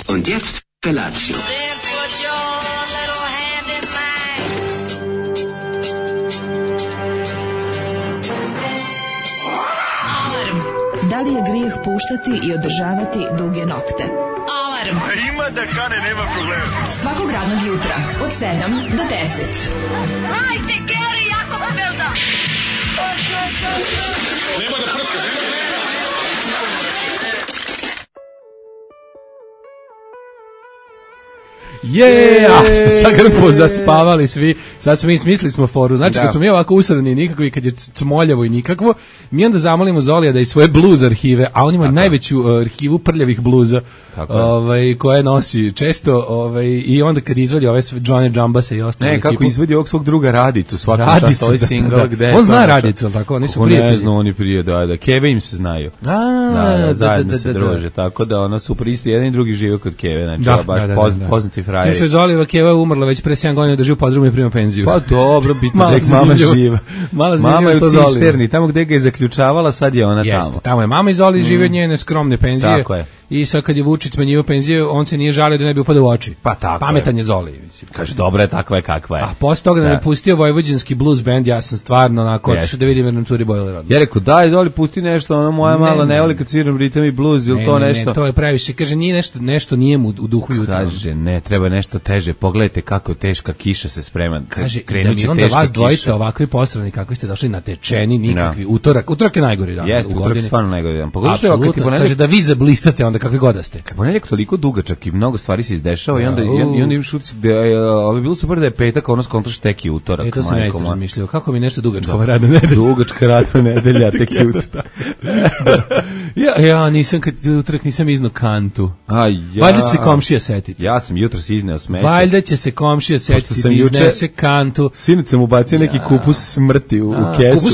Und jetzt Felatio. Da li je grijeh puštati i održavati duge nokte? Alarm! Ima da kane, nema problema. Svakog radnog jutra, od 7 do 10. Hajde, Geri, jako se velda! Nema da prska, Ste sad grpo zaspavali svi. Sad smo mi smislili smo foru. Znači kad smo mi ovako usrani nikako i kad je cmoljavo i nikakvo, mi onda zamolimo Zolija da iz svoje blues arhive, a on ima najveću arhivu prljavih bluza, koje nosi često, i onda kad izvadi ove Johnny Jambase i ostale. Ne, kako izvadi ovog svog druga Radicu, svakog čast ovaj single gde. On zna Radicu, al tako, oni su prijatelji. Ne zna oni prije, da, Keve im se znaju. Zajedno se druže, tako da ona su isto jedan i drugi žive kod Keve, znači baš poznati frajeri. Što je Zolijeva Keva umrla već pre 7 godina, drži u podrumu i prima penziju. Pa dobro, bitno da je mama živa. Mama je u cisterni, tamo gde ga je zaključavala, sad je ona tamo. Tamo je mama i Zoli žive od njene skromne penzije. Tako je. I sad kad je Vučić smanjivao penzije, on se nije žalio da ne bi upadao u oči. Pa tako. Pametan je Zoli. Kaže, dobra je, takva je kakva je. A posle toga da me pustio vojvođanski blues band, ja sam stvarno onako otišao da vidim jer nam curi bojler odmah. Ja rekao, daj Zoli, pusti nešto, ono moja mala ne voli kad sviram ritam i blues, ili to nešto. Ne, to je previše. Kaže, nije nešto nije mu u duhu jutra. Kaže, ne, treba nešto teže. Pogledajte kako teška kiša se sprema. Kaže, da mi onda vas dvojica ovakvi posrani, kako ste došli natečeni, nikakvi. Utorak je najgori dan. Jeste, utorak je stvarno najgori dan. Apsolutno, kaže da vi zablistate onda kakvi god da ste. Ponedjeljak toliko dugačak i mnogo stvari se izdešava i onda imaš utisak da je bilo super da je petak, ono skontraš tek i utorak. To sam ja isto razmišljao. Kako mi nešto dugačka radna nedelja? Dugačka radna nedelja, tek i utorak. Ja nisam, utorak nisam iznao kantu. Valjda će se komšija setiti. Ja sam jutros izneo smeće. Valjda će se komšija setiti da iznese kantu. Sinoć sam ubacio neki kupus smrti u kesu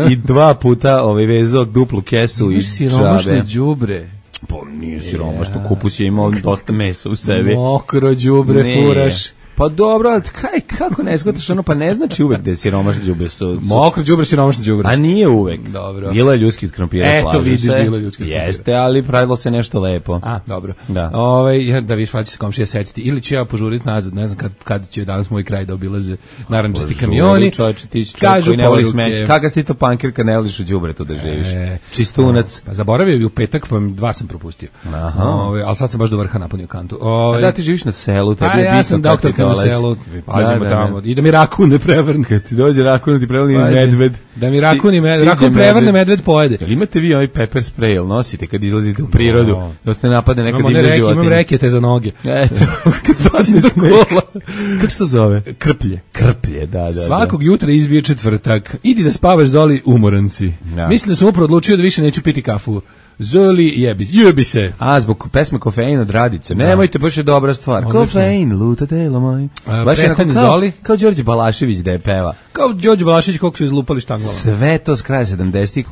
i 2 puta vezao duplu kesu i siromašne đubre. Pa nije siromašno, kupus je imao dosta mesa u sebi. Mokro đubre furaš. Pa dobro, ali kako ne shvataš ono, pa ne znači uvek da je siromašno đubre. Mokro đubre, siromašno đubre. A nije uvek. Dobro. Bilo je ljudski od krompira. Eto vidiš, bilo je ljudski od krompira. Jeste, ali pravilo se nešto lepo. Dobro. Da. Da viš, valjda će se komšija setiti. Ili ću ja požuriti nazad, ne znam kad će danas moj kraj da obilaze narandžasti kamioni. Čovječe, ti si čovjek koji ne voli smeće. Kakav si ti to pankir kad ne voliš u đubretu da živiš? Čistunac. Pa zaboravio i u petak, pa 2 sam propustio. Ali sad sam baš do vrha napunio kantu. Da, ti živiš na selu, tebi je bitno kako ti na selu, pazimo tamo. I da mi rakun ne prevrne. Kad ti dođe rakun, ti prevrne medved. Da mi rakun prevrne, medved pojede. Jel imate vi ovaj pepper spray, jel nosite kad izlazite u prirodu? Da ste napade nekad divne životinje? Imam rekete za noge. Eto, kad dođe na kola. Kako se to zove? Krplje, da. Svakog jutra izbije četvrtak. Idi da spavaš, Zoli, umoran si. Mislim da sam upravo odlučio da više neću piti kafu. Zoli, jebi se. Zbog pesme Kofein od Radice. Nemojte, baš je dobra stvar. Kofein, luta telo moj. Prestani Zoli. Kao Đorđe Balašević da je peva. Kao Đorđe Balašević koliko su izlupali štanglama. Sve to s kraja 70-ih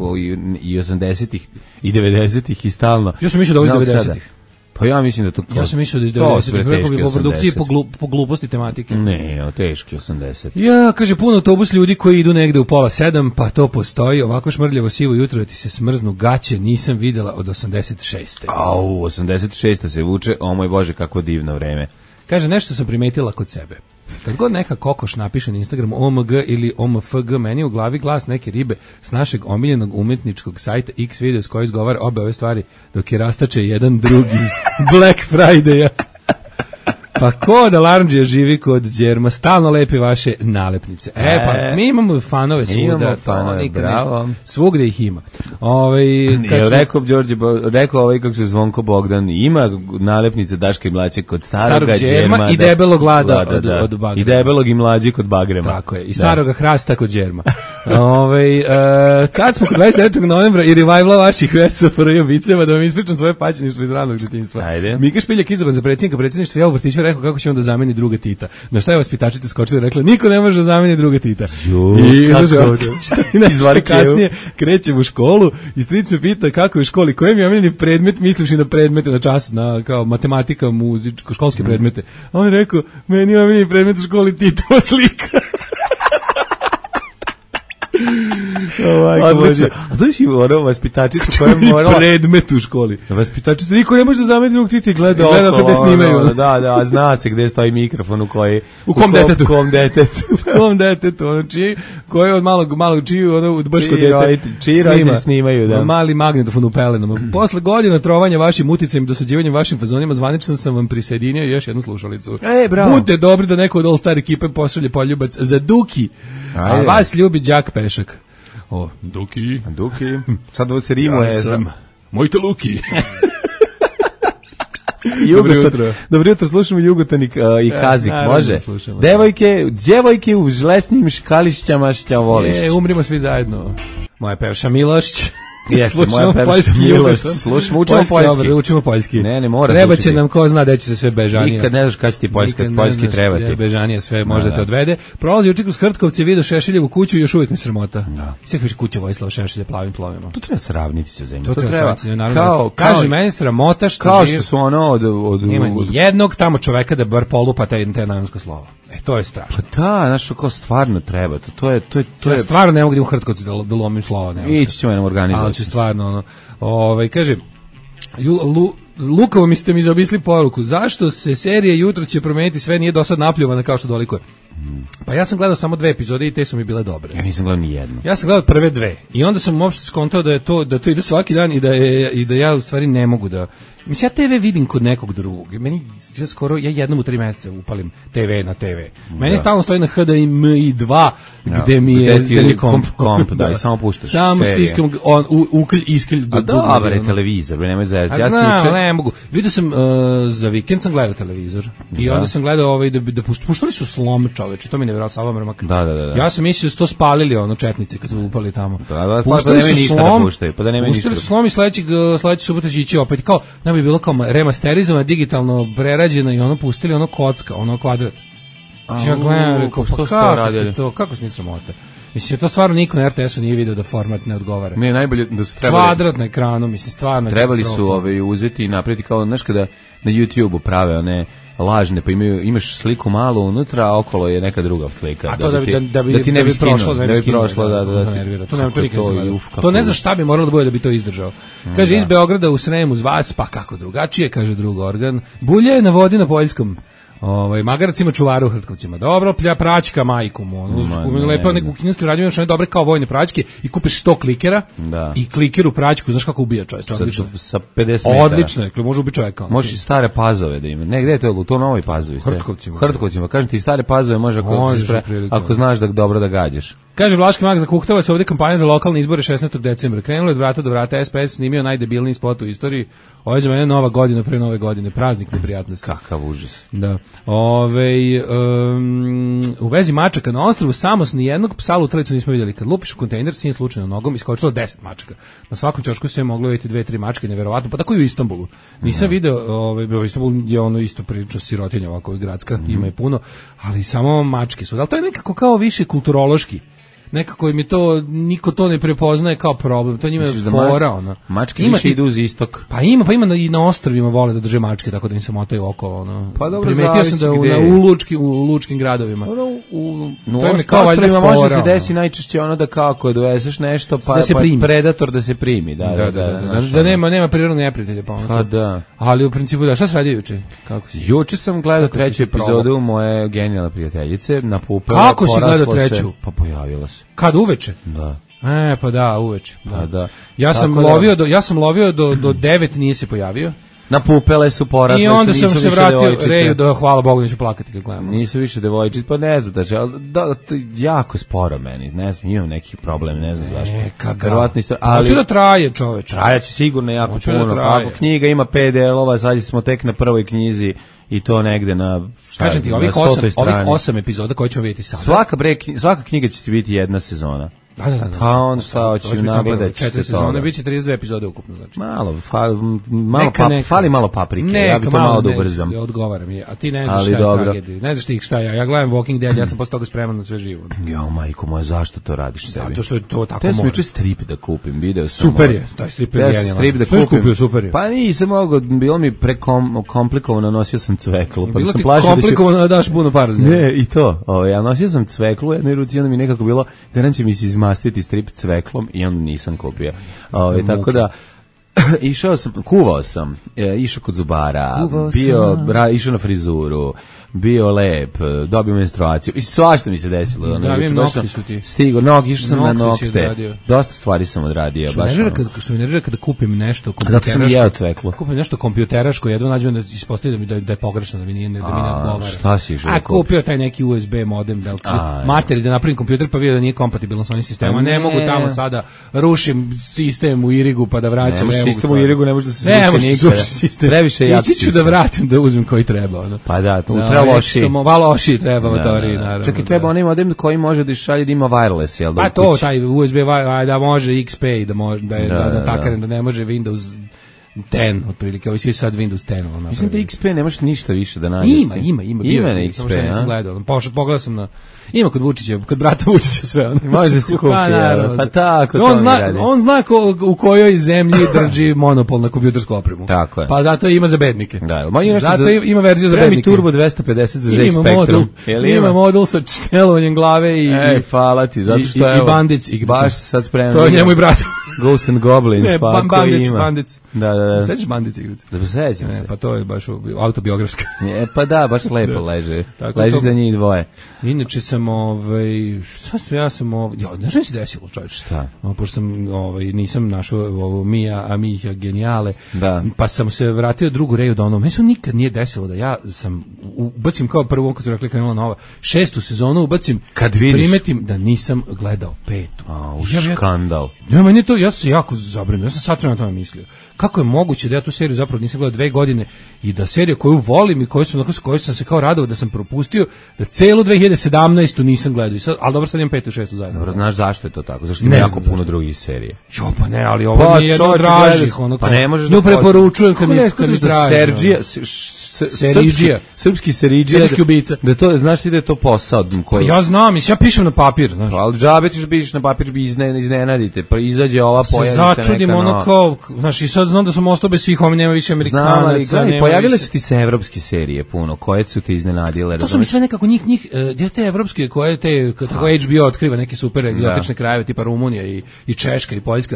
i 80-ih i 90-ih i stalno. Ja sam mislio da ovo iz 90-ih. Pa ja mislim da to... Ja sam mislio da iz 90-ih, po produkciji po gluposti tematike. Ne, teški 80. Ja, kaže, puno autobus ljudi koji idu negde u 6:30, pa to postoji, ovako šmrljavo sivo jutro da ti se smrznu gaće, nisam videla od 86. 86. se vuče, o moj Bože, kako divno vreme. Kaže, nešto sam primetila kod sebe. Kad god neka kokoš napiše na Instagramu OMG ili OMFG, meni u glavi glas neke ribe s našeg omiljenog umetničkog sajta X Videos koji izgovara obe ove stvari dok je rastače jedan drugi iz Black Friday-a. Pa ko da Larndžija živi kod Đerma, stalno lepi vaše nalepnice. Pa mi imamo fanove svuda, bravo. Svugde ih ima. Rekao ovaj kako se Zvonko Bogdan, ima nalepnice Daška i Mlađe kod starog Đerma i debelog glada od Bagrema. I debelog i Mlađe kod Bagrema. Tako je, i staroga hrasta kod Đerma. Kad smo kod 29. novembra i revivala vaših SFRJ viceva, da vam ispričam svoje paćeništvo iz ranog djetinjstva. Mika Špiljak izabran za predsjednika predsjedništva, ja u vrtiću rekao kako će on da zameni druga Tita. Na šta je vaspitačica skočila i rekla, niko ne može da zameni druga Tita. I kasnije krećem u školu i stric me pita kako je u školi, kojem je omiljeni predmet, mislivši na predmete na času, na kao matematika, muzičko, školske predmete. A on je rekao, meni je omiljeni predmet u školi Titova slika. Odlično. A znaš i ono vaspitačicu koja je morala... predmet u školi. Vaspitačicu, niko ne može da zameti dok ti gleda oko. Gleda kada snimaju. Da, zna se gde stoji mikrofon u koji... U kom detetu. U kom detetu. U kom detetu, ono koji od malog čiju, ono baš kod dete. Čiji roditelji snimaju, da. Mali magnetofon u pelenama. Posle godina trovanja vašim uticajem i dosađivanjem vašim fazonima, zvanično sam vam prisjedinio još jednu slušalicu. Bravo. Budite dobri da neko od All Star ekipe pošalje poljubac za Duki. A vas ljubi đak Pešak. O, Duki. Sad ovo se rimuje. Ja sam Mojte Luki. Dobro jutro, slušamo Jugotanik i Kazik, može? Djevojke u žletnim škališćama šćavolišć. Umrimo svi zajedno. Moja pevša Milošć. Jeste, moja pevša Milošć. Slušamo, učimo poljski. Ne, mora se učiti. Treba će nam, ko zna da će se sve bežanije. Nikad ne znaš kada će ti poljski trebati. Bežanije sve može te odvede. Prolazi učik uz Hrtkovce, vidio Šešeljevu kuću i još uvijek mi sramota. Sve kaže kuća Vojislava Šešelja plavim plovima. To treba sravniti sa zemljom. To treba kaže meni sramota što kao što su ono od nema ni jednog tamo čoveka da bar polupa te najmansko slovo. To je strašno. Pa da, znaš, kao stvarno treba. To je stvarno ne mogu da u Hrtkovci da lomim slova. Ići ćemo nam organizovati. Ali će stvarno, kaže, lukavo mi ste mi zaobisli poruku. Zašto se serija Jutro će promeniti sve nije do sad napljuvana kao što dolikuje? Pa ja sam gledao samo 2 epizode i te su mi bile dobre. Ja nisam gledao ni jednu. Ja sam gledao prve 2 i onda sam uopšte skontao da to ide svaki dan i da ja u stvari ne mogu da... Mislim, ja TV vidim kod nekog drugog. Ja jednom u 3 meseca upalim TV na TV. Meni stalno stoji na HDMI 2 gde mi je komp, da, i samo puštaš serije. Samo stiskam uklj, isklj. A dobar je televizor, nemoj zezati. Ja znam, ne mogu. Vidio sam, za vikend sam gledao televizor i onda sam gledao da puštali su slom, čoveče, to mi ne vjerao Sava Mrmak. Da. Ja sam mislio da su to spalili, četnici kad su upali tamo. Puštali su slom, puštali su slom i sledeće subote će ići opet, kao, bi bilo kao remasterizovano, digitalno prerađeno i pustili kocka, kvadrat. Ja gledam, rekao, kako ste sramota? Mislim, to stvarno niko na RTS-u nije vidio da format ne odgovara. Ne, najbolje da su trebali... Kvadrat na ekranu, mislim, stvarno... Trebali su uzeti i napraviti kao, znaš, kada na YouTube-u prave one lažne, pa imaš sliku malo unutra, a okolo je neka druga slika. A to da bi ne bi prošlo, da. To ne znaš šta bi moralo da bude da bi to izdržao. Kaže, iz Beograda u Srem uz vas, pa kako drugačije, kaže drugi organ. Bulje je na vodi na Poljskom. Magarac ima čuvara u Hrtkovcima. Dobro, praćka majkom. Lepo u kineskim radnjima imaš one dobre kao vojne praćke i kupiš 100 klikera i klikeru praćku, znaš kako ubija čovjek. Sa 50 metara. Odlično je, može ubiti čovjeka. Možeš i stare Pazove da ima. Ne, gde je to? To Novoj Pazovi. Hrtkovcima. Kažem ti, stare Pazove može ako znaš da dobro da gađaš. Kaže Vlaški mag zakuhtava se ovdje kampanja za lokalne izbore 16. decembra. Krenulo je od vrata do vrata, SPS snimio najdebilniji spot u istoriji. Ovo je za mene nova godina pre nove godine, praznik neprijatnosti. Kakav užas. Da. U vezi mačaka na ostrvu Samos ni jednog psa lutravicu nismo vidjeli. Kad lupiš u kontejner, sin slučajno nogom iskočilo 10 mačaka. Na svakom ćošku se je moglo vidjeti 2-3 mačke, neverovatno. Pa tako i u Istanbulu. Nisam video, Istanbul je isto prilično sirotinja ovako gradska, ima je puno, ali samo mačke su. Ali to je nekako kao više kulturološki. Nekako im je to, niko to ne prepoznaje kao problem, to njima je fora, Mačke više idu uz istok. Pa ima i na ostrvima vole da drže mačke, tako da im se motaju okolo, Pa dobro, primetio sam da u lučkim gradovima. To je ostrvima može se desi najčešće da kako dovezeš nešto, pa predator da se primi, da nema prirodnog neprijatelja, pa da. Ali u principu da, šta se radio juče? Juče sam gledao 3. epizodu moje genijalne prijateljice, na Pupele. Kako si gledao 3? Pa pojavila se. Kad uveče? Da. Pa da, uveče. Da. Ja sam lovio do 9, nije se pojavio. Na Pupele su porasle. I onda sam se vratio Reju da hvala Bogu neću plakati kad gledamo. Nisu više devojčice, pa ne znam jako sporo meni, ne znam, imam neki problem, ne znam zašto. Verovatno isto, ali hoće da traje, čoveče. Trajaće sigurno jako puno. Ako knjiga ima 5 delova, sad smo tek na prvoj knjizi i to negde na kažem ti, ovih 8 epizoda koje ćemo vidjeti sada. Svaka knjiga će ti biti jedna sezona. Da. Pa on šta će nagledati se sezone, biće 32 epizode ukupno, znači. Fali malo paprike, ja bih to malo da ubrzam. Odgovaram je, a ti ne znaš šta je tragedija. Ne znaš ti šta je, ja gledam Walking Dead, ja sam posle toga spreman na sve živo. Jo, majko moja, zašto to radiš sebi? Zato što je to tako mora. Te sam juče strip da kupim, video sam. Super je, taj strip je genijalan. Što je kupio, super je. Pa nisam mogao, bilo mi prekomplikovano, nosio sam cveklu. Bilo ti komplikovano da daš puno para. Ne, i to, ja nosio sam cveklu u jednoj ruci, onda mi nekako bilo, garant će mi se mastiti strip cveklom i onda nisam kupio. Tako da kuvao sam, išao kod zubara, išao na frizuru, bio lep, dobio menstruaciju i svašta mi se desilo. Da, vidim, nokti su ti. Stigo, išao sam na nokte. Dosta stvari sam odradio. Što mi nervira kada kupim nešto zato sam i jeo cveklo. Kupim nešto kompjuteraško, jedno nađem da ispostavljam da je pogrešno, da mi ne odgovara. Šta si išao? Kupio taj neki USB modem, materi da napravim kompjuter, pa vidio da nije kompatibilan sa onim sistemom. Ne mogu tamo sada rušim sistem u Irigu pa da vraćam. Sistem u Irigu ne može da se sruši. Previše jak sistem. Ići ću da vratim da uzmem koji treba. Pa da, treba loši treba motori, naravno. Čak i treba onaj modem koji može da šalje da ima wireless, jel da? Pa to, taj USB, da može XP, da takaren, da ne može Windows 10, otprilike, ovi svi sad Windows 10. Mislim da XP nemaš ništa više da nađeš. Ima na XP, samo što nisam gledao. Pogledao sam na... Ima kod Vučića, kod brata Vučića sve. Može da se kupi, pa tako to on zna u kojoj zemlji drži monopol na kompjutersku opremu. Tako je. Pa zato ima za bednike. Da, zato ima verziju za bednike. Turbo 250 za ZX Spectrum. Ima modul sa čtelovanjem glave i... hvala ti, zato što evo... I Bandic. Baš sad spremno. To je njemu i bratu. Ghost and Goblins, pa ako ima. Bandic. Da. Sećaš Bandic igrice? Da, sećam se. Pa to je baš autobiografska. Pa da, baš lepo leže. Leži za njih dvoje. Inače sam, znaš što mi se desilo, čovječe? Šta? Pošto sam, nisam našao ovo Mija Genijale, pa sam se vratio drugu Reju Donovan. Meni se nikad nije desilo da ja sam, ubacim kao prvo, kad su rekli krenula nova, 6. sezonu ubacim, kad vidiš, primetim da nisam gledao 5. Skandal. Ja, meni to, ja sam se jako zabrinuo, ja sam sad vremena tome mislio. Kako je moguće da ja tu seriju zapravo nisam gledao 2 godine i da serija koju volim i koju sam se kao radovao da sam propustio, da celu 2017. nisam gledao. Ali dobro, sad imam 5. i 6. zajedno. Dobro, znaš zašto je to tako? Zašto ima jako puno drugih serije? Jo, pa ne, ali ovo nije jedno od dražih. Pa ne možeš da... Nju preporučujem kad mi traži. Seridžija. Srpski seridžija. Serijski ubica. Da to, znaš ti da je to posao? Koji... Ja znam, ja pišem na papir. Znaš. Ali džabe ćeš pišeš na papir i iznenadite. Pa izađe ova, pojavi se neka začudim ono kao, znaš, i sad znam da sam ostao bez svih, ovdje nema više Amerikanaca. Znam, ali pojavile su ti se evropske serije puno, koje su te iznenadile. To su mi sve nekako njih te evropske, koje te, kako HBO otkriva neke super egzotične krajeve, tipa Rumunija i Češka i Poljska.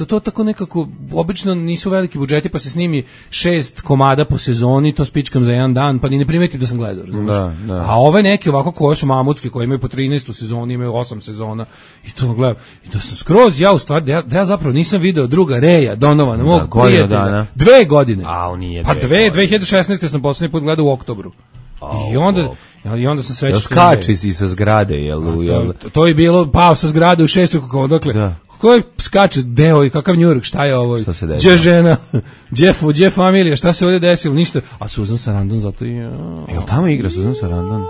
To tako nekako, obično nisu veliki budžeti, pa se snimi 6 komada po sezoni, to spičkam za jedan dan, pa ni ne primetim da sam gledao, razumiješ? A ove neke ovako koje su mamutske, koje imaju po 13 sezoni, imaju 8 sezona, i to gledam, i da sam skroz, ja u stvari, da ja zapravo nisam video druga Reja Donovana, mog prijatelja, 2 godine. Pa 2016. sam posljednji put gledao u oktobru. I onda sam sve... Skači si sa zgrade, jel? To je bilo, pao sa zgrade u 6. Odakle? Koji skače deo i kakav New York, šta je ovo? Gdje žena? Gdje familija? Šta se ovdje desilo? Ništa. A Susan Sarandon zato i... Jel tamo igra Susan Sarandon?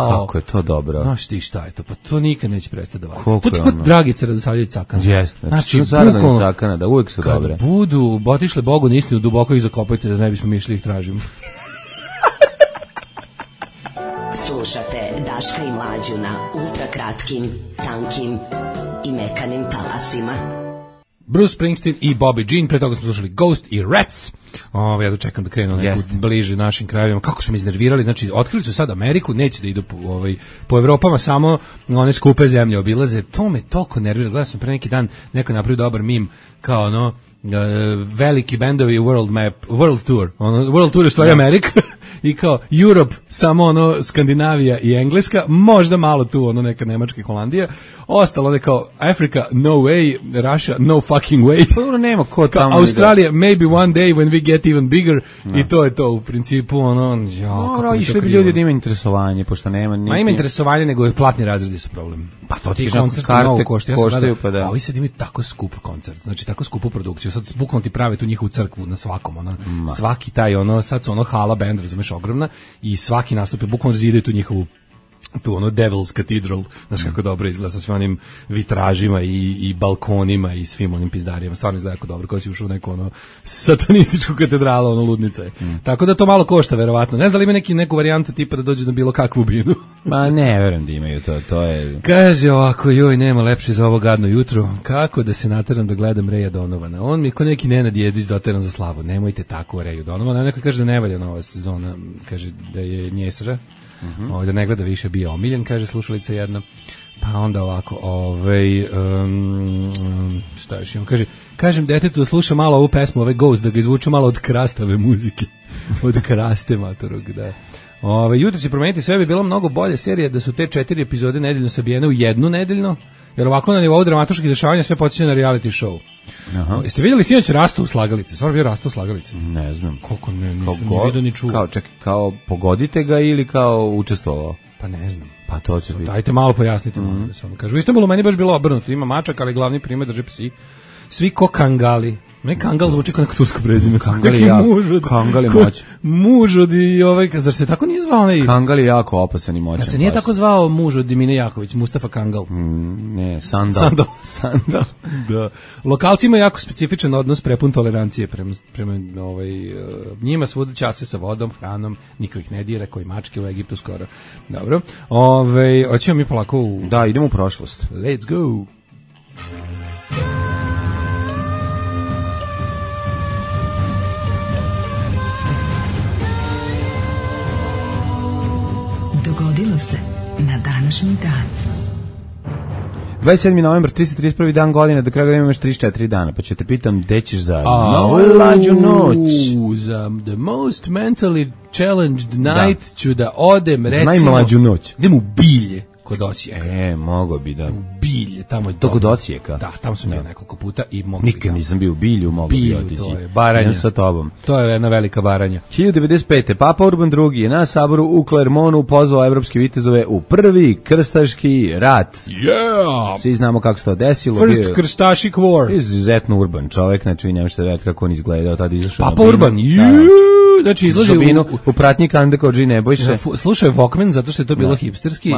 Kako je to dobro. Znaš ti šta je to? Pa to nikad neće prestati da vadi. To je kod Dragice Radosavljević Cakana. Jeste. Znači Sarandon i Cakana, da uvijek su dobre. Kad budu otišle Bogu na istinu, duboko ih zakopajte da ne bismo mi išli ih tražimo. Slušate Daška i Mlađu na ultrakratkim, tankim i mekanim talasima. Bruce Springsteen i Bobby Jean, pre toga smo slušali Ghost i Rats. Ja dočekam da krenu neku bliže našim krajevima. Kako su me iznervirali, znači otkrili su sad Ameriku, neće da idu po Evropama, samo one skupe zemlje obilaze. To me toliko nervira. Gledao sam pre neki dan, neko napravio dobar meme, kao veliki bendovi World Tour. World Tour je stvari Amerika. I kao Europe, samo Skandinavija i Engleska, možda malo tu neka Nemačka i Holandija, ostalo kao Africa, no way, Russia, no fucking way. Pa nema ko tamo. Australija, maybe one day when we get even bigger, i to je to u principu, išli bi ljudi da ima interesovanje, pošto nema niti... Ma ima interesovanje, nego je platni razredi su problem. Pa to ti koncerti mnogo koštaju, pa da. A ovi sad imaju tako skup koncert, znači tako skupu produkciju, sad bukvalno ti prave tu njihovu crkvu na svakom, svaki taj, sad su hala band, razumeš, ogromna, i svaki nastup je bukvalno zidaju tu njihovu Devil's Cathedral, znaš kako dobro izgleda sa svim onim vitražima i balkonima i svim onim pizdarijama, stvarno izgleda jako dobro, kao si ušao u neku satanističku katedralu, ludnica je. Tako da to malo košta, verovatno. Ne znam da li ima neku varijantu tipa da dođe na bilo kakvu binu. Ma ne, verujem da imaju to je... Kaže ovako, joj, nema lepše za ovo gadno jutro, kako da se nateram da gledam Reja Donovana. On mi je ko neki Nenad Jezdić doteran za slavu. Nemojte tako Reju Donovana. Neko kaže da ne valja nova sezona, kaže da je njesra. Da ne gleda više, bio omiljen, kaže slušalica jedna. Pa onda ovako, šta još imam, kažem detetu da sluša malo ovu pesmu, Ghost, da ga izvuče malo od krastave muzike, od kraste matorog, da. Jutro će promeniti sve, bi bila mnogo bolje serija da su te 4 epizode nedeljno sabijene u jednu nedeljno, jer ovako na nivou dramatičkih dešavanja sve podsjeća na reality show. Aha. Jeste vidjeli sinoć Rastu u slagalici? Stvarno bio Rastu u slagalici? Ne znam. Koliko ne, nisam ni vidio ni čuo. Kao pogodite ga ili kao učestvovao? Pa ne znam. Pa to će biti. Dajte malo pojasnite. Kažu, u Istanbulu meni baš bilo obrnuto. Ima mačak, ali glavni primer drže psi. Svi ko kangali. Ne kangal zvuči kao neko tursko prezime. Kangal je jako. Kangal je moć. Muž od zar se tako nije zvao onaj? Kangal je jako opasan i moćan. Se nije tako zvao muž od Dimine Jaković, Mustafa Kangal. Ne, Sandal. Da. Lokalci imaju jako specifičan odnos, prepun tolerancije prema njima, svuda čase sa vodom, hranom, niko ih ne dira, koji mačke u Egiptu skoro. Dobro. Hoćemo mi polako Da, idemo u prošlost. Let's go. Dogodilo se na današnji dan. 27. novembar, 331. dan godine, do kraja godine imaš 34 dana, pa ću te pitam, gde ćeš za najlađu noć? Za the most mentally challenged night ću da odem, recimo... Najmlađu noć. Idem u Bilje, kod Osijeka. Mogo bi da... U Bilje, tamo je... To kod Osijeka? Da, tamo sam bio nekoliko puta i mogo nikad nisam bio u Bilju, mogo bi otići. To je Baranja. Sa tobom. To je jedna velika Baranja. 1095. Papa Urban II je na saboru u Klermonu pozvao evropske vitezove u prvi krstaški rat. Yeah! Svi znamo kako se to desilo. First krstašik war. Izuzetno urban čovjek, znači vi ne možete vedeti kako on izgledao, tada izašao Papa Urban, znači izlazi u pratnji Kande Kodži Nebojše. Slušao je Walkman zato što je to bilo hipsterski i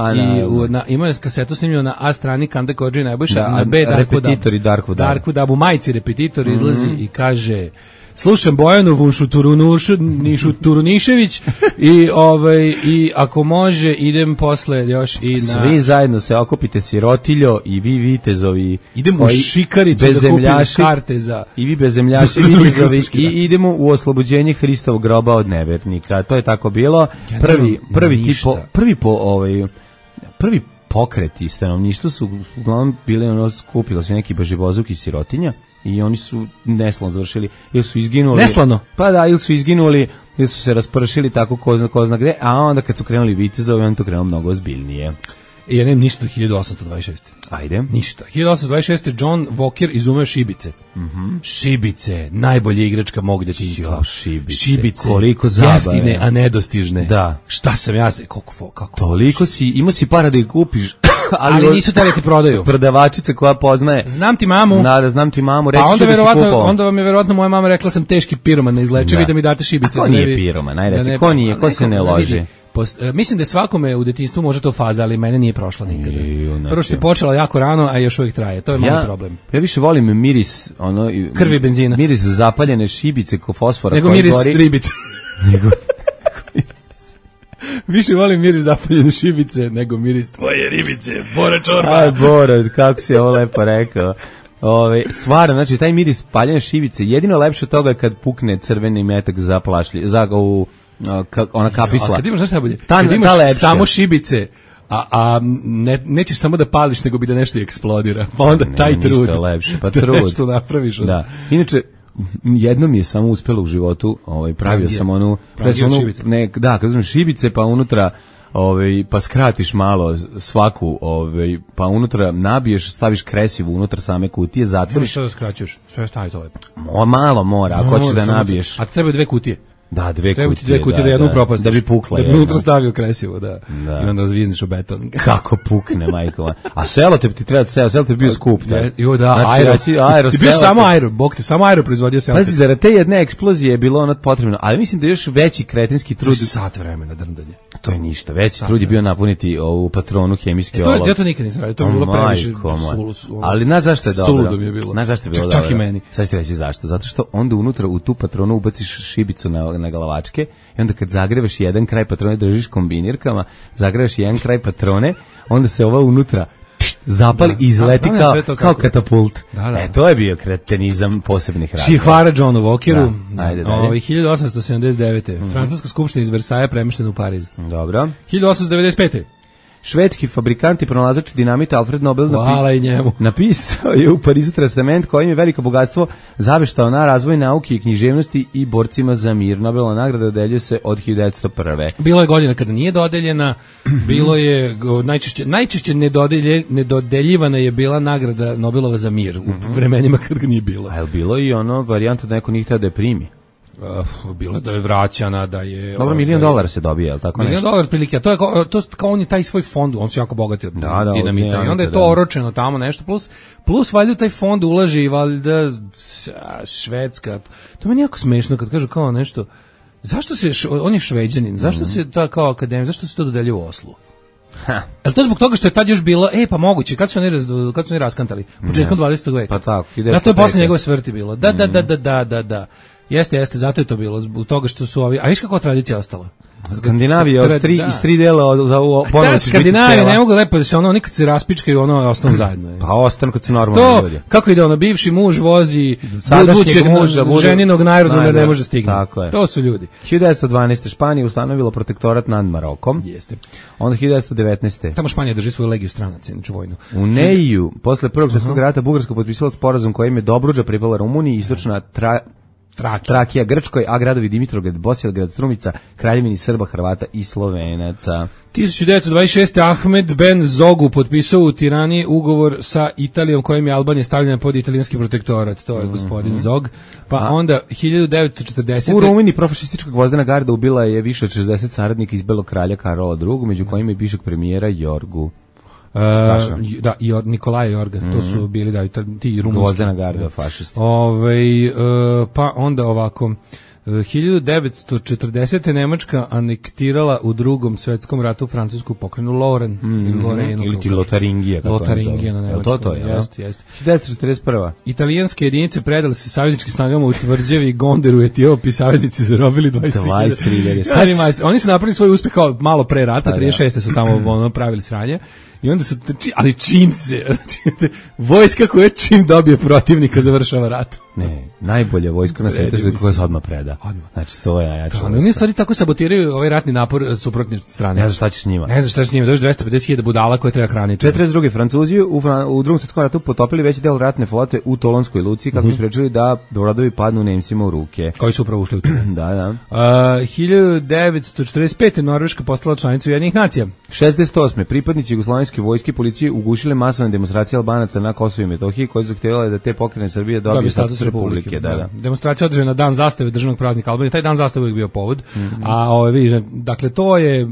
imao je kasetu snimljeno na A strani Kande Kodži Nebojše, na B repetitori Darku Dabu, majici repetitor izlazi i kaže: slušam Bojanu Turunišević i ako može idem posle još i na... Svi zajedno se okupite sirotiljo i vi vitezovi. Idemo u Šikaricu da kupim karte za... I vi bezemljaši vitezovi i idemo u oslobođenje Hristovog groba od nevernika. To je tako bilo. Prvi pokreti stanovništva su uglavnom bili skupilo se neki baživozuk iz sirotinja. I oni su neslavno završili, ili su izginuli. Neslano? Pa da, ili su izginuli, ili su se raspršili tako ko zna gde, a onda kad su krenuli vitezovi, on to krenuo mnogo ozbiljnije. I ja nemam ništa 1826. Ajde. Ništa. 1826. John Walker izumeo šibice. Šibice, najbolja igračka mog detinjstva. Šibice. Koliko zabave. Jeftine, a nedostižne. Da. Šta sam ja se, kako? Toliko imao si para da ih kupiš. Ali nisu teli ti prodaju. Prodavačice koja poznaje. Znam ti mamu. Da, znam ti mamu, reći ću da si kupovao. Onda vam je verovatno moja mama rekla sam teški piroman, neizlečivi da mi date šibice. A ko nije piroman, najreci, ko nije, ko se ne loži? Mislim da svakome u detinjstvu može to faza, ali mene nije prošla nikada. Prvo što je počela jako rano, a još uvijek traje. To je moj problem. Ja više volim miris krvi benzina. Miris zapaljene šibice ko fosfora. Nego miris ribice. Više volim miris zapaljene šibice nego miris tvoje ribice. Bora čorba. Aj, Bora, kako si ovo lepo rekao. Stvarno, znači taj miris paljene šibice, jedino lepše od toga je kad pukne crveni metak za ona kapisla. A kad imaš nešto najbolje? Kad imaš samo šibice, nećeš samo da pališ, nego bi da nešto eksplodira. Pa onda taj trud. Ništa lepše, pa trud. Nešto napraviš. Da. Inače, jednom je samo uspelo u životu, pravio sam onu, da, kad uzmeš šibice, pa unutra pa skratiš malo svaku, pa unutra nabiješ, staviš kresivu unutra same kutije, zatvoriš. Što da skraćuješ? Sve stavi to lepo. Malo mora, ako hoćeš da nabiješ. A trebaju 2 kutije. Da, dve kutije da jednu propast. Da bi pukla. Da bi unutra stavio kresivo, da. I onda zvizniš u beton. Kako pukne, majko. A selotep ti treba, selotep bio skup. Jo, da, aero. Ti bio samo aero, bog te, samo aero proizvodio selotep. Pazi, zarad te jedne eksplozije je bilo ono potrebno, ali mislim da je još veći kretenski trud. Sat vremena drndanje. To je ništa, veći trud je bio napuniti ovu patronu hemijski olov. Ja to nikad nisam radio, to je bilo previše. Ali znaš zašto je dobro? Suludo mi je bilo. Znaš zašto je bilo dobro? Čak i meni. Sad ću reći zašto. Zato što onda unutra u tu patronu ubaciš šibicu na glavačke i onda kad zagrevaš jedan kraj patrone, držiš kombinirkama, zagrevaš jedan kraj patrone, onda se ova unutra zapali i izleti kao katapult. To je bio kretenizam posebnih razloga. Čihvara Johnu Walkeru. Ajde, dalje. 1879. Francuska skupština iz Versaja premještena u Pariz. Dobro. 1895. Švedski fabrikant i pronalazač dinamita Alfred Nobel Hvala i njemu. napisao je u Parizu testament kojim je veliko bogatstvo zaveštao na razvoj nauke i književnosti i borcima za mir. Nobelova nagrada dodeljuje se od 1901. Bilo je godina kada nije dodeljena, bilo je najčešće nedodeljivana je bila nagrada Nobelova za mir u vremenima kad ga nije bilo. A je bilo i ono varijanta da neko nije htio da je primi? Bilo je da je vraćana, da je... Dobro, $1.000.000 se dobije, je li tako nešto? $1.000.000 prilike, a to je kao on je taj svoj fond, on se jako bogati od dinamita, i onda je to oročeno tamo nešto, plus valjda taj fond ulaži i valjda Švedska, to meni jako smešno kad kažu kao nešto, zašto se, on je Šveđanin, zašto se ta kao akademija, zašto se to dodelje u Oslu? Je to zbog toga što je tad još bilo, pa moguće, kad su oni raskantali? Početkom 20. veka. Pa tako, da, to je posle njegove smrti bilo. Da. Jeste, zato je to bilo, zbog toga što su ovi... A viš kako tradicija ostala? Skandinavija iz tri dela ponovno ćeš biti Skandinavija ne mogu lepo da se ono nikad se raspičkaju, ono ostanu zajedno. Pa ostanu kad su normalni ljudi. Kako ide ono, bivši muž vozi budućeg ženinog naroda ne može stignuti. To su ljudi. 1912. Španija ustanovila protektorat nad Marokom. Jeste. Onda 1919. Tamo Španija drži svoju legiju stranaca, inače vojnu. U Neiju, posle Prvog svjetskog rata, Bugarska potpisala sporazum kojim je Dobruđa pripala Rumuniji, istočna Trakija Grčkoj, a gradovi Dimitrovgrad, Bosilegrad, Strumica, kraljevini Srba, Hrvata i Slovenaca. 1926. Ahmed Ben Zogu potpisao u Tirani ugovor sa Italijom kojim je Albanija stavljena pod italijanski protektorat. To je gospodin Zog. Pa onda 1940. U Rumuniji profašistička gvozdena garda ubila je više od 60 saradnika iz Belog kralja Karola II, među kojima je bivšeg premijera Jorgu. Da, i Nikolaja Jorga, to su bili ti rumunski. Gvozdena garda, fašisti. Pa onda ovako, 1940. Nemačka anektirala u Drugom svetskom ratu francusku pokrajinu Lorraine ili ti Lotaringija, na nemačkom. To je, jeste. 1941. Italijanske jedinice predale se savezničkim snagama u Tvrđevi i Gonderu u Etiopiji, saveznici zarobili 23.000. Oni su napravili svoj uspeh kao malo pre rata, 36. su tamo pravili sranje. I onda su, ali čim se, vojska koja čim dobije protivnika završava rat. Ne, najbolja vojska na svijetu je koja se odmah preda. Znači, to je najjača vojska. Oni stvari tako sabotiraju ovaj ratni napor suprotne strane. Ne znaš šta će s njima. Dođe 250.000 budala koje treba hraniti. 42. Francuzi u Drugom svjetskom ratu potopili veći del ratne flote u Tolonskoj luci kako bi sprečili da brodovi padnu Nemcima u ruke. Koji su upravo ušli u to. Da. 1945. Norveška postala članica Ujedinjenih nacija. 68. Pripadnici jugoslovenske vojske i policije ugušile masovne demonstracije Albanaca na Kosovu i Metohiji koji zahtevale da te pokrene Srbije dobiju status republike. Da. Demonstracija održana na dan zastave državnog praznika Albanije. Taj dan zastave uvijek bio povod. A vidiš, dakle to je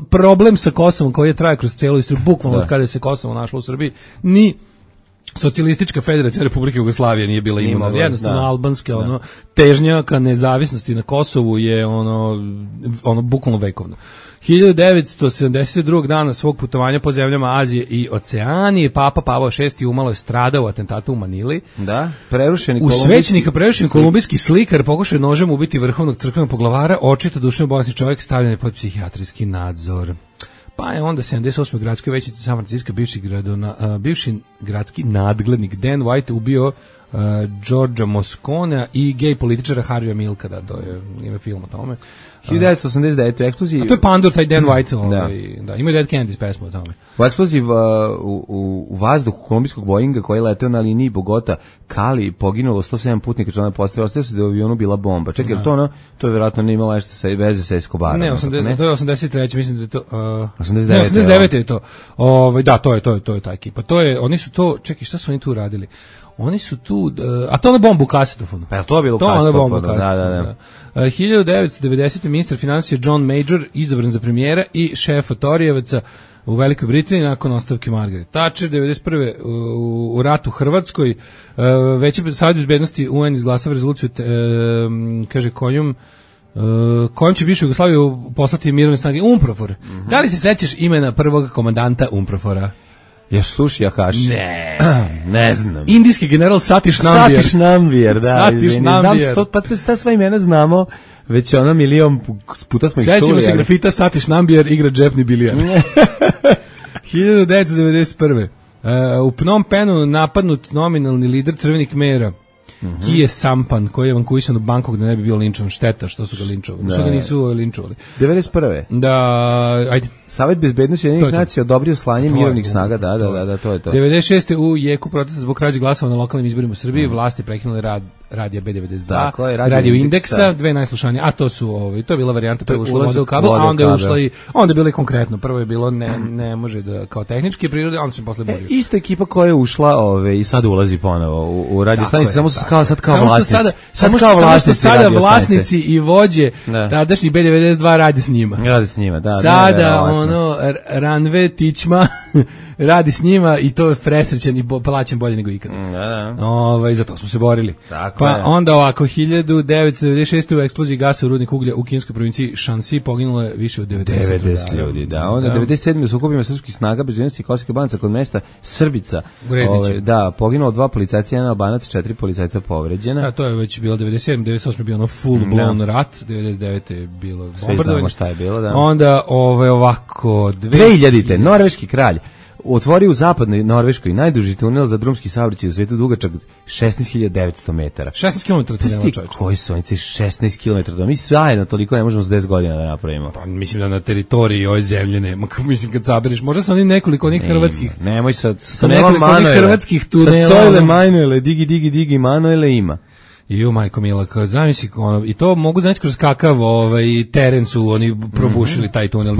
problem sa Kosovom koji je traje kroz celu istoriju, bukvalno od kada se Kosovo našlo u Srbiji. Ni Socijalistička federativna republika Jugoslavije nije bila imuna. Jednostavno albanske težnja ka nezavisnosti na Kosovu je ono bukvalno vekovno. 1972. dana svog putovanja po zemljama Azije i Oceanije, Papa Pavao VI umalo je stradao u atentatu u Manili. Da, u svećenika prerušeni kolumbijski slikar pokušao nožem ubiti vrhovnog crkvenog poglavara, očito duševno bolesni čovjek stavljen je pod psihijatrijski nadzor. Pa je onda 78. gradskoj većici San Francisco bivši gradski nadglednik Dan White ubio Georgia Mosconea i gej političara Harvija Milka, to je ime film o tome. 1989. eksploziji. A to je Pandur, taj Dan White, da, ima Dead Kennedys pesmu o tome. U eksploziji u vazduhu kolumbijskog Boeinga koji je leteo na liniji Bogota-Kali poginulo 107 putnika člana postave, ostaje se da je u avionu bila bomba. Čekaj, to je vjerojatno ne imalo nešto veze sa Escobarom. Ne, to je 83. mislim da je to... 89. je to. Da, to je ta ekipa. Oni su to, čekaj, šta su oni tu radili? Oni su tu, a to na bombu u kasetofonu. Pa to je bilo u kasetofonu, da. 1990. ministar financija John Major izabran za premijera i šef Torijevaca u Velikoj Britaniji nakon ostavke Margaret Thatcher. 1991. u ratu u Hrvatskoj Veći savjet bezbednosti UN izglasava rezoluciju kaže kojom će bivšu Jugoslaviju poslati mirovne snage UNPROFOR. Da li se sećaš imena prvog komandanta UNPROFORa? Još Suši Akaši. Ne znam. Indijski general Satish Nambiar. Satish Nambiar, da. Pa ta sva imena znamo, već milion puta smo ih čuli. Sećamo se grafita Satish Nambiar igra džepni bilijar. 1991. U Phnom Penhu napadnut nominalni lider Crvenih Khmera. Kije Sampan, koji je evakuisan u Bangkok da ne bi bio linčovan. Šteta što su ga linčovali. Što ga nisu linčovali. 91. Da, ajde. Savet bezbednosti Ujedinjenih nacija odobrio slanje mirovnih snaga, da, to je to. 96. u jeku protesta zbog krađe glasova na lokalnim izborima u Srbiji, vlasti prekinule rad radija B92, radio Indeksa, dve najslušanije, a to su to je bila varijanta, prvo ušla voda u kabel, a onda je ušla i onda je bilo i konkretno. Prvo je bilo ne može da kao tehničke prirode, onda se posle borio. Ista ekipa koja je ušla i sad ulazi ponovo u radio stanicu, samo kao vlasnici. Sada vlasnici i vođe tadašnji B92 radi s njima. Da. Sada Ranve Tićma radi s njima i to je presrećen i plaćen bolje nego ikada. Za to smo se borili. Pa onda ovako, 1996. u eksploziji gasa u rudnik uglja u kineskoj provinciji Shanxi poginulo je više od 90 ljudi. Da, onda 97. u sukobima srpskih snaga bezbednosti Kosovske Banca kod mesta Srbica. Poginulo 2 policajca, 1 Albanac, 4 policajca povređena. Da, to je već bilo 97, 98 je bio ono full blown rat, 99 je bilo bombardovanje. Šta je bilo, da. Onda ovako 2000. Norveški kralj otvorio u zapadnoj Norveškoj najduži tunel za drumski saobraćaj u svetu dugačak 16.900 metara. 16 km tunela, čovječe. Koji su oni 16 km? Mi zajedno toliko ne možemo za 10 godina da napravimo. Pa mislim da na teritoriji ove zemlje nema. Mislim kad saberiš, možda sa onih nekoliko onih hrvatskih. Nemoj sa nekoliko onih hrvatskih tunela. Sa Cojle Manuele, digi Manuele ima. Ju, majko mila, zamisli, i to mogu znači kroz kakav teren su oni probušili taj tunel,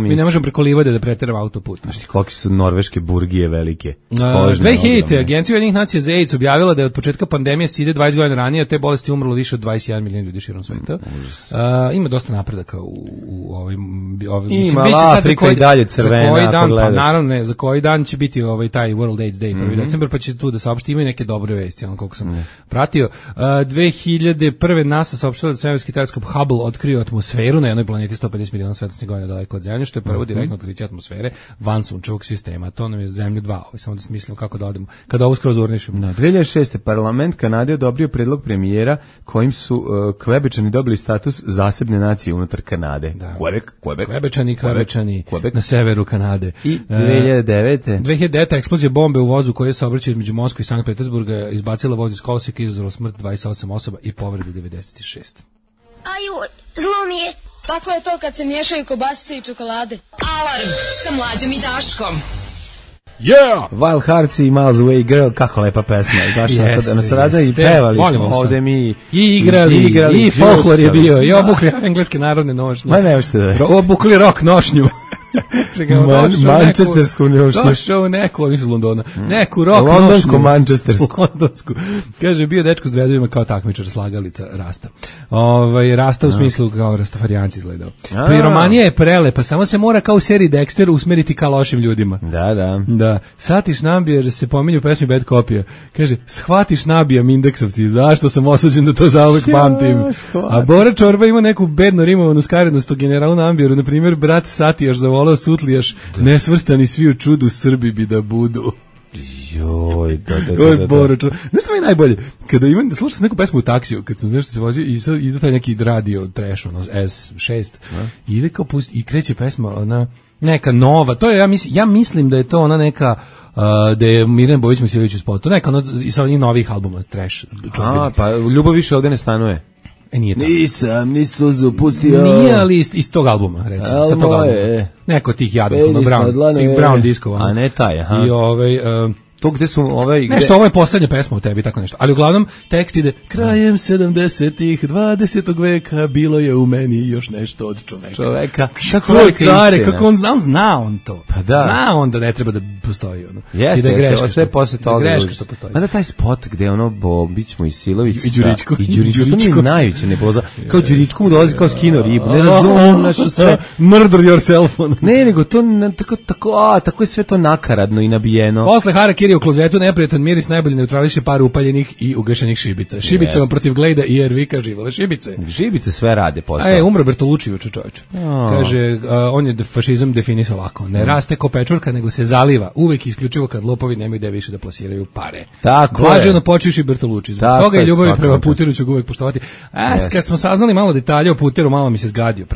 mi ne možemo preko livade da preteramo autoput. Znaš ti koliki su norveške burgije velike? 2000. Agencija Ujedinjenih nacija za AIDS objavila da je od početka pandemije SIDE 20 godina ranije od te bolesti umrlo više od 21 miliona ljudi širom sveta. Ima dosta napredaka u ovim ima, Afrika i dalje crvena, ako gledaš. Pa naravno, za koji dan će biti taj World AIDS Day, 1. decembar, pa će tu da saopšti, imaju neke dobre vesti, koliko sam pratio. 2001. NASA saopštila da svemirski teleskop Hubble otkrio atmosferu na jednoj planeti 150 miliona svetlosnih godina daleko od Zemlje, što je prvo direktno otkriće atmosfere van sunčevog sistema. To nam je Zemlja 2. Samo da smislim kako da odemo. Kada ovo skroz urnišemo. 2006. parlament Kanade odobrio predlog premijera kojim su Kvebečani dobili status zasebne nacije unutar Kanade. Kvebečani na severu Kanade. I 2009. 2009. eksplozija bombe u vozu koja se obraćao između Moskve i Sankt Petersburga izbacila voz iz koloseka i izazvala smrt 28 osoba i povredu 96. Aju, zlo mi je. Tako je to kad se miješaju kobasice i čokolade. Alarm sa Mlađom i Daškom. Yeah! Wild Hearts i Miles Away Girl, kako lepa pesma. I pevali smo ovde mi. I igrali, i folklor je bio, i obukli engleske narodne nošnje. Ma ne što da. Obukli rock nošnju. Manchestersku nošnju. Došao neko, oni su iz Londona. Neku rock nošnju. Londonsku. Kaže, bio dečko s dredovima kao takmičar, slagalica Rasta. Rasta u smislu kao rastafarijanci izgledao. Piromanija je prelepa, samo se mora kao u seriji Dexter usmeriti ka lošim ljudima. Da. Satiš nabija, se pominju u pesmi Bad Copija. Kaže, shvatiš nabijam indeksovci, zašto sam osuđen da to zauvek pamtim. A Bora Čorba ima neku bedno rimovanu skarednost o generalu Nambijeru, na primjer, brat Satijaš zavolao Sutlijaš, nesvrstani svi u čudu Srbi bi da budu. Joj, da. Znaš što mi je najbolje? Kada slušam neku pesmu u taksiju, kad sam nešto se vozio i sad ide taj neki radio trash, S6, ide kao i kreće pesma, ona neka nova, to je, ja mislim da je to ona neka, da je Mirjana Bojić Misijević u spotu, neka ona iz ovih novih albuma, trash. Pa ljubav više ovde ne stanuje. Nije to. Nisam suzu pustio. Nije, ali iz tog albuma, recimo. Sa tog albuma. Neko tih jadnih, Brown diskova. A ne taj, aha. I to gde su nešto, ovo je poslednja pesma u tebi, tako nešto. Ali uglavnom, tekst ide, krajem 70-ih, 20. veka, bilo je u meni još nešto od čoveka. Kako care, kako on zna on to. Pa da. Zna on da ne treba da postoji ono. Jeste, i da je greška sve posle toga. Greška što postoji. Mada taj spot gde ono Bobić Mojsilović i Đuričko. To mi je najveće nebuloza. Kao Đuričko mu dolazi kao skino ribu. Ne razumem našu sve. Murder yourself. Ne, nego to tako je sve to nakaradno i nabijeno. Posle harakiri u klozetu neprijatan miris najbolje neutrališe par upaljenih i ugašenih šibica. Šibicama protiv Glejda i Ervika živale šibice. Šibice sve rade posao. Umro Bertolucci juče, čoveče. Kaže, on je fašizam definisao ovako. Ne raste ko pečurka, nego se zaliva. Uvek isključivo kad lopovi nemaju gde više da plasiraju pare. Tako Blaženo počivši Bertolucci. Zbog toga je ljubav prema Puteru ću ga uvek poštovati. Kad smo saznali malo detalje o Puteru, malo mi se zgadio.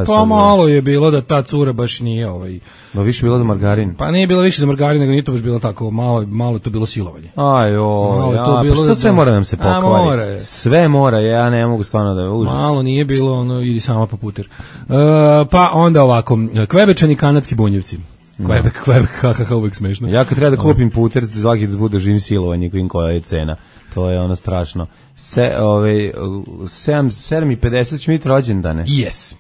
Pa malo je bilo da ta cura baš nije više bilo za margarin. Pa nije bilo više za margarin, nego nije to baš bilo tako malo to bilo silovanje. Što sve mora nam se pokvari? Sve mora, ja ne mogu stvarno da je užas. Malo nije bilo, idi sama po puter. Pa onda ovako, Kvebečani kanadski bunjevci. Quebec, kako uvijek smešno. Ja kad treba da kupim puter, svaki da budu živim silovanje, koja je cena. To je ono strašno. 7:50 će biti rođendane. Yes.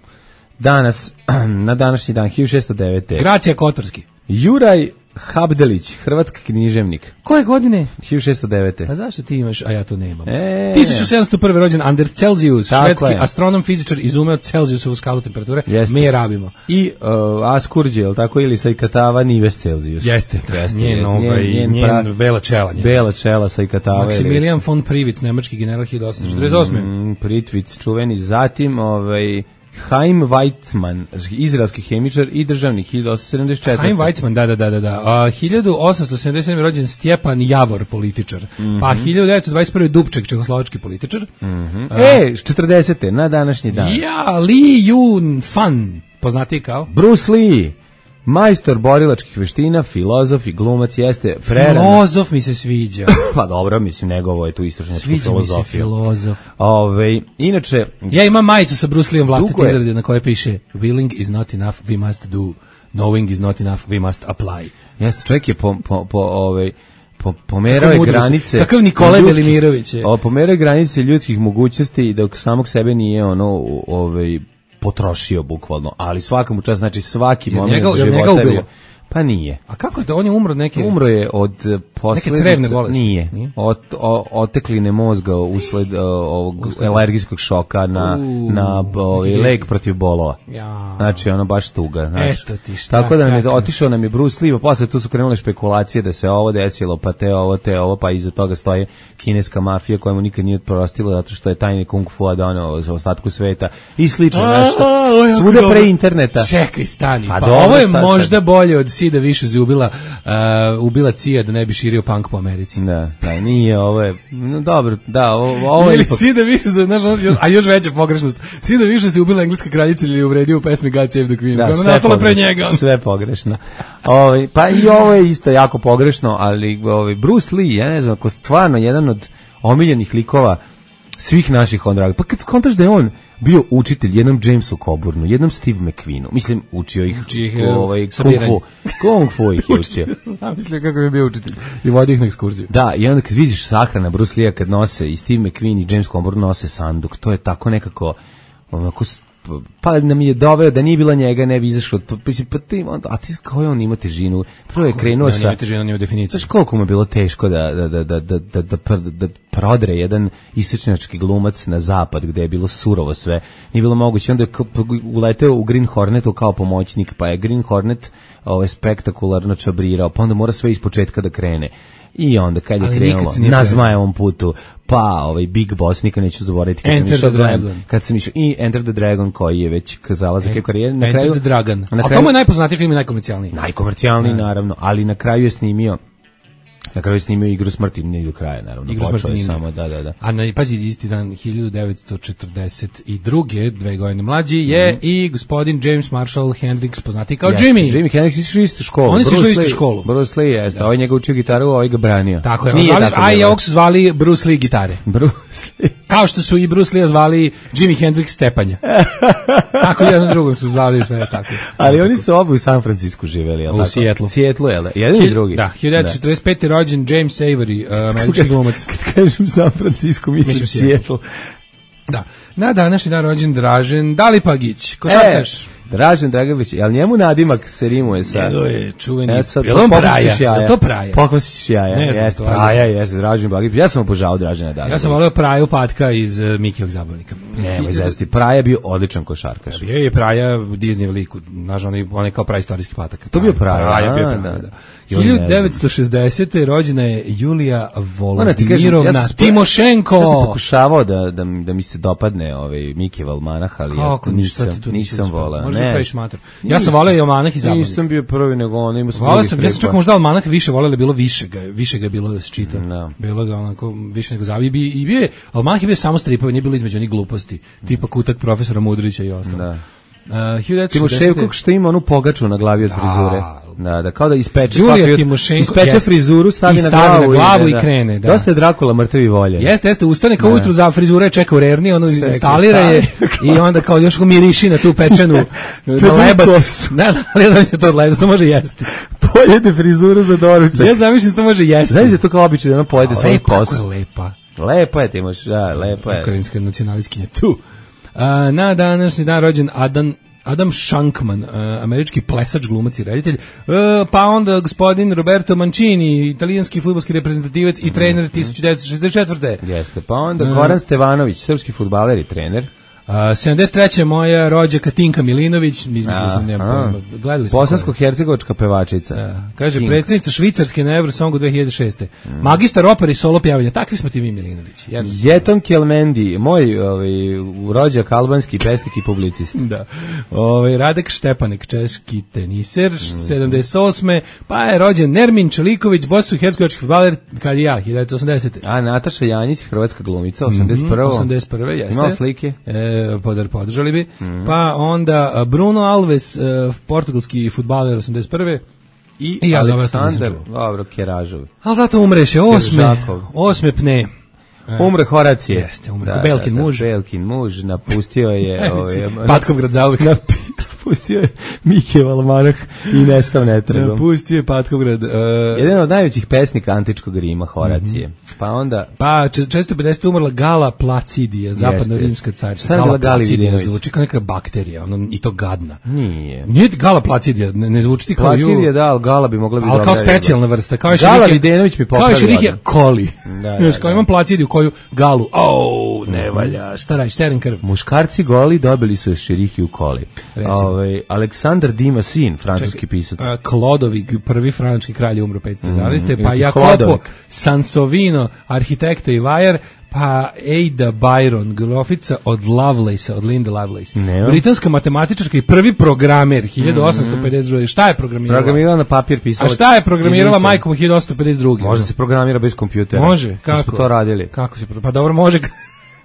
Danas, na današnji dan, 1609. Gracija Kotorski. Juraj Habdelić, hrvatski književnik. Koje godine? 1609. A zašto ti imaš, a ja to nemam? 1701. rođen Anders Celsius, švedski astronom, fizičar, izumeo Celsiusovu skalu temperature. Mi je rabimo. I Askurđe, je li tako, ili Sajkatava Nives Celsius. Jeste, njen bela čela. Bela čela Sajkatava. Maximilian von Privitz, nemački general 1848. Privitz, čuveni. Zatim, Chaim Weizmann, izraelski hemičar i državnik, 1874. Chaim Weizmann, da. 1877. rođen Stjepan Javor, političar. Pa 1921. Dubček, čehoslovački političar. 40. na današnji dan. Li Yun Fan, poznatiji kao? Bruce Lee, majstor borilačkih veština, filozof i glumac, jeste prerano. Filozof mi se sviđa. Pa dobro, mislim, njegovo je tu istočnjačku filozofiju. Sviđa mi se filozof. Inače... Ja imam majicu sa Bruce Leeom vlastite izrade na koje piše Willing is not enough, we must do. Knowing is not enough, we must apply. Jeste, čovjek je pomerao je granice. Kakav Nikolaj Velimirović je. Pomerao je granice ljudskih mogućnosti dok samog sebe nije potrošio bukvalno, ali svakom čas, znači svaki moment života bio. Pa nije. A kako je da on je umro od neke? Umro je od neke crevne bolesti. Nije. Otekline mozga usled ovog alergijskog šoka na lek protiv bolova. Ja. Znači ono baš tuga, znaš. Eto ti šta. Tako da otišao nam je Bruce Lee, pa posle tu su krenule špekulacije da se ovo desilo, pa te ovo, pa iza toga stoji kineska mafija koja mu nikad nije oprostila zato što je tajni kung fu doneo za ostatku sveta i slično nešto. Svuda pre interneta. Čekaj, stani. Pa ovo je možda bolje od Sida više ubila Cija da ne bi širio punk po Americi. Da, nije, ovo je, dobro, da, ovo je... Sida više, a još veća pogrešnost, Sida više se ubila engleska kraljica ili je uvredio u pesmi God Save the Queen, da, ona nastala pre njega. Sve pogrešno. Pa i ovo je isto jako pogrešno, ali Bruce Lee, ja ne znam, ako stvarno jedan od omiljenih likova svih naših ondraga, pa kad kontaš da je on bio učitelj jednom Jamesu Coburnu, jednom Steve McQueenu. Mislim, učio ih kung fu ih je učio. Zamislio kako je bio učitelj i vodio ih na ekskurziju. Da, i onda kad vidiš sahrana Bruce Lee kad nose i Steve McQueen i James Coburn nose sanduk, to je tako nekako onako, pa nam je doveo da nije bila njega, ne bi izašlo. A ti kao je on ima težinu? Prvo je krenuo sa... težinu, nije u definiciji. Znaš koliko mu je bilo teško da prodre jedan istočnjački glumac na zapad, gde je bilo surovo sve. Nije bilo moguće. Onda je uleteo u Green Hornetu kao pomoćnik, pa je Green Hornet spektakularno čabrirao, pa onda mora sve ispočetka da krene. I onda kad je krenulo na Zmajevom putu, pa Big Boss, nikad neću zaboraviti kad sam išao i Enter the Dragon, koji je već zalazak je karijere na kraju. Enter the Dragon. A to je najpoznatiji film i najkomercijalniji. Najkomercijalniji, naravno, ali na kraju je snimio Igru smrti, ne do kraja, naravno. Počeo je samo, da. A pazi, isti dan 1942. 2 godine mlađi je i gospodin James Marshall Hendricks, poznati kao Jimmy. Jimi Hendrix išli u istu školu. Oni su išli u istu školu. Bruce Lee je, ovaj njega učio gitaru, ovaj ga branio. Tako je. A i ovog su zvali Bruce Lee gitare. Bruce Lee. Kao što su i Bruce Lee zvali Jimi Hendrix stepanja. Tako jedan drugom su zvali sve tako. Ali oni su oba u San Francisku živeli, je li tako? U Seattle. Seattle, je li? Jedan i drugi. Da, 1945. rođen James Avery, američki glumac. Kad kažem San Francisco, mislim Seattle. Da. Na današnji dan rođen Dražen Dalipagić, košarkaš. Dražen Draganović, ali njemu nadimak se rimuje sa... Njego je čuveni... Jel on Praja? Je to Praja? Pokosiš jaja. Jeste, Praja, jeste, Dražen Bagić. Ja sam obožavao Dražena Dalipagića. Ja sam volio Praju Patka iz Mikijog zabavnika. Nemoj zesti, Praja je bio odličan košarkaš. Bio je Praja u Disney liku, znaš, on je kao praistorijski patak. To bio Praja, da. 1960. rođena je Julija Volodimirovna Timošenko. Ja sam pokušavao da mi se dopadne Mikijev almanah, ali nisam volao. Ja sam voleo i almanah i zabavnik. Nisam bio prvi, nego ono imao sam drugi preko. Ja sam čak možda almanah više voleo, bilo više ga je bilo da se čita. Bilo ga onako više nego zabavnik. I bio je, almanah je bio samo stripovi, nije bilo između onih gluposti, tipa Kutak profesora Mudrića i ostalo. Timošenko što ima onu pogaču na glavi od frizure. Da, kao da ispeče Julija Timošenko, ispeče frizuru, stavi na glavu i krene. Da. Dosta je Drakula mrtavi volje. Jeste, ustane kao ujutru za frizura je čeka u rerni, ono instalira je i onda kao još miriši na tu pečenu lebac. Ne, ali da će to odlebac, to može jesti. Pojede frizuru za doručak. Ja zamišljam to može jesti. Znaš da to kao obično da ona pojede svoju kosu. Kako je lepa. Lepo je, Timoš, da, lepo je. Ukrajinska nacionalistkinja tu. Na današnji dan rođen Adam Shankman, američki plesač, glumac i reditelj, pa onda gospodin Roberto Mancini, italijanski fudbalski reprezentativac i trener 1964. Jeste, pa onda Goran Stevanović, srpski fudbaler i trener. 73. moja rođaka Tinka Milinović, izmislio sam, gledali smo. Bosansko-hercegovačka pevačica. Kaže, predsjednica Švicarske na Eurosongu 2006. Magistar opere i solo pjevanja, takvi smo ti mi Milinović. Jeton Kelmendi, moj rođak albanski pesnik i publicist. Da. Radek Štepanek, češki teniser, 78. Pa je rođen Nermin Čeliković, bosansko-hercegovački fudbaler, kad i ja, 1980. A Nataša Janjić, hrvatska glumica, 81. 81. jeste. Imao slike? Podržali bi. Pa onda Bruno Alves, portugalski fudbaler 81. I ja Aleksandar, dobro, Keražov. Ali zato umreše, osme pne. Umre Horacije. Jeste, umre Belkin muž. Belkin muž, napustio je... Patkovgrad zauvek. Napustio je Mike Valmarah i nestao netragom. Napustio je Patkovgrad. Jedan od najvećih pesnika antičkog Rima, Horacije. Pa onda... Pa 450. umrla Gala Placidija, zapadna rimska carica. Šta je bila Gali Vidinović? Zvuči kao neka bakterija, i to gadna. Nije. Nije Gala Placidija, ne zvuči ti kao... Placidija, da, ali Gala bi mogla biti... Ali kao specijalna vrsta. Gala Vidinović mi popravila. Kao Šerihija Koli. Da. Imam Placidiju koju Galu, ne valja, šta radiš, seren krv. Muškarci goli dobili su Šerihiju Koli. Aleksandar Dima sin, francuski pisac. Klodovig, prvi francuski kralj, umro 511. Pa Jacopo Sansovino, arhitekta i vajar, pa Ada Byron, grofica od Lovelace, od Linda Lovelace. Britanska matematičarka i prvi programer, 1852. Šta je programirala? Programirala na papir, pisala. A šta je programirala majkom 1852? Može se programira bez kompjutera. Može, kako? Mi smo to radili. Kako se pa dobro, može.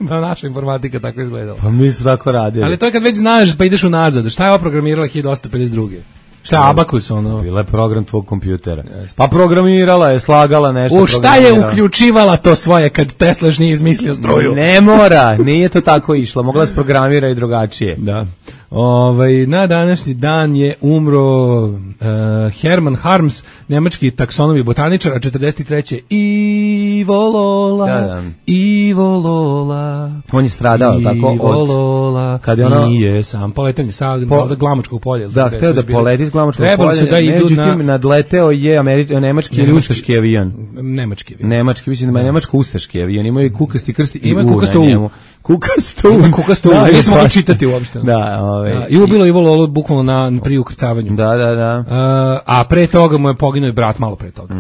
Pa naša informatika tako izgledala. Pa mi smo tako radili. Ali to je kad već znaš pa ideš unazad. Šta je ova programirala 1852? Šta je Abakus ono? Bila je program tvog kompjutera. Pa programirala je, slagala nešto. U šta je uključivala to svoje kad Tesla nije izmislio struju? Ne mora, nije to tako išlo. Mogla se programira i drugačije. Da. Na današnji dan je umro Hermann Harms, nemački taksonom i botaničar, a 43. Ivo Lola. Da. Ivo Lola. On je stradao tako od Lola. Kad je ono nije sam poletanje sa Glamočkog polja. Da, hteo da poleti s Glamočkog polja. Međutim, nadleteo je nemački ili ustaški avion. Nemački, mislim da je nemačko-ustaški avion. Imaju kukasti krst i kukasto U. Nismo mogli čitati uopšte. Da, Ivo bilo Ivo Lolo bukvalno pri ukrcavanju. Da. A pre toga mu je poginuo i brat malo pre toga.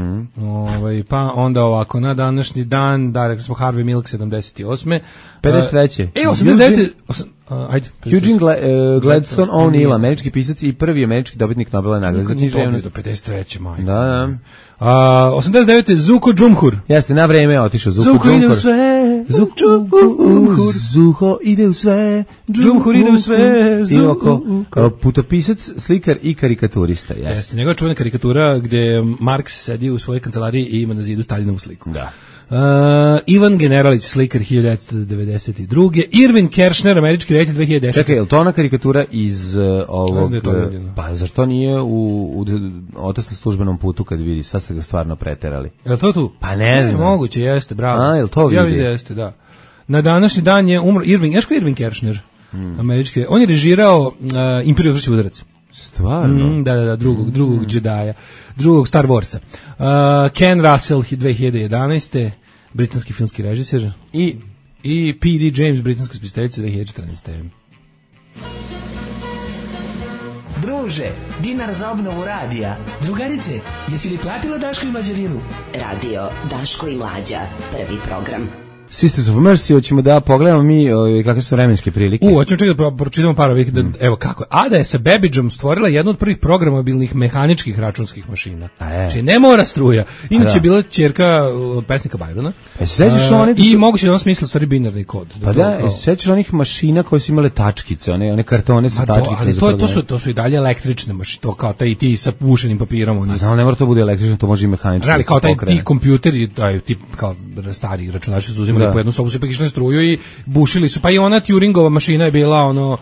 Pa onda ovako, na današnji dan, da, rekli smo Harvey Milk 78. 53. 89. Ajde. Eugene Gladstone O'Neill, američki pisac i prvi američki dobitnik Nobelove nagrade za književnost. 53. majko. Da. 89. Zuko Džumhur. Jeste, na vreme otišao Zuko Džumhur. Zuko ide u sve. Zuko ide u sve. Džumhur ide u sve. Kao putopisac, slikar i karikaturista. Jeste, njegova čuvena karikatura gde Marks sedi u svojoj kancelariji i ima na zidu Staljinovu sliku. Da. Ivan Generalić, slikar 1992. Irvin Kershner, američki reditelj 2010. Čekaj, je li to ona karikatura iz ovog... Pa zašto nije u otasnom službenom putu kad vidi? Sad ste ga stvarno preterali. Je li to tu? Pa ne znam. Moguće, jeste, bravo. A, je li to vidi? Ja vidim, jeste, da. Na današnji dan je umro Irvin Kershner, američki. On je režirao Imperiju vrši udarac. Stvarno? Da, drugog Jedija, drugog Star Warsa. Ken Russell 2011. britanski filmski režiser i P.D. James, britanska spisateljica 2014. Druže, dinar za obnovu radija. Drugarice, jesi li platila Daško i Mlađarinu? Radio Daško i Mlađa, prvi program. Sisters of Mercy, hoćemo da pogledamo mi kakve su vremenske prilike. Hoćemo čekati da pročitamo par ovih, evo kako. Ada je sa Babbageom stvorila jednu od prvih programabilnih mehaničkih računskih mašina. Znači ne mora struja. Inače je bila ćerka pesnika Byrona. Sećaš oni i moguće da on smisli stvari binarni kod. Pa da, sećaš onih mašina koje su imale tačkice, one kartone sa tačkicama. To su i dalje električne mašine, to kao taj ti sa pušenim papirom. A znam, ne mora to bude električno, to može i mehanički. Ali kao taj ti kompjuteri, taj tip kao stari računari su uzimali po jednu sobu, su ipak išli na struju i bušili su. Pa i ona Turingova mašina je bila ono,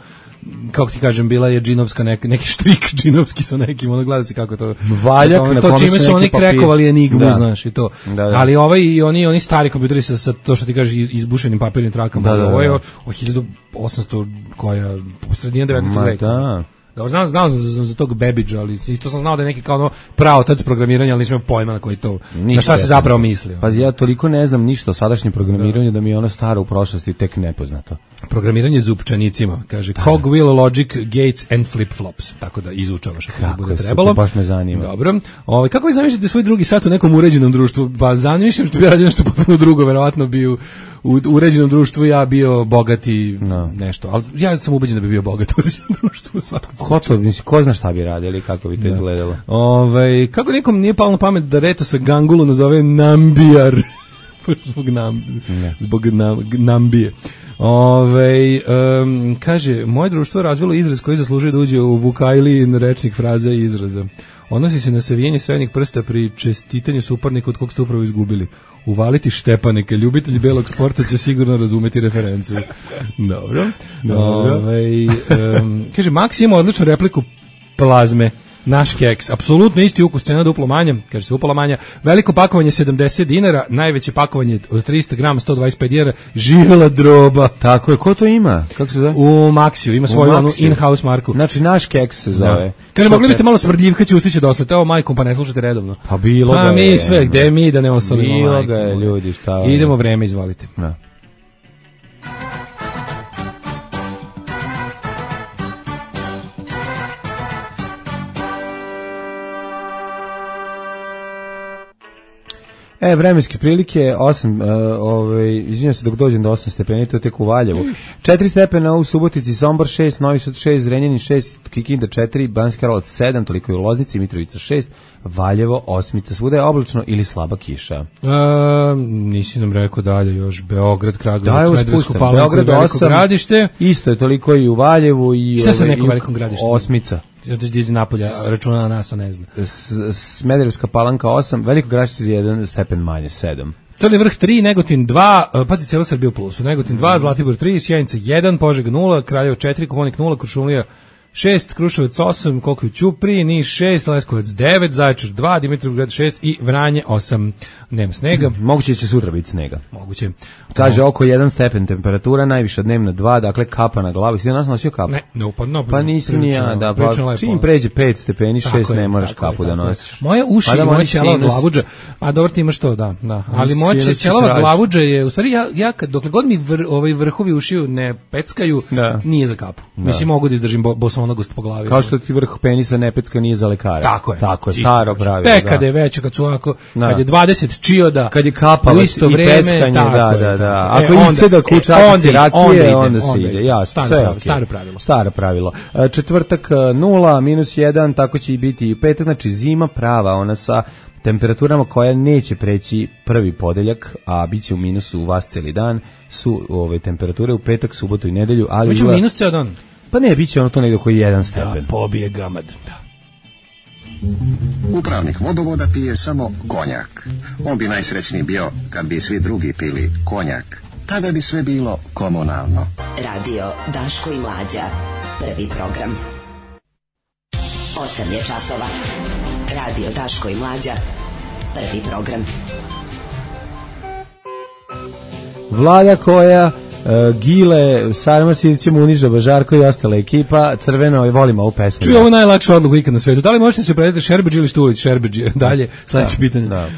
kako ti kažem, bila je džinovska, neki štrik džinovski sa nekim, ono gleda se kako to valjak, to čime su oni krekovali enigmu, znaš, i to. Da. Ali oni stari kompjuteri sa to što ti kažeš izbušenim papirnim trakama, ovo je o 1800 koja sredina 19. veka. Da, znao sam za tog Babbage, ali isto sam znao da je neki kao ono praotac programiranja, ali nisam imao pojma na koji to, na šta se zapravo mislio. Pa ja toliko ne znam ništa o sadašnjem programiranju da mi je ono staro u prošlosti tek nepoznato. Programiranje zupčanicima, kaže Cogwheel, Logic, Gates and Flip-Flops, tako da izučavaš ako bude trebalo. Super, baš me zanima. Dobro. Kako vi zamišljate svoj drugi sat u nekom uređenom društvu? Pa zamišljam što bi radio nešto potpuno drugo, verovatno bi u uređenom društvu ja bio bogat i nešto, ali ja sam ubeđen da bi bio bogat u uređenom društvu. Ko zna šta bi radili, kako bi to izgledalo? Kako nikom nije palo na pamet da Reto sa Gangulu nazove Nambijar? Zbog Nambije. Kaže, moje društvo je razvilo izraz koji zaslužuje da uđe u Vukajlijin rečnik fraza i izraza. Odnosi se na savijenje srednjeg prsta pri čestitanju suparnika od kog ste upravo izgubili. Uvaliti Štepaneka, ljubitelji belog sporta će sigurno razumeti referenciju. Dobro. Kaže, Max ima odličnu repliku plazme. Naš keks, apsolutno isti ukus, cena duplo manja, kaže se upola manja, veliko pakovanje 70 dinara, najveće pakovanje od 300 grama 125 dinara, živela droba. Tako je, ko to ima? Kako se zove? U Maxiju, ima svoju onu in-house marku. Znači naš keks se zove. Kaže, mogli biste malo smrdljivka će ustići doslete, ovo majkom, pa ne slušate redovno. Pa bilo ga je. Pa mi sve, gde mi da ne osolimo majkom. Bilo ga je, ljudi, šta je. Idemo vreme, izvolite. Da. Vremenske prilike 8, izvinjam se dok dođem do 8 stepeni, to je tek u Valjevu. 4 stepena u Subotici, Sombor 6, Novi Sad 6, Zrenjanin 6, Kikinda 4, Banjski Karlovac 7, toliko je u Loznici, Mitrovica 6, Valjevo 8, svuda je oblačno ili slaba kiša. Nisi nam rekao dalje još, Beograd, Kragujevac, Smederevsku Palanku i Veliko Gradište. Isto je toliko i u Valjevu i šta sa nekom Velikom Gradištu? 8. Zato će iz Napolja računa na nas, a ne zna. Smederevska Palanka 8, Veliko Gradište 1 stepen manje 7. Crni vrh 3, Negotin 2, pazi cijela Srbija u plusu. Negotin 2, Zlatibor 3, Sjenica 1, Požega 0, Kraljevo 4, Koponik 0, Kuršumlija 6, Kruševac 8, koliko je u Ćupriji, Niš 6, Leskovac 9, Zaječar 2, Dimitrovgrad 6 i Vranje 8. Nema snega. Moguće će sutra biti snega. Moguće. Kaže oko 1 stepen temperatura, najviša dnevna 2, dakle kapa na glavi. Si da nas nosio kapu? Ne, pa nisam ni ja, da, pa čim pređe 5 stepeni, 6 ne moraš kapu da nosiš. Moje uši i moja ćelava glavuđa, a dobro ti imaš to, da. Ali moja ćelava glavuđa je, u stvari ja dokle god mi vrhovi ušiju ne peckaju, nije za kapu. Mislim, mogu da izdržim bosonogost po glavi. Kao što ti vrh penisa ne pecka, nije za lekara. Tako je. Tako je, staro pravilo. Tek kad je već, kad su ovako, kad je 20 čioda, kad je kapavac i peckanje, da. Ako iste da kučačice rakije, onda se ide. Jasno, staro pravilo. Četvrtak 0, -1, tako će i biti i petak, znači zima prava, ona sa temperaturama koja neće preći prvi podeljak, a bit će u minusu vas cijeli dan, su ove temperature u petak, subotu i nedelju. Biće u minus cijel dan? Pa ne, bit će ono to negdje oko 1 stepen. Da, pobije gamad. Upravnik vodovoda pije samo konjak. On bi najsrećniji bio kad bi svi drugi pili konjak. Tada bi sve bilo komunalno. Radio Daško i Mlađa. Prvi program. 8 je časova. Radio Daško i Mlađa. Prvi program. Vlada koja Gile, Sarma Sirćem uniža Bažarko i ostala ekipa, crveno i volimo ovu pesmu. Čuj, ovo je najlakša odluka ikad na svetu. Da li možete se predati Šerbeđi ili Štulić? Šerbeđi, dalje, sledeće pitanje. Da.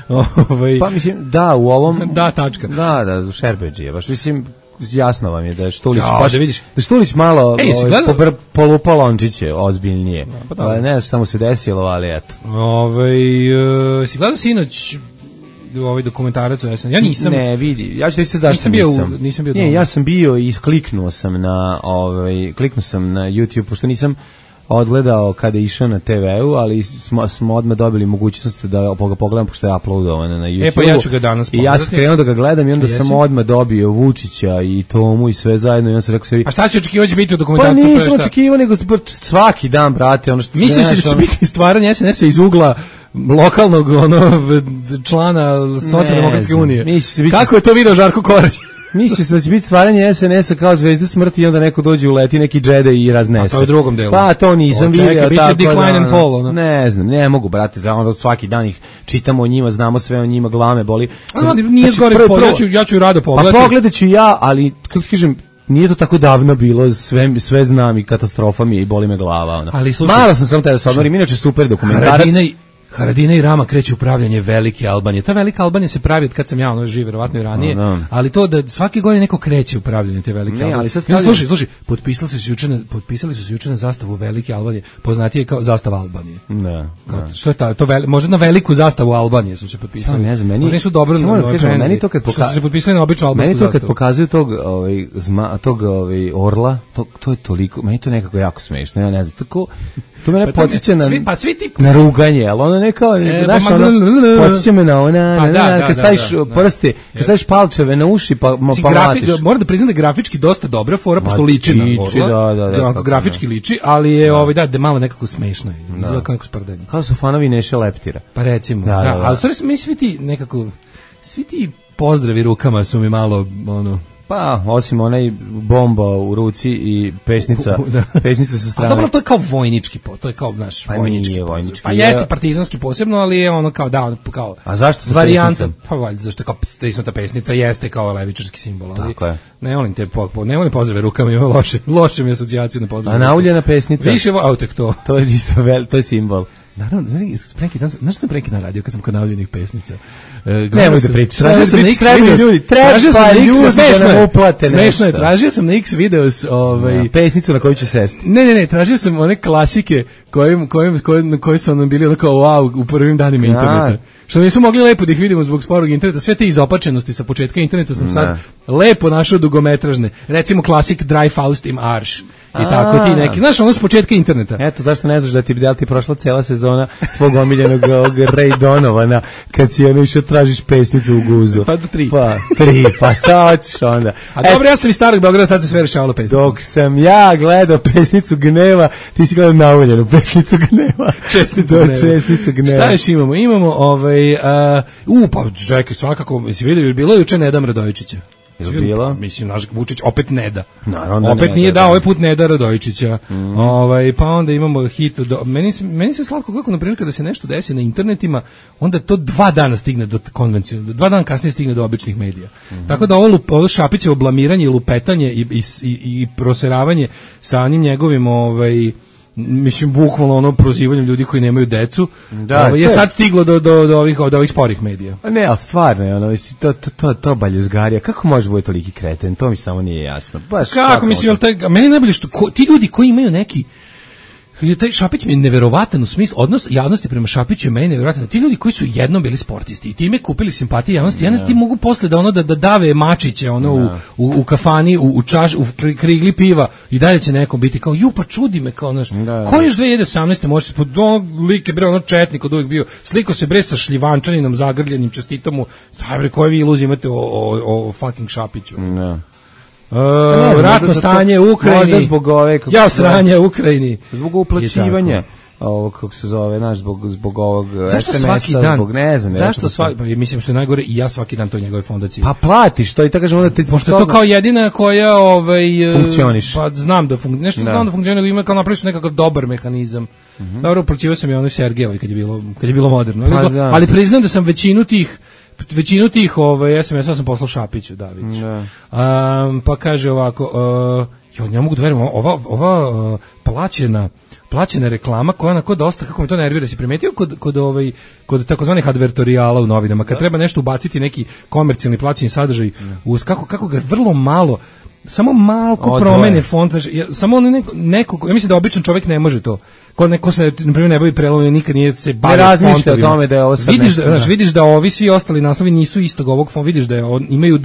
Pa mislim, da, u ovom... Da, tačka. Da, Šerbeđi je, baš mislim, jasno vam je da je Štulić, da vidiš. Da Štulić malo polupa lončiće, ozbiljnije. Ne znam šta mu se desilo, ali eto. Si gledao sinoć ovaj dokumentarac o SNL. Ja nisam. Ne, vidi. Ja ću reći se zašto nisam bio. Ne, ja sam bio i kliknuo sam na YouTube pošto nisam odgledao kada je išao na TV-u, ali smo odmah dobili mogućnost da ga pogledam pošto je uploadovano na YouTube. Pa ja ću ga danas pogledati. I ja sam krenuo da ga gledam i onda sam odmah dobio Vučića i Tomu i sve zajedno i on se rekao sebi... A šta si očekivao će biti u dokumentarcu? Pa nisam očekivao, nego svaki dan, brate, ono što... Mislim se da će biti stvaranje SNS-a iz ugla lokalnog člana Socijaldemokratske unije. Kako je to video Žarko Korać? Mislio se da će biti stvaranje SNS-a kao Zvezde smrti i onda neko dođe uleti neki džede i raznese. A to je u drugom delu. Pa to nisam vidio. Biće decline and fall, ono. Ne znam, ne mogu, brate, svaki dan ih čitamo o njima, znamo sve o njima, glame boli. Nije zgore, ja ću rado pogledati. Pa pogledat ću ja, ali, kako ti kažem, nije to tako davno bilo, sve znam i katastrofa mi je i boli me glava. Ono. Ali slušaj, malo sam samo te da se odmorim, inače super dokumentarac. Haradinaj i Rama kreću upravljanje velike Albanije. Ta velika Albanija se pravi od kad sam ja živ, verovatno i ranije, ali to da svake godine neko kreće upravljanje te velike Albanije. Slušaj, potpisali su se juče na zastavu velike Albanije, poznatije kao zastava Albanije. Što je to možda na veliku zastavu Albanije su se potpisali. Ne znam, meni su dobro meni to kad se potpisali na običnu albansku zastavu. Meni to kad pokazuju tog orla, to je toliko, meni to nekako jako smešno, ja ne znam, tako to me podsjeća na ruganje, ali ono ne kao, znaš, podsjeća me na kad staviš prste, kad staviš palčeve na uši, pa mlatiš. Moram da priznam da je grafički dosta dobra fora, pošto liči na orla, grafički liči, ali je da malo nekako smešno, izgleda kao neko sprdanje. Kao su fanovi Neše Leptira. Pa recimo, ali stvari mi svi ti pozdravi rukama su mi malo, pa, osim onaj bomba u ruci i pesnica sa strane. A dobro, to je kao vojnički, to je kao naš vojnički. Pa jeste partizanski posebno, ali je ono kao kao. A zašto sa varijanta? Pa valjda zašto kao stisnuta pesnica jeste kao levičarski simbol, ali tako je. Ne volim pozdrave rukama, ima loše mi asocijaciju na pozdrave. A nauljena pesnica? Više tek to. To je isto to je simbol. Naravno, znaš sam preki na radio kad sam kod navljenih pesnica. Nemoj da pričaš. Tražio sam na X videos. Smešno je, tražio sam na X videos pesnicu na koju ću sesti. Ne, tražio sam one klasike koji su nam bili kao wow u prvim danima interneta. Što nismo mogli lepo da ih vidimo zbog sporog interneta. Sve te izopačenosti sa početka interneta sam sad lepo našao dugometražne. Recimo klasik Dry Faust im Arš. I tako ti neki. Znaš, ono s početka interneta. Eto, zašto ne znaš da ti prošla cela sezona tvog omiljenog Ray Donovana kad si išao tražiš pesnicu u guzu. Pa do 3. Pa 3, pa šta hoćeš onda? A dobro, ja sam iz Starog Beograda, tad se sve rešavalo pesnicu. Dok sam ja gledao pesnicu gneva, ti si gledao nauljenu pesnicu gneva. Čestnicu gneva. Šta još imamo? Imamo pa čekaj, svakako, si vidio, bilo je juče Nedam Radojičića. Bilo? Mislim, naš Vučić opet ne da. Naravno opet nije dao, ovaj put ne da Radojičića. Pa onda imamo hit. Meni se slatko kako, na primjer, kada se nešto desi na internetima, onda to 2 dana stigne do konvencionalnog, 2 dana kasnije stigne do običnih medija. Tako da ovo Šapićevo blamiranje i lupetanje i proseravanje sa onim njegovim mislim bukvalno ono prozivanjem ljudi koji nemaju decu je sad stiglo do ovih sporih medija. Ne, ali stvarno to baljezgarija, kako može biti toliki kreten, to mi samo nije jasno. Baš kako mislim, meni najbolje što ti ljudi koji imaju neki taj Šapić mi je neverovatan u smislu, odnos javnosti prema Šapiću je meni neverovatan. Ti ljudi koji su jednom bili sportisti i time kupili simpatije javnosti, ti mogu posle da dave mačiće u kafani, u krigli piva i dalje će nekom biti kao pa čudi me kao naš. Ko još 2018. može se like bre četnik od uvijek bio. Sliko se bre sa šljivančaninom zagrljenim, čestitam mu. Daj bre, koje vi iluzije imate o fucking Šapiću. Ratno stanje u Ukrajini. Sranje u Ukrajini. Zbog uplaćivanja ovog, kako se zove, zbog ovog SMS-a, zbog ne znam. Zašto mislim što je najgore i ja svaki dan to njegove fondacije. Pa platiš to i tako kažem onda ti... Pošto je to kao jedina koja funkcioniš. Pa znam da funkcioniš, nego ima kao napraviti su nekakav dobar mehanizam. Dobro, uplaćivao sam i onoj Sergejevoj kad je bilo moderno. Ali priznam da sam većinu tih SMS-a sam poslao Šapiću, Davić. Pa kaže ovako, ne mogu da verujem, ova plaćena reklama koja onako dosta, kako mi to nervira, si primetio kod takozvanih advertorijala u novinama, kad treba nešto ubaciti, neki komercijalni plaćeni sadržaj, kako ga vrlo malo, samo malko promene font, samo neko, ja mislim da običan čovjek ne može to. ko neko se na primjer ne bavi prelomom, nikad nije se bavio fontovima. Ne razmišlja fontovima. o tome da je ovo sad Vidiš da ovi svi ostali naslovi nisu istog ovog fonda, vidiš da imaju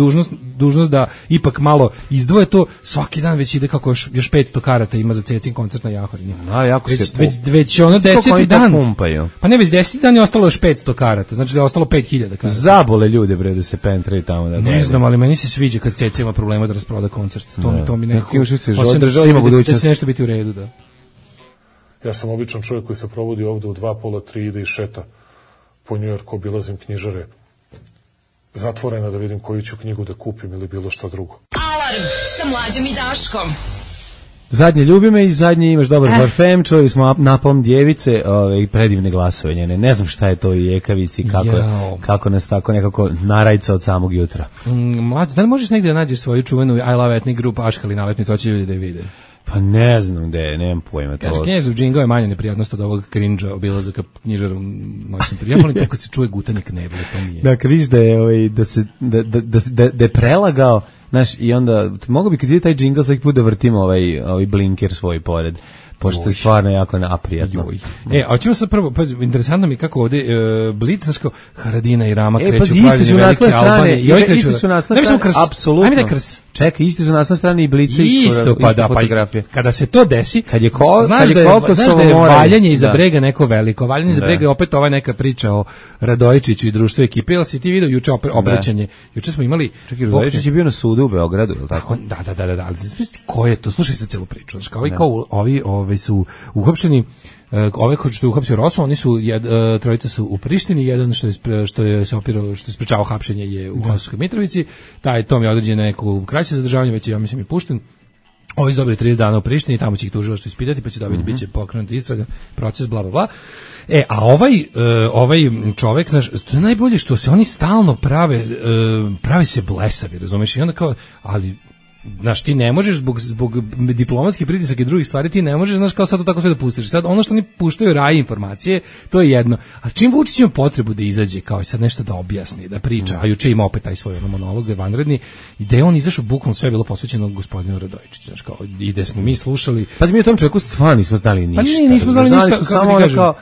dužnost da ipak malo izdvoje to, svaki dan već ide kako još 500 karata ima za Cecin koncert na Jahorini. Jako već ono 10. dan. Pumpaju. Pa ne, već 10. dan je ostalo još 500 karata, znači da je ostalo 5000 karata. Zabole ljude bre da se pentraju tamo da. Ne znam, ali meni se sviđa kad Ceca ima problema da rasproda koncert. To mi nekako država ima budućnost. Da će nešto biti u redu, da. Ja sam običan čovjek koji se provodi ovde u 2, pola, 3 ide i šeta po Njujorku, obilazim knjižare zatvorena da vidim koju ću knjigu da kupim ili bilo šta drugo. Alarm sa Mlađom i Daškom. Zadnje ljubi me i zadnje imaš dobar parfem, čuli smo napom djevice, predivne glasove njene. Ne znam šta je to i jekavici, kako nas tako nekako narajca od samog jutra. Mlađo, da li možeš negdje da nađeš svoju čuvenu I Love Ethnic Group Aškali nalepnicu, hoće ljudi da je vide? Pa ne znam gde, nemam pojma to. Kaže, Knjezov džingao je manje neprijatnost od ovog cringe-a obilazaka knjižara u noćnom periodu. Ja volim to kad se čuje gutanje knedle, to mi je. Da, kad vidiš da je, da je prelagao, znaš, i onda, mogu bi kad ide taj džingao svaki put da vrtimo ovaj blinker svoj pored, pošto je stvarno jako naprijatno. A ćemo sad prvo, pazi, interesantno mi kako ovde Blic, znaš kao Haradina i Rama kreću pazi, pravljenje velike Albanije. Isti su nasle strane, apsolutno. Ajme da Krs. Čekaj, isti su nasle strane i Blice isto, pa da, fotografije. Kada se to desi, znaš da je valjanje iza brega neko veliko. Valjanje iza brega je opet ova neka priča o Radojičiću i društvu ekipe. Jel si ti vidio juče obraćanje? Juče smo imali... Čekaj, Radojičić je bio na sudu u Beogradu, je li tako? Da. Ali ko je to? Slušaj se celu priču. Ovi su uhapšeni, ove koji što je uhapsio Rosu, oni su trojica su u Prištini, jedan što je sprečavao hapšenje je u Kosovskoj Mitrovici, tom je određeno neko kraće zadržavanje, već je, ja mislim, i pušten. Ovi su dobili 30 dana u Prištini, tamo će ih tužilaštvo ispitati, pa će dobiti, bit će pokrenuta istraga, proces, bla, bla, bla. A ovaj čovek, znaš, to je najbolje što se oni stalno prave se blesavi, razumeš, i onda kao, ali znaš, ti ne možeš zbog diplomatskih pritisaka i drugih stvari, ti ne možeš, znaš, kao sad to tako sve da pustiš. Sad, ono što oni puštaju raje informacije, to je jedno. A čim Vučić ima potrebu da izađe, kao i sad nešto da objasni, da priča, a juče ima opet taj svoj monolog, vanredni, i da je on izašao, bukvalno sve je bilo posvećeno gospodinu Radojičiću, znaš, kao, i da smo mi slušali. Pa mi o tom čovjeku stvarno nismo znali ništa. Pa nismo znali ništa, samo kao...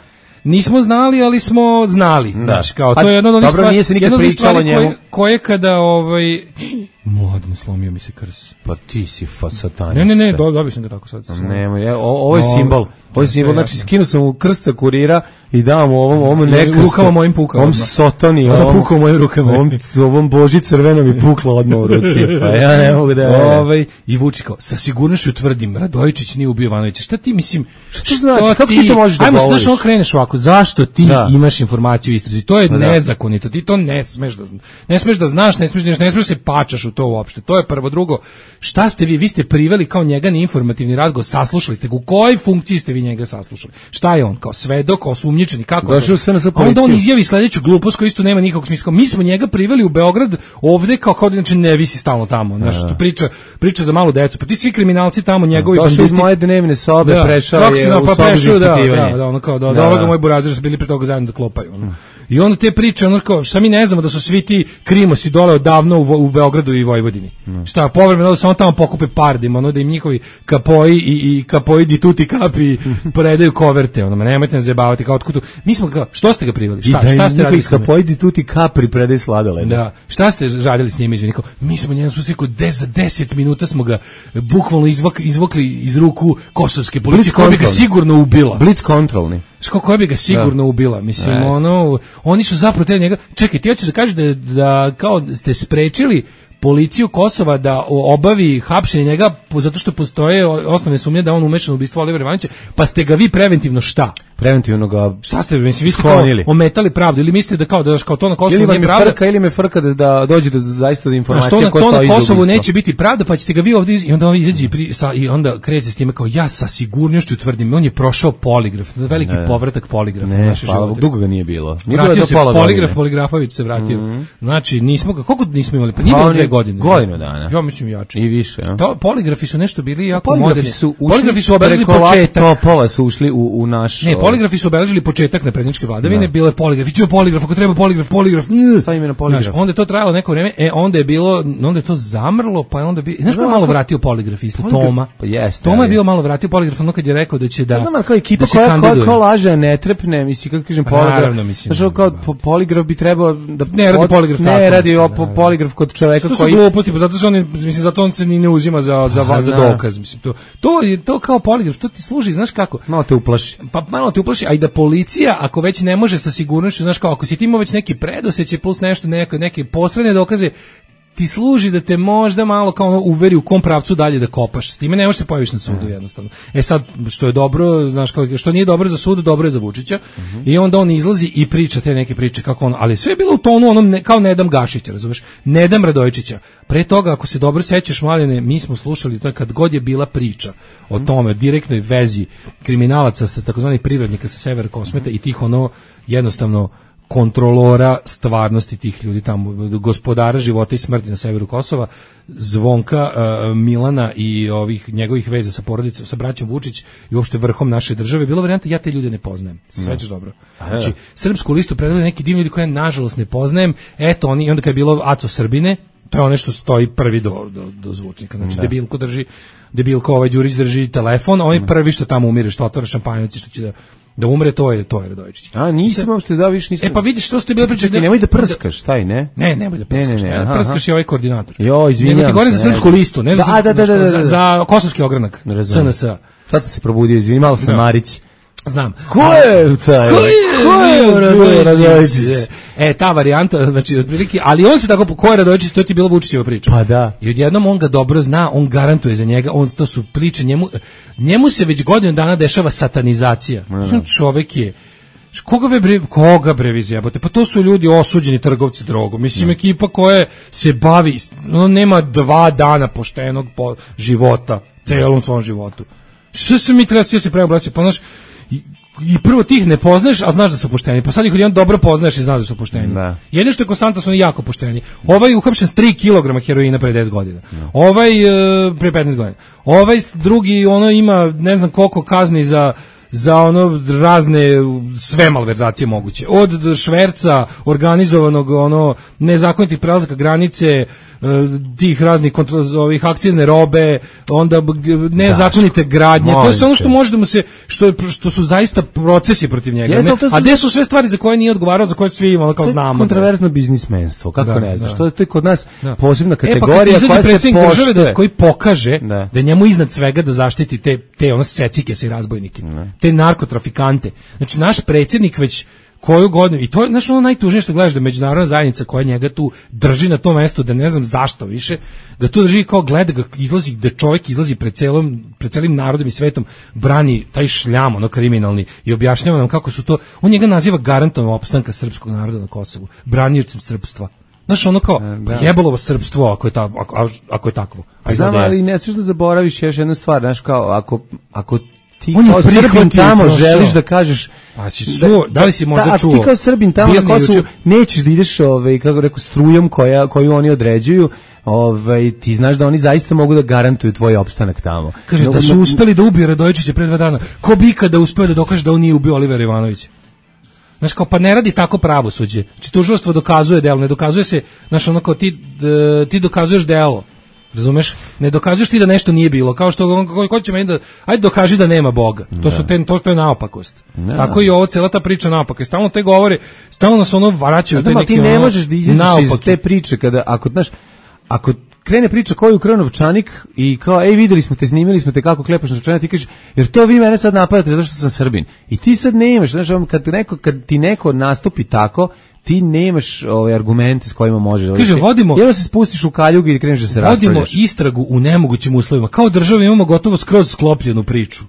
Nismo znali, ali smo znali. Znaš, kao, to je jedna od onih stvari, nije se nikad pričalo njemu. Koje kada, Mladen, slomio mi se krs. Pa ti si satanista. Ne, dobio sam ga tako sad. Ovo je simbol. Ovo je simbol, znači skinuo sam u krst sa kurira i dao mu ovom nekrstu. Rukama mojim pukao. Ovom sotoni. Pukao mojim rukama. Ovom boži crveno mi puklo odmah u ruci. Pa ja ne mogu da... I Vučić kao, sa sigurnošću tvrdim, Radojičić nije ubio Ivanovića. Šta ti, mislim... Što znači? Kako ti to možeš da govoriš? Ajmo, znaš, kreneš ovako. Zašto ti imaš informaciju u istrazi? To je nezakonito. Ti to ne smeš da znaš, ne smeš se pačaš u to uopšte. To je prvo. Drugo, šta ste vi ste priveli kao njega na informativni razgovor, saslušali ste ga, u kojoj funkciji ste vi njega saslušali? Šta je on, kao svedok, osumnjičeni, kako? Onda on izjavi sledeću glupost koja isto nema nikakvog smisla. Mi smo njega priveli u Beograd ovde kao da znači ne visi stalno tamo, znaš, što priča za malu decu. Pa ti svi kriminalci tamo njegovi banditi. Došao iz moje dnevne sobe, prešao je u sobu za ispitivanje. Ono kao da ovoga moj burazir su bili pre toga zajedno da klopaju. I onda te priče, ono kao, šta mi ne znamo da su svi ti krimosi dole odavno u Beogradu i Vojvodini. Šta, povremeno da samo tamo pokupe pardima, ono da im njihovi kapoji i kapoji di tuti kapi predaju koverte, ono, nemojte nas zajebavati, kao otkutu. Mi smo kao, što ste ga priveli? Šta ste radili s njima? Kapoji di tuti kapri predaju sladoled. Da, šta ste radili s njima, izvini, kao, mi smo njega susrekao, za 10 minuta smo ga bukvalno izvukli iz ruku kosovske policije, koja bi ga sigurno ubila. Blitz kontrolni. Koja bi ga sigurno ubila, mislim, oni su zapravo njega. Čekaj, ti hoćeš da kažeš da kao ste sprečili policiju Kosova da obavi hapšenje njega zato što postoje osnovne sumnje da on umešan u ubistvo Olivera Ivanovića, pa ste ga vi preventivno šta? Preventivno ga šta ste, mislim, vi ste ometali pravdu ili mislite da kao to na Kosovu nije pravda? Ili me frka da dođe do zaista do informacije koja stoji iza Kosovu neće biti pravda, pa ćete ga vi ovdje i onda izađe i onda kreće s time kao ja sa sigurnošću tvrdim, on je prošao poligraf, veliki povratak poligrafa u naše živote. Dugo ga nije bilo. Vratio se Poligrafović se vratio. Znači, nismo ga, koliko nismo imali? Pa nije bilo 2 godine. Godinu dana. Ja mislim jače. I više. Poligrafi su nešto bili jako moderni. Poligrafi su obeležili početak. Topova su ušli u naš... Ne, Poligrafi su obeležili početak naprednjačke vladavine, bilo je poligraf, ako treba poligraf. Šta ime na poligraf? Znaš, onda je to trajalo neko vreme, onda je to zamrlo, pa je onda bi, znaš ko je malo vratio poligraf isto, Toma. Pa jeste. Toma je bio malo vratio poligraf, ono kad je rekao da će da. Znam, kao ekipa koja laže, ne trepne, mislim, kako kažem, poligraf. Znaš, kao poligraf bi trebao da ne radi poligraf tako. Ne radi poligraf kod čoveka koji. To su gluposti, pa zato što on, mislim, zato on se ni ne uzima za dokaz, mislim, to kao poligraf, to ti služi, znaš kako? Malo te uplaši. Pa malo te uplaši, a i da policija, ako već ne može sa sigurnošću, znaš kao, ako si ti imao već neki predosećaj plus nešto, neke posredne dokaze, ti služi da te možda malo kao ono uveri u kom pravcu dalje da kopaš. S time ne možeš se pojaviš na sudu jednostavno. Sad, što je dobro, znaš, što nije dobro za sud, dobro je za Vučića. I onda on izlazi i priča te neke priče kako ono, ali sve je bilo u tonu onom kao Nedam Gašića, razumeš? Nedam Radojičića. Pre toga, ako se dobro sećaš, Mladene, mi smo slušali to kad god je bila priča o tome, direktnoj vezi kriminalaca sa takozvanih privrednika sa severa Kosmeta i tih ono jednostavno kontrolora stvarnosti tih ljudi tamo, gospodara života i smrti na severu Kosova, Zvonka, Milana i ovih njegovih veza sa porodicom, sa braćom Vučić i uopšte vrhom naše države, bilo varijanta ja te ljude ne poznajem. Sećaš dobro. Znači, srpsku listu predstavljaju neki divni ljudi koje nažalost ne poznajem. Eto oni, i onda kad je bilo Aco Srbine, to je ono što stoji prvi do zvučnika. Znači, Debilko Đurić drži telefon, on je prvi što tamo umire, što otvara šampanjac, što će da umre, to je Radojičić. A nisam uopšte da više nisam. Pa vidiš što ste bile priče. Nemoj da prskaš, taj, ne? Ne, nemoj da prskaš. Prskaš je ovaj koordinator. Jo, izvinjavam se. Nego ti govorim za srpsku listu, ne za kosovski ogranak. SNS. Sad se probudio, izvini, malo sam Marić. Znam. Ko je taj? Ko je Radojičić? Ta varijanta, znači otprilike, ali on se tako, ko je Radojičić, to je ti bila Vučićeva priča. Pa da. I odjednom on ga dobro zna, on garantuje za njega, to su priče, njemu se već godinu dana dešava satanizacija. Čovek je, koga bre vi zjebate? Pa to su ljudi osuđeni trgovci drogom. Mislim, ekipa koja se bavi, nema 2 dana poštenog života, celom svom životu. Što se mi treba se preobraćati? Pa znaš, i prvo tih ne poznaješ, a znaš da su pošteni. Pa sad ih jedan dobro poznaješ i znaš da su pošteni. Jedino što je konstantno su oni jako pošteni. Ovaj uhapšen s 3 kg heroina pre 10 godina. Ovaj pre 15 godina. Ovaj drugi ono ima ne znam koliko kazni za ono razne sve malverzacije moguće. Od šverca, organizovanog ono nezakonitih prelazaka granice, tih raznih ovih akcizne robe, onda nezakonite gradnje. To je sve ono što može da mu se što su zaista procesi protiv njega. A gde su sve stvari za koje nije odgovarao, za koje svi imamo kao znamo. Kontroverzno biznismenstvo, kako ne znaš. To je kod nas posebna kategorija koja se poštuje. Koji pokaže da njemu iznad svega da zaštiti te ono secike i razbojnike. Te narkotrafikante. Znači, naš predsjednik već koju godinu, i to je ono najtužnije što gledaš da međunarodna zajednica koja njega tu drži na tom mestu, da ne znam zašto više, da tu drži kao gleda ga izlazi, da čovjek izlazi pred celim narodom i svetom, brani taj šljam, ono kriminalni, i objašnjava nam kako su to, on njega naziva garantom opstanka srpskog naroda na Kosovu, branioćem srpstva. Znaš, ono kao, jebalovo srpstvo ako je takvo. Znam, ali ne smiješ da zaboraviš još jednu stvar, znaš, kao, ako ti kao Srbin tamo želiš da kažeš, da li si možda čuo? Ti kao Srbin tamo na Kosovu nećeš da ideš, kako rekao, strujom koju oni određuju, ti znaš da oni zaista mogu da garantuju tvoj opstanak tamo. Kaže da su uspeli da ubiju Radojičića pre 2 dana. Ko bi ikada uspeo da dokaže da on nije ubio Olivera Ivanovića? Znaš, kao, pa ne radi tako pravosuđe. Znači, tužilaštvo dokazuje delo, ne dokazuje se, znaš, ono kao ti dokazuješ delo. Razumeš? Ne dokazuješ ti da nešto nije bilo, kao što ko će meni da ajde dokaži da nema Boga. To je naopakost. Tako i ovo cela ta priča naopaka. Stalno te govore, stalno nas ono vraćaju te neke. Ti ne možeš da izađeš iz te priče kada ako krene priča koju ukrao novčanik i kao videli smo te, snimili smo te kako klepaš novčanik, ti kažeš jer to vi mene sad napadate zato što sam Srbin. I ti sad nemaš, znaš, kad ti neko nastupi tako, ti nemaš argumente s kojima može. Kaže, jedno se spustiš u kaljugu i kreneš da se raspravljaš. Vodimo istragu u nemogućim uslovima. Kao država imamo gotovo skroz sklopljenu priču.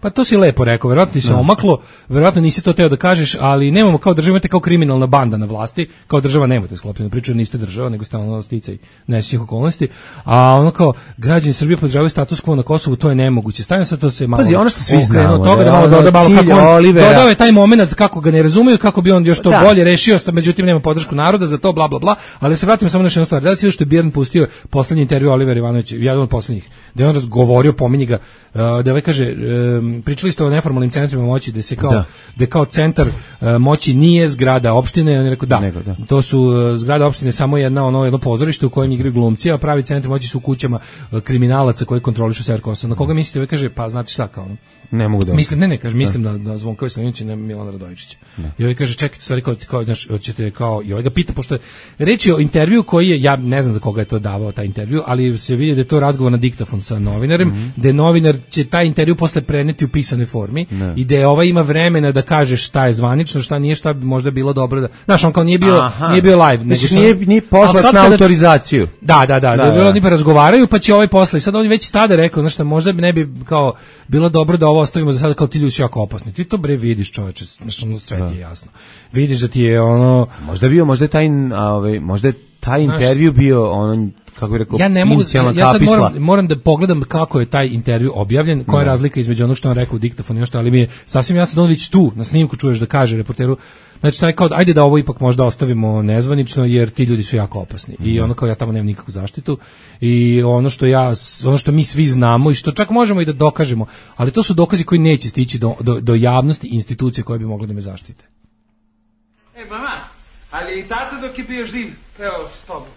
Pa to si lepo rekao, verovatno ti se omaklo, verovatno nisi to teo da kažeš, ali nemamo kao država, imate kao kriminalna banda na vlasti, kao država nemate sklopljenu priču, niste država, nego stalno sticaj nesrećnih okolnosti, a ono kao građani Srbije podržavaju status quo na Kosovu, to je nemoguće. Stavljam sad to se malo. Pazi, ono što svi znamo, toga da malo dodao je taj momenat kako ga ne razumeju, kako bi on još to bolje rešio, međutim nema podršku naroda za to, bla bla bla, ali se vratimo samo na jednu stvar. Da li si što je Birn pustio poslednji intervju Olivera Ivanovića, jedan od poslednjih, da je on razgovorio, pominje ga, da kaže pričali ste o neformalnim centrima moći, da kao centar moći nije zgrada opštine, on je rekao to su zgrada opštine samo jedno pozorište u kojem igraju glumci, a pravi centri moći su u kućama kriminalaca koji kontrolišu sever Kosova. Na koga mislite? Ovaj kaže, pa znate šta, kao ono. Ne mogu da. Mislim na Zvonkovića Savinovića i na Milana Radojičića. I ovaj kaže, čekajte, stvari kao znaš, hoćete kao, i ovaj ga pita, pošto reč je o intervju koji je, ja ne znam za koga je to davao taj intervju, ali se vidi da je to razgovor na diktafon sa novinarem, da novinar će taj intervju posle preneti u pisanoj formi i da je ovaj ima vremena da kaže šta je zvanično, šta nije, šta bi možda bilo dobro da. Znaš, on kao nije bio live, nego nije poslat na autorizaciju. Da je bilo oni razgovaraju, pa će ovaj posle. I sad on već tada rekao, znaš šta, možda ne bi kao bilo dobro da ovo ostavimo za sada, kao ti ljudi su jako opasni. Ti to bre vidiš, čoveče, znači sve ti je jasno. Vidiš da ti je ono možda je taj intervju bio ono, kako bih rekao, ja sad moram da pogledam kako je taj intervju objavljen, koja je razlika između onog što on rekao u diktafonu i nešto, ali mi je sasvim jasno da on već tu na snimku čuješ da kaže reporteru, znači taj kao, ajde da ovo ipak možda ostavimo nezvanično jer ti ljudi su jako opasni. I ono kao ja tamo nemam nikakvu zaštitu i ono što mi svi znamo i što čak možemo i da dokažemo, ali to su dokazi koji neće stići do javnosti i institucije koje bi mogle da me zaštite. Mama, ali i tata dok je bio živ, evo s tobom.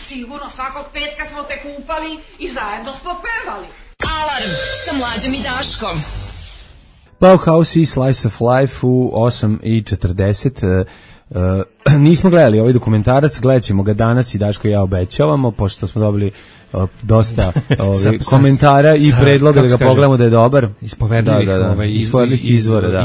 Sigurno, svakog petka smo te kupali i zajedno smo pevali. Alarm sa Mlađom i Daškom. Bauhaus i Slice of Life u 8:40. Nismo gledali ovaj dokumentarac, gledat ćemo ga danas i Daško i ja obećavamo, pošto smo dobili dosta komentara i predloga da ga pogledamo da je dobar. Ispovedljivih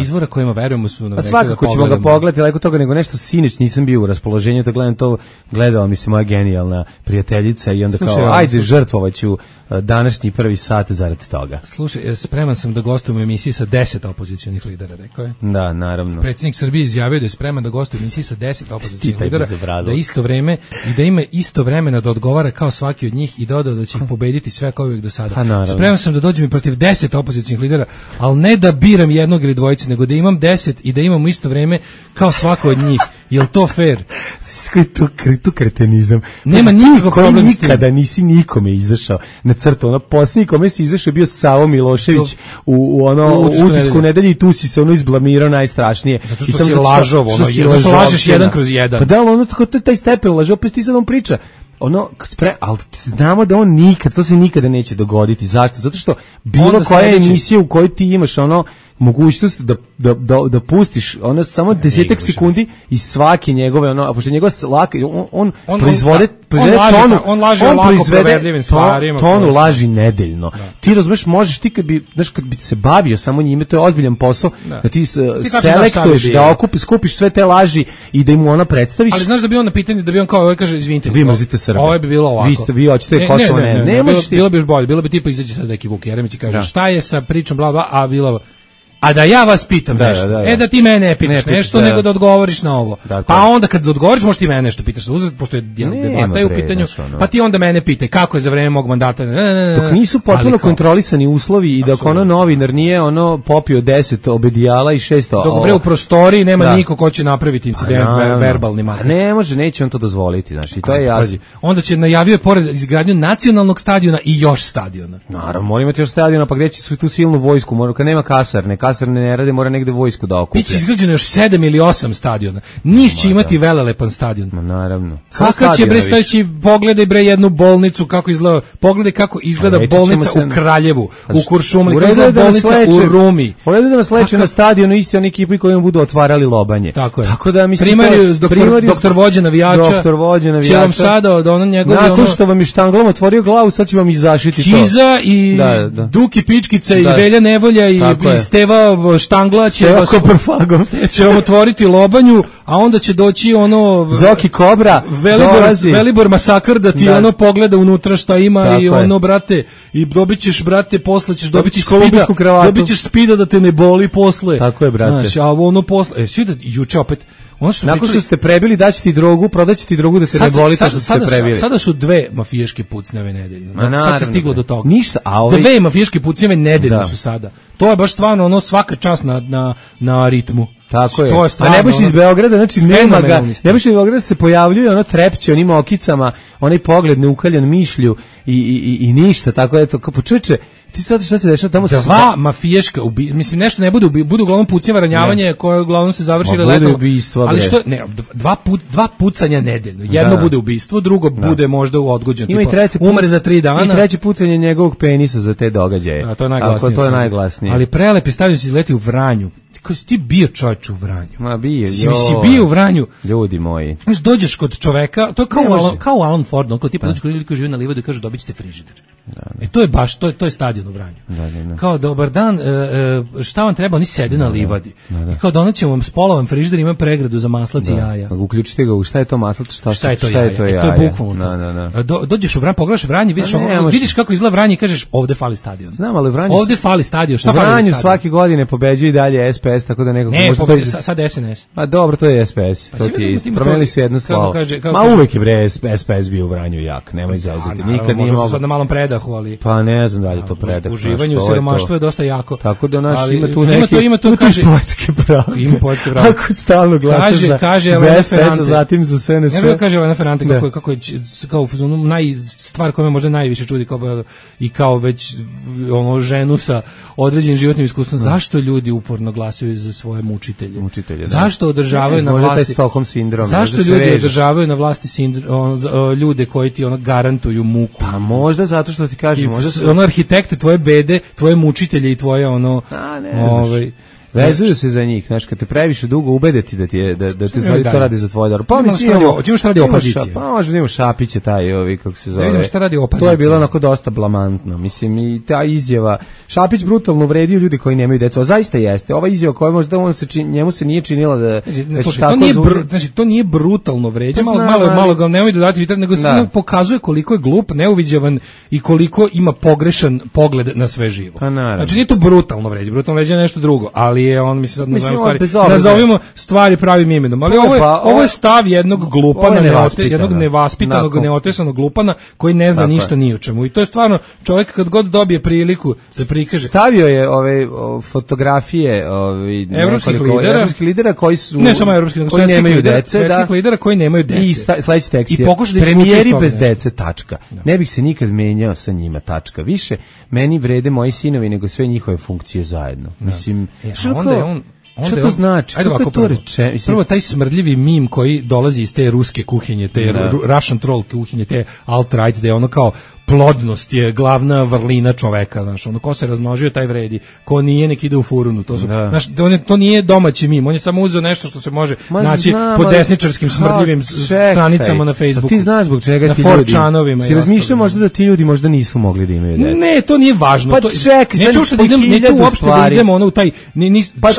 izvora kojima verujemo su nam rekli da svakako ćemo ga pogledati, leko toga nego nešto sinoć nisam bio u raspoloženju da gledam to, gledala mi se moja genijalna prijateljica i onda ajde žrtvovaću današnji prvi sat zarad toga. Slušaj, spreman sam da gostujem u emisiji sa 10 opozicionih lidera, rekao je. Da, naravno. Predsjednik Srbije izjavio da je spreman da gostuje u emisiji sa 10 opozicionih lidera, da isto vreme i da ima isto vremena da odgovara kao svaki od njih i dodao da će ih pobediti sve kao uvijek do sada. Spreman sam da dođem i protiv 10 opozicionih lidera, ali ne da biram jednog ili dvojicu, nego da imam 10 i da imam isto vreme kao svako od njih. Jel to fair? Koji tu kretenizam. Nema nikakvog problema. Nikada nisi nikome izašao na crtu. Ono posljednji kome si izašao je bio Savo Milošević u Utisku nedelje i tu si se izblamirao najstrašnije. Zato što si lažov, zašto lažeš 1/1. Pa da, ono taj stepen lažov, opet ti sad on priča. Ali znamo da on nikad, to se nikada neće dogoditi. Zašto? Zato što bilo koja emisija u kojoj ti imaš mogućnost da pustiš samo 10 sekundi iz svake njegove, a pošto njegova on proizvode tonu, on laže ovako proverljivim stvarima. Tonu laži nedeljno. Ti razumeš, možeš ti kad bi se bavio samo njime, to je ozbiljan posao, da ti selektuješ, da skupiš sve te laži i da im ona predstaviš. Ali znaš da bi on na pitanje, da bi on kao kaže, izvinite, vi mrzite Srbe. Ovo bi bilo ovako. Vi hoćete Kosovo, ne možete. Bilo bi još bolje, bilo bi tipa izađe sad neki Vuk Jeremić i kaže šta je sa pričom bla bla, a bilo a da ja vas pitam nešto. Da ti mene ne pitaš nešto, nego da odgovoriš na ovo. Pa onda kad odgovoriš, možeš ti mene nešto pitaš za uzvrat, pošto je debata u pitanju, pa ti onda mene pitaj kako je za vreme mog mandata. Dok nisu potpuno kontrolisani uslovi i dok novinar nije popio 10 obedijala i 600. Dok bre u prostoriji nema niko ko će napraviti incident verbalni makar. Ne može, neće on to dozvoliti, znači i to je jasno. Onda će najavio pored izgradnju nacionalnog stadiona i još stadiona. Naravno, mora imati još stadiona, pa gde će tu silnu vojsku, mora kad nema kasarne ne rade, mora negde vojsku da okuplja. Biće izgrađeno još 7 ili 8 stadiona. Niš će imati velelepan stadion. Naravno. Kako će bre staći, pogledaj bre jednu bolnicu kako izgleda. Pogledaj kako izgleda bolnica u Kraljevu, u Kuršumliji, kako izgleda bolnica u Rumi. Uredu da nas leče na stadionu isti oni ekipi kojim budu otvarali lobanje. Tako je. Tako da mislim doktor vođa navijača. Će vam sada od onog njegovi nakon što vam je štanglom otvorio glavu, sad će vam izašiti to. Kiza i Duki Pičkica i Velja Nevolja i Steva Štangla će vam otvoriti lobanju, a onda će doći Zoki Kobra, Velibor Masakr da ti pogleda unutra šta ima i brate, i dobićeš brate, posle ćeš dobiti spida, dobićeš spida da te ne boli posle. Tako je brate. Znaš, a posle, svi da juče opet nakon što ste prebili, daći ti drogu, prodaći ti drogu da se ne boli to što ste prebili. Sada su 2 mafijaške pucnjave nedeljno. Sad se stiglo do toga. Ništa, a 2 mafijaške pucnjave nedeljno su sada. To je baš stvarno svaka čast na ritmu. Tako je. A ne baš iz Beograda, znači nema ga. Ne baš iz Beograda se pojavljuje trepće, onim okicama, onaj pogled neukaljan mišlju i ništa, tako je to. Kao čoveče, Ti sad šta se dešava tamo? Dva mafijaška mislim nešto ne bude budu uglavnom pucnjava, ranjavanje koje uglavnom se završi letom. Ali što ne, dva pucanja nedeljno. Jedno bude ubistvo, drugo bude možda u odgođen. Ima i treći umre za 3 dana. I treće pucanje njegovog penisa za te događaje. A to je najglasnije. Ali prelepi stadion se izleti u Vranju. Kako si ti bio čovječ u Vranju? Ma bio, si bio u Vranju. Ljudi moji. Znaš, dođeš kod čoveka, to je kao u Alan Fordu, kao tipa dođeš kod ljudi koji žive na livadu i kažu dobit ćete frižider. To je baš, to je stadion u Vranju. Kao dobar dan, šta vam treba, oni sede na livadi. I kao donećemo vam spolovan frižider, ima pregradu za maslac i jaja. Uključite ga, šta je to maslac, šta je to jaja? To je bukvalno. Dođeš u Vranju, pogledaš Vranje, vidiš kako izgleda Vranje i kažeš ovde fali stadion. Znam, ali Vranje. Ovde fali stadion, šta fali? Vranju svake godine pobeđuje i dalje SPS, tako da nekako može sad SNS. A dobro, to je SPS. To ti je promenili su jednu slavu. Ma uvek je bre SPS bio u Vranju jak, nemoj zazeti. Nikad nije mogao. Sad na malom predahu, ali pa ne znam da li to predah. Uživanje u siromaštvu je dosta jako. Tako da ima tu neki kaže poetske pravo. Ima poetske pravo. Ako stalno glasaš za SPS, zatim za SNS. Ne kaže Elena Ferrante kako je kao stvar koja me možda najviše čudi kao već ono ženu sa određenim životnim iskustvom. Zašto ljudi uporno glasaju za svoje mučitelje? Zašto održavaju na vlasti Stockholm sindrom? Zašto ljudi održavaju na vlasti ljude koji ti garantuju muku? Pa možda zato što ti kažem, možda arhitekte tvoje bede, tvoje mučitelje i tvoje vezuju se za njih, znaš, kad te previše dugo ubedeti da ti je da te zvali to radi za tvoj dar. Pa mislim, hoćemo šta radi opozicija. Pa možda ima Šapića taj, kako se zove. Vidimo šta radi opozicija. To je bilo onako dosta blamantno. Mislim i ta izjava, Šapić brutalno uvredio ljude koji nemaju decu. Zaista jeste. Ova izjava koja možda njemu se nije činila da to nije brutalno vređa, malo ga nemoj dodati vitar, nego samo pokazuje koliko je glup, neuviđavan i koliko ima pogrešan pogled na sve živo. Znači nije to brutalno vređa, brutalno vređa je nešto drugo, ali je on sad nazovimo stvari pravim imenom, ali ovo je stav jednog glupana, jednog nevaspitanog, neotesanog glupana koji ne zna ništa ni o čemu. I to je stvarno čovjek kad god dobije priliku da prikaže. Stavio je ove fotografije evropskih lidera koji su ne samo evropskih, nego koji nemaju dece, svetskih lidera koji nemaju dece. I sledeći tekst je premijeri bez dece, tačka. Ne bih se nikad menjao sa njima, tačka. Više meni vrede moji sinovi nego sve njihove funkcije zajedno. Mislim, šta to znači? Ajde ovako prvo taj smrdljivi mim koji dolazi iz te ruske kuhinje, te Russian troll kuhinje, te alt-right, da je ono kao plodnost je glavna vrlina čoveka, znaš, ono ko se razmnožio taj vredi, ko nije nek ide u furunu, to su, znaš, to nije domaći mim, on je samo uzeo nešto što se može naći po desničarskim smrdljivim stranicama na Facebooku. Ti znaš zbog čega ti ljudi, si razmišljao možda da ti ljudi možda nisu mogli da imaju djecu? Ne, to nije važno. Pa čekaj, neću uopšte da idemo ono u taj,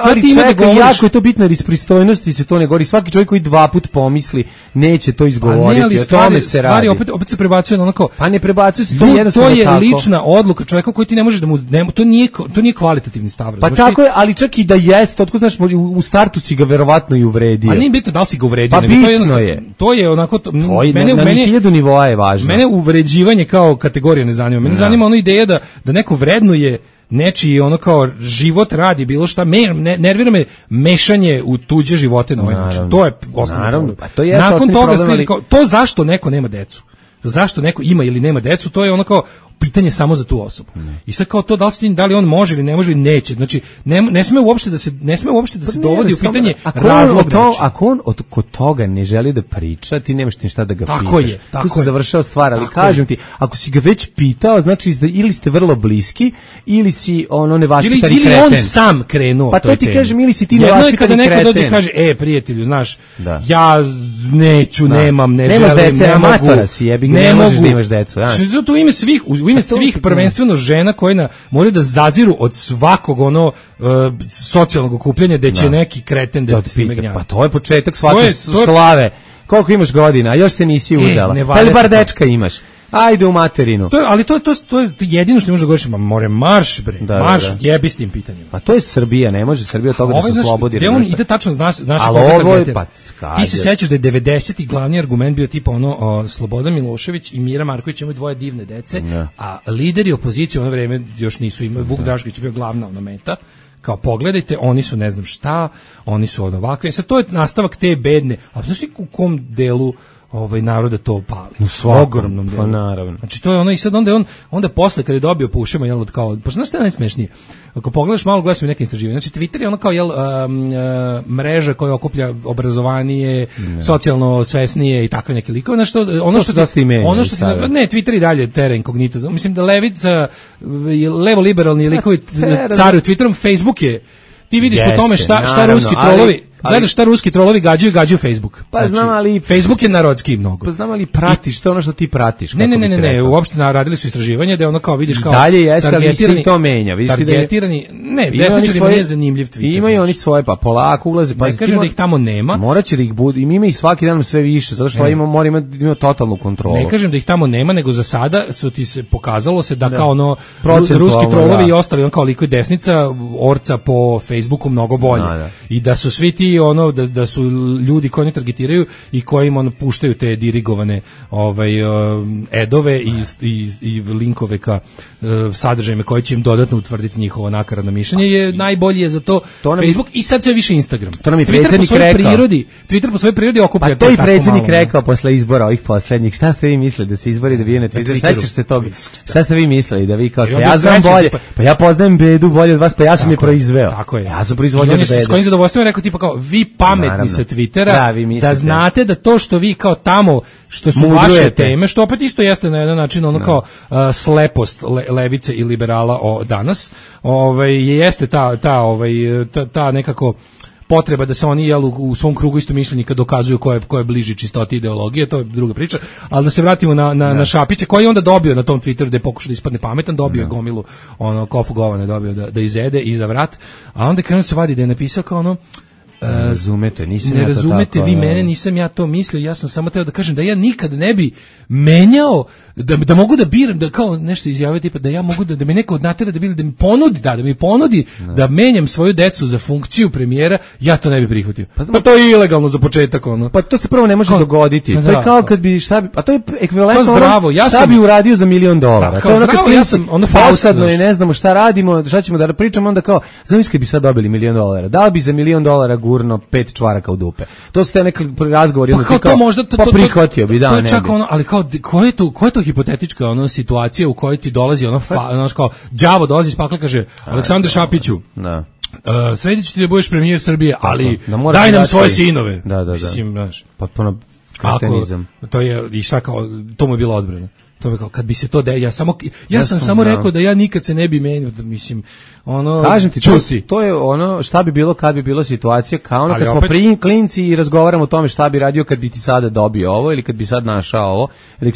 ali čekaj, jako je to bitno jer iz pristojnosti se to ne govori, svaki čovjek koji 2 puta pomisli neće to izgovoriti, o tome se radi. Opet se prebacuje na ono kao, pa ne prebacuje se to je lična odluka čovjeka koji ti ne možeš da mu to nije kvalitativni stav. Pa tako je, ali čak i da jeste, otko znaš, u startu si ga verovatno i uvredio. A nije bitno da li si ga uvredio, pa bitno je. To je onako mene na 1000 nivoa je važno. Mene uvređivanje kao kategorija ne zanima. Mene zanima ona ideja da neko vrednuje nečiji ono kao život, radi bilo šta, nervira me mešanje u tuđe živote na ovaj način. To je osnovno. Nakon toga to zašto neko nema decu, zašto neko ima ili nema decu, to je ono kao pitanje samo za tu osobu. I sad kao to da li on može ili ne može ili neće. Znači ne sme uopšte da se dovodi u pitanje razlog. Ako on kod toga ne želi da priča, ti nemaš ništa da ga pitaš. Tako se završava stvar, ali kažem ti, ako si ga već pitao, znači ili ste vrlo bliski ili si ono nevaspitani kreten. Ili on sam krenuo. Pa to ti kažem, ili si ti nevaspitani kreten. Jedno je kada neko dođe i kaže, prijatelju, znaš, ja neću, nemam, ne želim, dece, ne mogu. Ne možeš da imaš decu. To ime svih prvenstveno žena koje moraju da zaziru od svakog socijalnog okupljanja da će neki kreten da ti gnjavi. Pa to je početak svake slave. Koliko imaš godina, a još se nisi udala. Ali bar dečka imaš. Ajde u materinu. Ali to je jedino što ne može da govoriš, marš bre, jebi s tim pitanjima. Pa to je Srbija, ne može Srbija od toga da se oslobodi. Gde on ide tačno, znaš ti se sećaš da je 90. glavni argument bio tipa Slobodan Milošević i Mira Marković imaju 2 divne dece, a lideri opozicije u ono vreme još nisu imali, Vuk Drašković je bio glavna meta. Kao pogledajte, oni su ne znam šta, oni su ovakve. Sad to je nastavak te bedne, a znaš ti u kom delu naroda to pali. U ogromnom delu. Pa naravno. Znači to je ono i sad onda posle kad je dobio po ušima jel kao pa znaš šta je najsmešnije? Ako pogledaš malo gledaš mi neke istraživanja. Znači Twitter je ono kao mreža koja okuplja obrazovanije, socijalno svesnije i takve neke likove. Znači ono što ne Twitter i dalje terra incognita. Mislim da levica levo liberalni likovi caruju Twitterom, Facebook je ti vidiš po tome šta ruski trolovi gledaš šta ruski trolovi gađaju Facebook. Pa znam, ali Facebook je narodski mnogo. Pa znam, ali pratiš to ono što ti pratiš. Ne, uopšte radili su istraživanje da ono kao vidiš kao dalje jeste, ali se to menja. Targetirani, desničarima nije zanimljiv Twitter. Imaju oni svoje, pa polako ulaze. Pa kažem da ih tamo nema. Moraće da ih bude, ima ih svaki dan sve više, zato što mora imati totalnu kontrolu. Ne kažem da ih tamo nema, nego za sada pokazalo se da kao ono ruski trolovi i ostali, on kao liko i desnica, orca po Facebooku mnogo bolje. I da su svi ti da su ljudi koji oni targetiraju i koji im puštaju te dirigovane edove i linkove ka sadržajima koji će im dodatno utvrditi njihovo nakaradno mišljenje je najbolji je za to Facebook i sad sve više Instagram. To nam je predsjednik rekao. Twitter po svojoj prirodi okuplja to. Pa to i predsjednik rekao posle izbora ovih poslednjih. Šta ste vi mislili da se izbori dobije na Twitteru? Sećaš se toga? Šta ste vi mislili da vi kao ja znam bolje, pa ja poznajem bedu bolje od vas, pa ja sam je proizveo. Tako je. Ja sam proizvođač bede. S kojim zadovoljstvom rekao tipa kao vi pametni sa Twittera, da znate da to što vi kao tamo, što su vaše teme, što opet isto jeste na jedan način ono kao slepost levice i liberala danas, jeste ta nekako potreba da se oni u svom krugu istomišljenika dokazuju ko je bliži čistoti ideologije, to je druga priča, ali da se vratimo na Šapića koji je onda dobio na tom Twitteru da je pokušao da ispadne pametan, dobio gomilu kofu govana, dobio da izede iza vrat, a onda krenuo se vadi da je napisao kao ono razumete, nisam ne ja to razumete tako, vi mene, nisam ja to mislio, ja sam samo teo da kažem da ja nikad ne bi menjao, da mogu da biram, da kao nešto izjavio tipa da ja mogu da me neko natera da mi ponudi da menjam svoju decu za funkciju premijera, ja to ne bi prihvatio. Pa to je ilegalno za početak ono. Pa to se prvo ne može dogoditi. To je kao kad bi a to je ekvivalentno šta bi uradio za $1 miliona. To je ono kad ja sam ono falsadno i ne znamo šta radimo, šta ćemo da pričamo, onda kao zamisli bi sad dobili $1 milion. Da li bi za $1 milion gurno 5 čvaraka u dupe? To su te neki razgovori, pa to možda pa prihvatio bi, da, to je čak ono, ali kao koja je to hipotetička situacija u kojoj ti dolazi ono kao đavo dolazi iz pakla, kaže Aleksandar Šapiću. Da. Sredit ću ti da budeš premijer Srbije, ali daj nam svoje sinove. Da. Mislim, znaš. Potpuno kretenizam. To je, i šta kao, to mu je bilo odbrana. To je kao, kad bi se to ja sam samo rekao da ja nikad se ne bi menio, mislim, ono, kažem ti, to je ono šta bi bilo kad bi bilo situacija kao ono kad smo klinci i razgovaramo o tome šta bi radio kad bi ti sada dobio ovo ili kad bi sad našao ovo, ili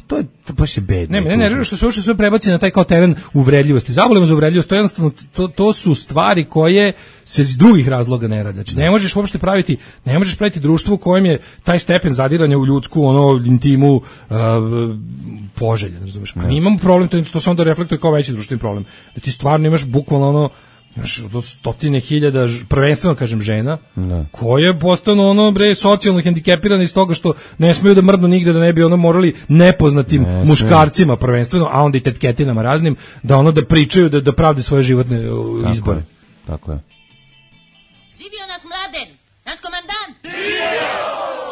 to je baš je bedno. Ne, što se uopšte sve prebaci na taj kao teren uvredljivosti. Zavolimo za uvredljivost, to je jednostavno to su stvari koje se iz drugih razloga ne rade. Znači ne možeš uopšte praviti društvo u kojem je taj stepen zadiranja u ljudsku intimu poželjen, razumeš? Mi imamo problem, to se onda reflektuje kao veći društveni problem. Da ti stvarno imaš bukvalno stotine hiljada, prvenstveno kažem žena, koje postanu socijalno hendikepirane iz toga što ne smiju da mrdnu nigde, da ne bi morali nepoznatim muškarcima prvenstveno, a onda i tetketinama raznim, da da pričaju, da pravde svoje životne izbore. Tako je. Živio nas Mladen, naš komandant!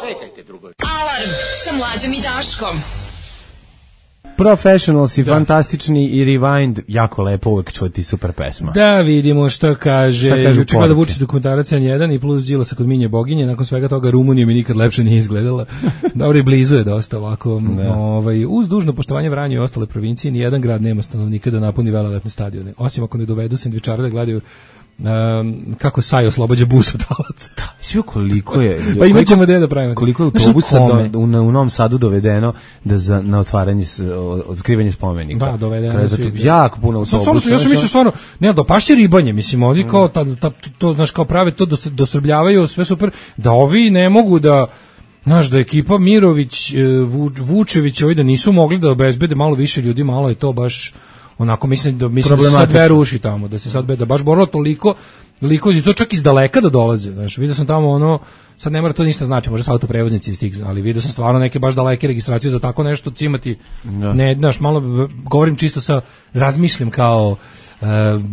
Čekajte drugo. Alarm sa Mlađom i Daškom. Professionals i fantastični i Rewind, jako lepo uvek čuti, super pesma. Da vidimo što kaže juče gleda Vučić dokumentarac N1 i plus Đilasa kod Minje Boginje, nakon svega toga Rumunija mi nikad lepše nije izgledala. Dobro, i blizu je dosta ovako. Uz dužno poštovanje Vranje i ostale provincije, nijedan grad nema stanovnika da napuni velelepne stadione, osim ako ne dovedu sendvičare da gledaju kako Saj oslobađa bus od talaca. Da, svi koliko je. Pa imaćemo da pravimo. Koliko je autobusa u Novom Sadu dovedeno na otvaranje otkrivanje spomenika. Da, dovedeno. Jako puno autobusa. Ja sam mislio stvarno, ne, do pašće ribanje, mislim, oni kao to znaš kao prave to dosrbljavaju, sve super, da ovi ne mogu da znaš, da ekipa Mirović, Vučević, ovi da nisu mogli da obezbede malo više ljudi, malo je to baš onako mislim da se sad veruši tamo, da se sad da baš borilo toliko i to čak iz daleka da dolaze, znaš, vidio sam tamo sad ne mora to ništa znači, možda su autoprevoznici iz tih, ali vidio sam stvarno neke baš daleke registracije za tako nešto cimati, ne, znaš, malo govorim čisto razmišljam kao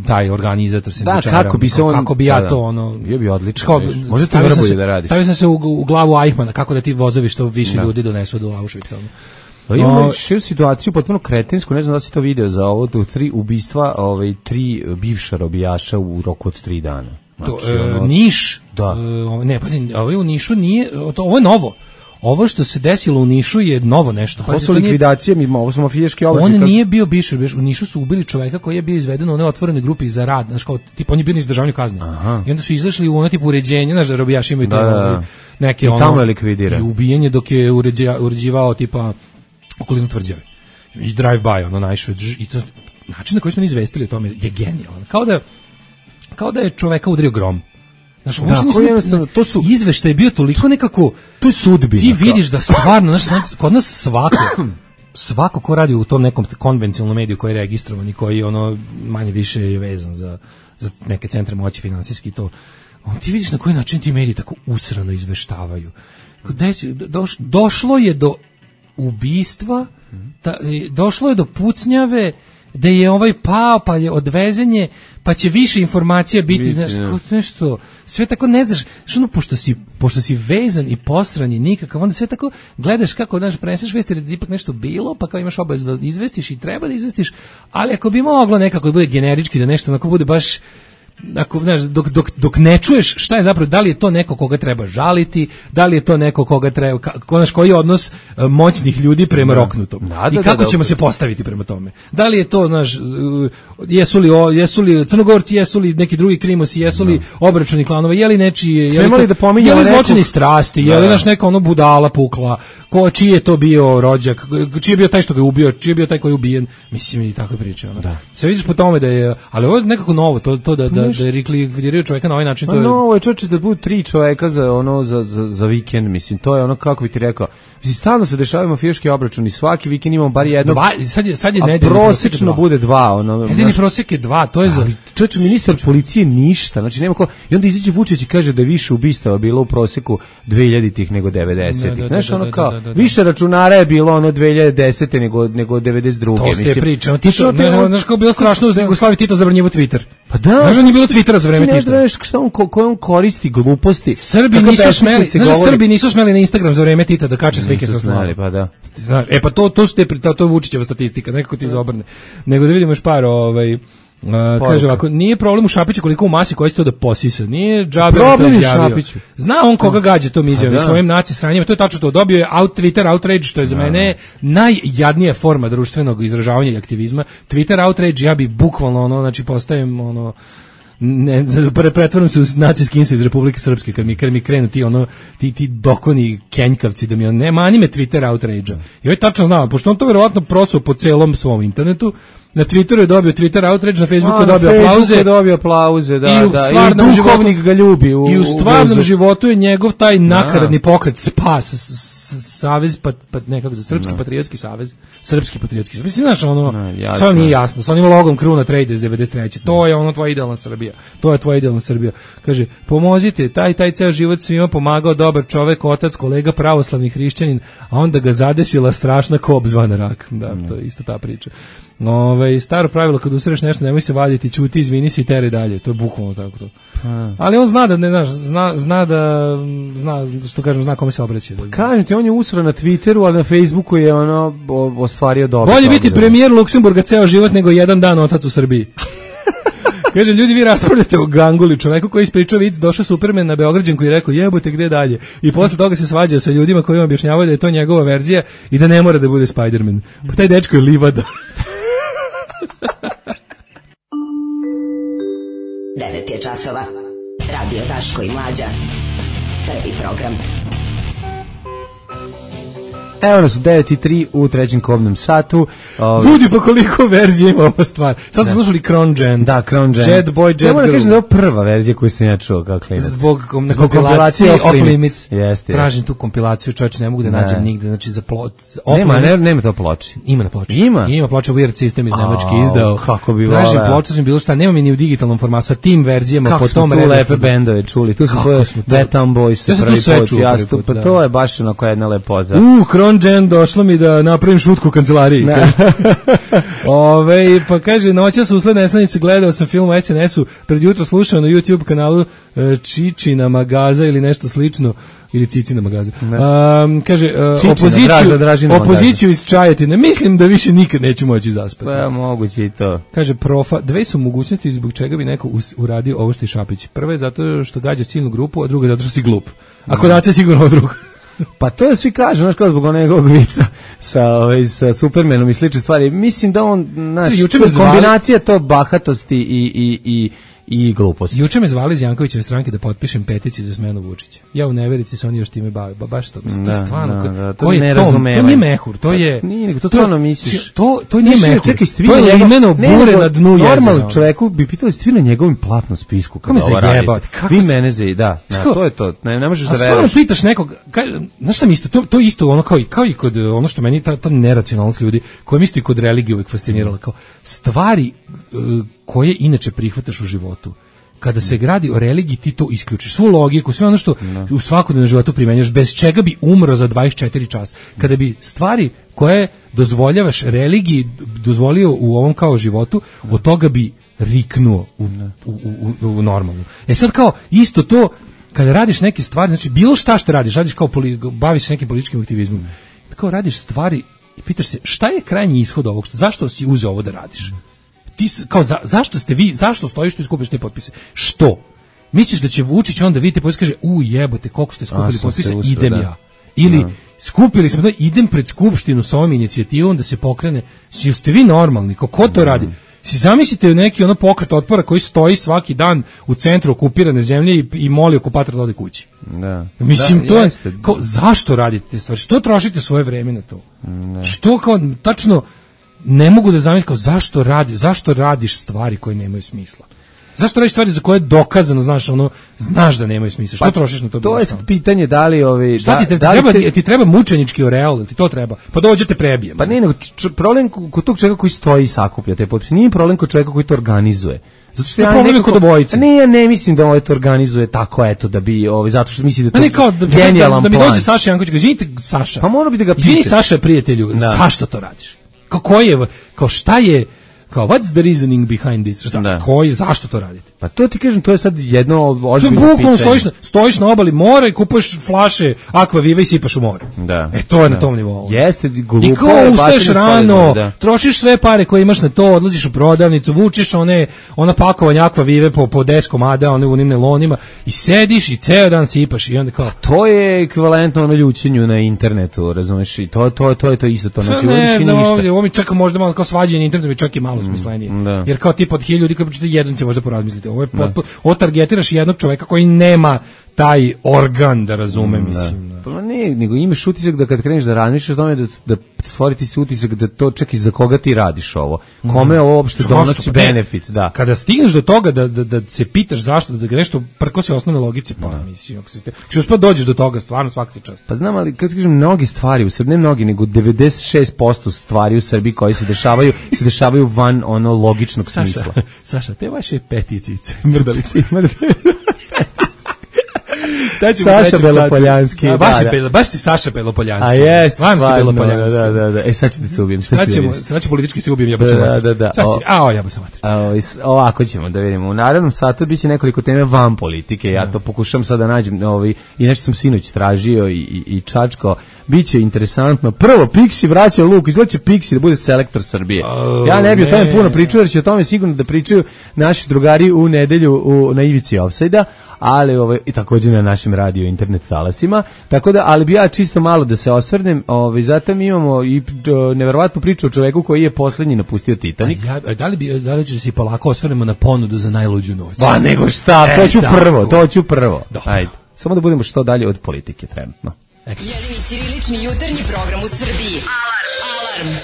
taj organizator sendvičara. Da, kako bi ja to ono... Bio bi odlično. Može to Vrboje da radi. Stavio sam se u glavu Eichmana, kako da ti vozovi što više ljudi donesu do Auschwitza. Imamo širu situaciju, potpuno kretinsku, ne znam da si to video za ovo, 3 ubistva, 3 bivša robijaša u roku od 3 dana. Znači, Niš, da. Ne, pa ovo je u Nišu nije, ovo je novo. Ovo što se desilo u Nišu je novo nešto. Ovo su likvidacije, ovo su mafijaški obračuni. On nije bio bivši, u Nišu su ubili čoveka koji je bio izveden u onoj otvorenoj grupi za rad, znači kao tipa on je bio na izdržavanju kazne. I onda su izašli u ono tipu uređenje, znači robijaši imaju neke ono. I tamo je likvidira. I ubijen je dok je uređivao tipa okolinu tvrđave. I drive by ono naišao i to način na koji smo ni izvestili o tome je genijalan. Kao da je čoveka udario grom. Znaš, to su izveštaj je bio toliko nekako, to je sudbina. Ti vidiš da stvarno, znaš, kod nas svako ko radi u tom nekom konvencionalnom mediju koji je registrovan i koji ono manje više je vezan za neke centre moći finansijski to, ti vidiš na koji način ti mediji tako usrano izveštavaju. Došlo je do ubistva, došlo je do pucnjave, da je ovaj pao, pa je odvezenje, pa će više informacija biti, znaš, nešto, sve tako ne znaš, što pošto si vezan i posran i nikakav, onda sve tako gledaš kako, znaš, preneseš vesti, jer je ipak nešto bilo, pa kao imaš obavezu da izvestiš i treba da izvestiš, ali ako bi moglo nekako da bude generički, da nešto onako bude baš, ako, znaš, dok ne čuješ šta je zapravo, da li je to neko koga treba žaliti, da li je to neko koga treba, koji je odnos moćnih ljudi prema roknutom i kako ćemo se postaviti prema tome. Da li je to, znaš, jesu li Crnogorci, jesu li neki drugi krimosi, jesu li obračuni klanova, je li nečije, je li zločini strasti, je li naš neka ono budala pukla, čiji je to bio rođak, čiji je bio taj što ga je ubio, čiji je bio taj koji je ubijen, mislim i tako priče. Sve vidiš po tome da je, ali ovo je nekako novo, to da je likvidiraju čovjeka na ovaj način. To je... No, čovječe da budu 3 čovjeka za vikend, mislim, to je ono, kako bi ti rekao, mislim, stalno se dešavaju mafijaški obračuni, svaki vikend imamo bar jednog, sad je a prosječno bude 2. Nedeljni prosjek je 2, to je za... Čovječe, ministar policije ništa, znači nema ko... I onda izađe Vučić i kaže da je više ubistava bilo u prosjeku 2000-ih nego 90-ih. Znaš, ono kao, više računara je bilo ono 2010. nego 92. To ste pričali. Znaš kao bilo strašno uz Jugoslaviju Tito zabranjivo Twitter. Pa da. Znaš da nije bilo Twittera za vreme Tita. Ne znaš koje on koristi gluposti. Srbi nisu smeli na Instagram za vreme Tita da kače slike sa slavom. Pa da. Pa to je Vučićeva statistika, nekako ti izobrne. Nego da vidimo još par kaže ovako, nije problem u Šapiću koliko u masi koji će to da posisa, nije džabe to izjavio. Zna on koga gađa tom izjavom svojim naci sranjima, to je tačno to, dobio je Twitter outrage, što je za mene najjadnija forma društvenog izražavanja i aktivizma. Twitter outrage, ja bi bukvalno ono, znači postajem ono, pretvaram se u nacijski insa iz Republike Srpske kad mi krenu ti dokoni kenjkavci da mi on nema anime Twitter outrage-a. I ovaj tačno znao, pošto on to verovatno prosao po celom svom internetu, na Twitteru je dobio Twitter outrage, na Facebooku je dobio aplauze. I duhovnik ga ljubi. I u stvarnom životu je njegov taj nakaradni pokret SPAS, Savez, nekako za Srpski patriotski savez. Srpski patriotski savez. Mislim, znaš, ono, samo nije jasno. Sa onim logom Kruna Traders 93. To je ono tvoja idealna Srbija. To je tvoja idealna Srbija. Kaže, pomozite, taj ceo život svima pomagao, dobar čovek, otac, kolega, pravoslavni hrišćanin, a onda ga zadesila strašna kop zvana rak. Da, to je isto ta priča. Staro pravilo, kad usreš nešto, nemoj se vaditi, ćuti, izvini se i tere dalje. To je bukvalno tako to. Ali on zna da ne znaš, zna kome se obraća. Kažem ti, on je usro na Twitteru, ali na Facebooku je ono ostvario dobro. Bolje biti premijer Luksemburga ceo život nego jedan dan otac u Srbiji. Kaže, ljudi, vi raspravljate o Ganguli, čoveku koji ispričao vic, došao Superman na Beograđanku i rekao, jebote, gde dalje? I posle toga se svađao sa ljudima koji im objašnjavaju da je to njegova verzija i da ne mora da bude Spider-Man. Pa taj dečko je livada. 9 je časova. Radio Daško i Mlađa. Prvi program. Evo nas u 9:03 u trećem kobnom satu. Ljudi, pa koliko verzija ima ova stvar. Sad smo slušali Crown Gen. Da, Crown Gen. Jet Boy, Jet Girl. Ja moram kažem da je prva verzija koju sam ja čuo kao klinac. Zbog kompilacije Off Limits. Jeste. Tražim tu kompilaciju, čovječe, ne mogu da nađem nigde. Znači za nema to ploči. Ima na ploči. Ima ploča Weird System iz Nemačke izdao. Kako bi tražim ploča, sam bilo šta, nema mi ni u digitalnom formatu sa tim verzijama po tom redosledu. Kako smo tu lepe bendove čuli. Tu smo Wet Town Boys. Ja sam tu sve čuo. Pa to je baš onako jedna lepota. Crown Jen, došlo mi da napravim šutku u kancelariji. Pa kaže, noćas usled Neslanice gledao sam film o SNS-u, pred jutro slušao na YouTube kanalu Čičina magaza ili nešto slično, ili Cicina magaza. Kaže, opoziciju iz Čajetine, mislim da više nikad neću moći zaspati. Pa moguće i to. Kaže, profa, dve su mogućnosti zbog čega bi neko uradio ovo što je Šapić. Prva je zato što gađaš ciljnu grupu, a druga je zato što si glup. Ako dace sigurno drugo. Pa to je svi kažu, znaš, kao zbog onog vica sa Supermanom i slične stvari. Mislim da on, znaš, kombinacija to bahatosti i gluposti. Juče me zvali iz Jankovićeve stranke da potpišem peticiju za smenu Vučića. Ja u neverici se oni još time bave. Baš to, mislim, to stvarno, to je to nije mehur, to je... Nije, nego to stvarno misliš. To nije mehur, to je limeno bure na dnu jezera. Normalno čoveku bi pitali, ste vi na njegovim platnom spisku kada ovo radite? Vi mene da, to je to, ne možeš da veruješ. A stvarno pitaš nekog, znaš šta mi isto, to je isto ono kao i kod ono što meni ta neracionalnost ljudi, koja mi isto i kod religije uvijek fascinirala, kao stvari koje inače prihvataš u životu. Kada se gradi o religiji, ti to isključiš. Svu logiku, sve ono što u svakodnevnom životu primenjaš, bez čega bi umro za 24 časa. Kada bi stvari koje dozvoljavaš religiji dozvolio u ovom kao životu, od toga bi riknuo u normalnu. Sad kao isto to, kada radiš neke stvari, znači bilo šta što radiš kao baviš se nekim političkim aktivizmom, kao radiš stvari i pitaš se šta je krajnji ishod ovog, zašto si uzeo ovo da radiš? Ti kao zašto stojiš tu i skupiš te potpise? Što? Misliš da će Vučić onda vidite potpise kaže jebote koliko ste skupili potpise, idem ja. Ili skupili smo idem pred skupštinu sa ovom inicijativom da se pokrene. Jeste vi normalni? Ko to radi? Si zamislite neki pokret otpora koji stoji svaki dan u centru okupirane zemlje i moli okupatora da ode kući. Da. Mislim, to je kao, zašto radite te stvari? Što trošite svoje vreme na to? Što kao tačno ne mogu da zamislim kao zašto radiš stvari koje nemaju smisla? Zašto radiš stvari za koje je dokazano, znaš da nemaju smisla? Što trošiš na to? To je pitanje da li šta ti treba mučenički oreol, ti to treba? Pa dođete prebijem. Pa ne, nego problem kod tog čovjeka koji stoji i sakuplja te potpise. Nije problem kod čovjeka koji to organizuje. Zato što problem kod obojice. Ja ne mislim da to organizuje tako da bi zato što misli da to genijalan plan. Da mi dođe Saša Janković, izvinite Saša. Pa mora bi da ga pitaš. Izvini Saša prijatelju, zašto to radiš? Kao šta je, kao what's the reasoning behind this? Zašto to radite? Pa to ti kažem, to je sad jedno ozbiljno pitanje. Stojiš na obali mora i kupuješ flaše Aqua Viva i sipaš u more. Da. To je na tom nivou. Jeste, glupo. I kao ustaješ rano, trošiš sve pare koje imaš na to, odlaziš u prodavnicu, vučeš ona pakovanja Aqua Vive po 10 komada, u onim nelonima i sediš i ceo dan sipaš i onda kao... To je ekvivalentno ljućenju na internetu, razumeš? I to je isto to. Znači, ne znam, ovo mi čak možda malo kao svađanje internetu mi čak i malo smislenije. Jer kao tipa od 1000 ljudi koji pročitaju jedan će možda porazmisliti. Ovo targetiraš jednog čoveka koji nema taj organ da razume, mislim. Pa ne, nego imaš utisak da kad kreneš da razmišljaš o tome da stvoriti si utisak da to čak i za koga ti radiš ovo. Kome ovo uopšte donosi benefit, da. Kada stigneš do toga da se pitaš zašto, da ga nešto prkosi osnovne logici, pa mislim, ako se uspio dođeš do toga, stvarno svaka ti čast. Pa znam, ali kad kažem mnogi stvari u Srbiji, ne mnogi, nego 96% stvari u Srbiji koji se dešavaju van logičnog smisla. Saša, te vaše peticice, mrdalice. Saša Belopoljanski. Baš si Saša Belopoljanski. A jest, stvarno si Belopoljanski. Da. Sad ćete se ubijem. Sad će politički se ubijem, ja Da. Ovako ćemo da vidimo. U narednom satu biće nekoliko teme van politike. Ja to pokušam sad da nađem. I nešto sam sinoć tražio i čačko. Biće interesantno. Prvo, Pixi vraća Luk. Izgledaće Pixi da bude selektor Srbije. Ja ne bi o tome puno pričao, jer će o tome sigurno da pričaju naši drugari u nedelju na ivici ofsajda, ali i također na našim radio internet talasima. Tako da, ali bi ja čisto malo da se osvrnem. Zato mi imamo i neverovatnu priču o čoveku koji je poslednji napustio Titanik. Da li će se polako osvrnemo na ponudu za najluđu noć? Pa nego šta, to ću prvo. Ajde. Samo da budemo što dalje od politike trenutno. Jedini ćirilični jutarnji program u Srbiji. Alarm.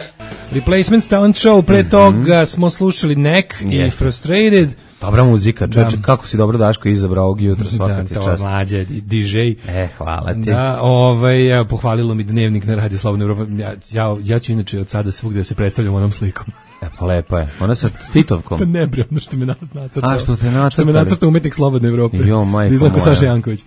Replacements Talent Show, pre toga smo slušali Nek i Frustrated. Dobra muzika, čovječe, kako si dobro Daško izabrao ovog jutra, svaka ti čast. Da, to mlađe, DJ. Hvala ti. Da, pohvalilo mi Dnevnik na Radio Slobodna Evropa. Ja ću inače od sada svugde da se predstavljam onom slikom. Pa lepa je. Ona sa Titovkom. Pa ne bre, ono što me nacrtao. A što te nacrtao? Što me nacrtao umetnik Slobodne Evrope. Jo, majko Izlako moja. Saša Janković.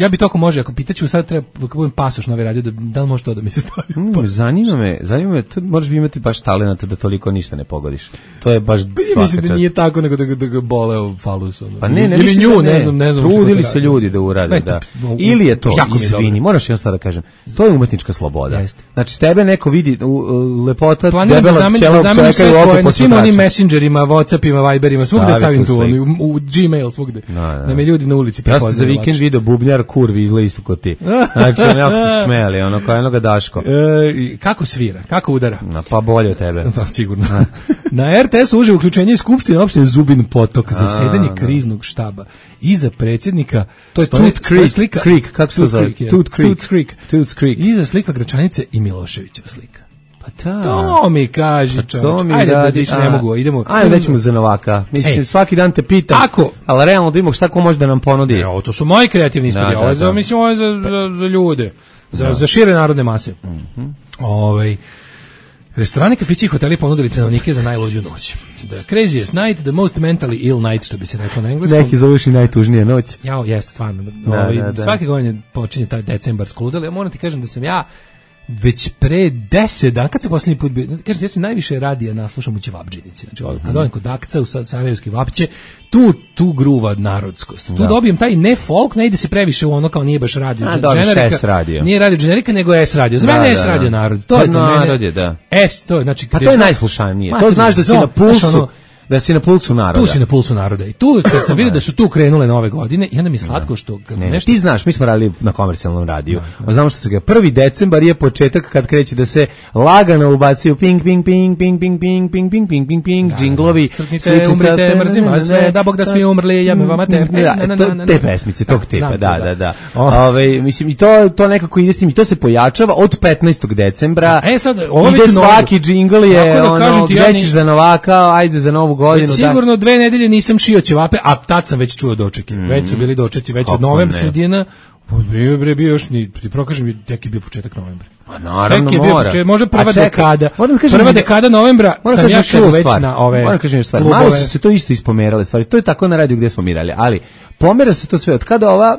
Ja bi to ako može, ako pitaću sad treba kako budem pasoš na ovaj radio, da li može to da mi se stavi? Zanima me, tu možeš imati baš talenata da toliko ništa ne pogodiš. To je baš svaka mislim da nije tako, nego da ga boleo falus. Pa ne, ili nju, ne znam. Trudili se ljudi da urade, da. Ili je to, izvini, moraš jedno da kažem, to je umetnička sloboda. Znači, tebe neko vidi lepota, debela pčela čovjeka i oko na svim onim messengerima, Whatsappima, Viberima, svugde stavim tu, u Gmail, svugde. Da me ljudi na ulici prepoznaju. Ja sam za vikend video bubnjar kurvi izgleda isto kod ti. Znači, jako smeli, ono kao jednoga Daško. Kako svira, kako udara? Pa bolje od tebe. Pa sigurno. Na RTS-u uživo uključenje Skupštine opštine Zubin Potok, zasedanje kriznog štaba. Iza predsjednika to je Tooth Creek, kako se to zove? Tooth Creek. Iza slika Gračanice i Miloševićeva slika. Pa da. To mi kaži, čovječ. Ajde da više ne mogu, idemo. Ajde da ćemo za Novaka. Mislim, svaki dan te pitam. Ako? Ali realno da imamo šta ko može da nam ponudi. Evo, to su moji kreativni ispodi. Ovo je za ljude. Za šire narodne mase. Restorani, kafići i hoteli ponudili cenovnike za najluđu noć. The craziest night, the most mentally ill night, što bi se rekao na engleskom. Neki zovuš i najtužnije noć. Jeste, stvarno. Svake godine počinje taj decembarsko ludilo. Ja moram ti kažem da sam ja već pre 10 dana, kad se posljednji put bio, kažem, ja sam najviše radija naslušam u Ćevabdžinici. Znači, kad odem kod Akca u Sarajevski Vapće, tu gruva narodskost. Tu dobijem taj ne folk, ne ide se previše u ono kao nije baš radio generika. Nije radio generika, nego S radio. Za mene S radio narod. To je za mene. Narod je, da. S, to je, znači... Pa to je najslušanije. To znaš da si na pulsu. Da si na pulsu naroda. Tu si na pulsu naroda. I tu, kad sam vidio da su tu krenule nove godine, i onda mi je slatko što... nešto... Ti znaš, mi smo radili na komercijalnom radiju. Znamo što se ga 1. decembar je početak kad kreće da se lagano ubacuju ping, ping, ping, ping, ping, ping, ping, ping, ping, ping, ping, džinglovi. Crknice, umrite, mrzima sve, da Bog da svi umrli, ja me vama te pesmice, tog tipa, da. Mislim, i to nekako ide s tim, i to se pojačava od 15. decembra. Ide svaki džingl je, gde ćeš za Novaka, ajde za Novu godinu. Sigurno 2 nedelje nisam šio ćevape, a tad sam već čuo dočeki. Već su bili dočeci, već od novembra sredina. Bio još ni, ti prokažem mi, tek je bio početak novembra. A naravno mora. Može prva dekada. Prva dekada novembra sam ja čuo već na ove klubove. Malo su se to isto ispomerale stvari. To je tako na radiju gdje smo mirali, ali pomera se to sve. Od kada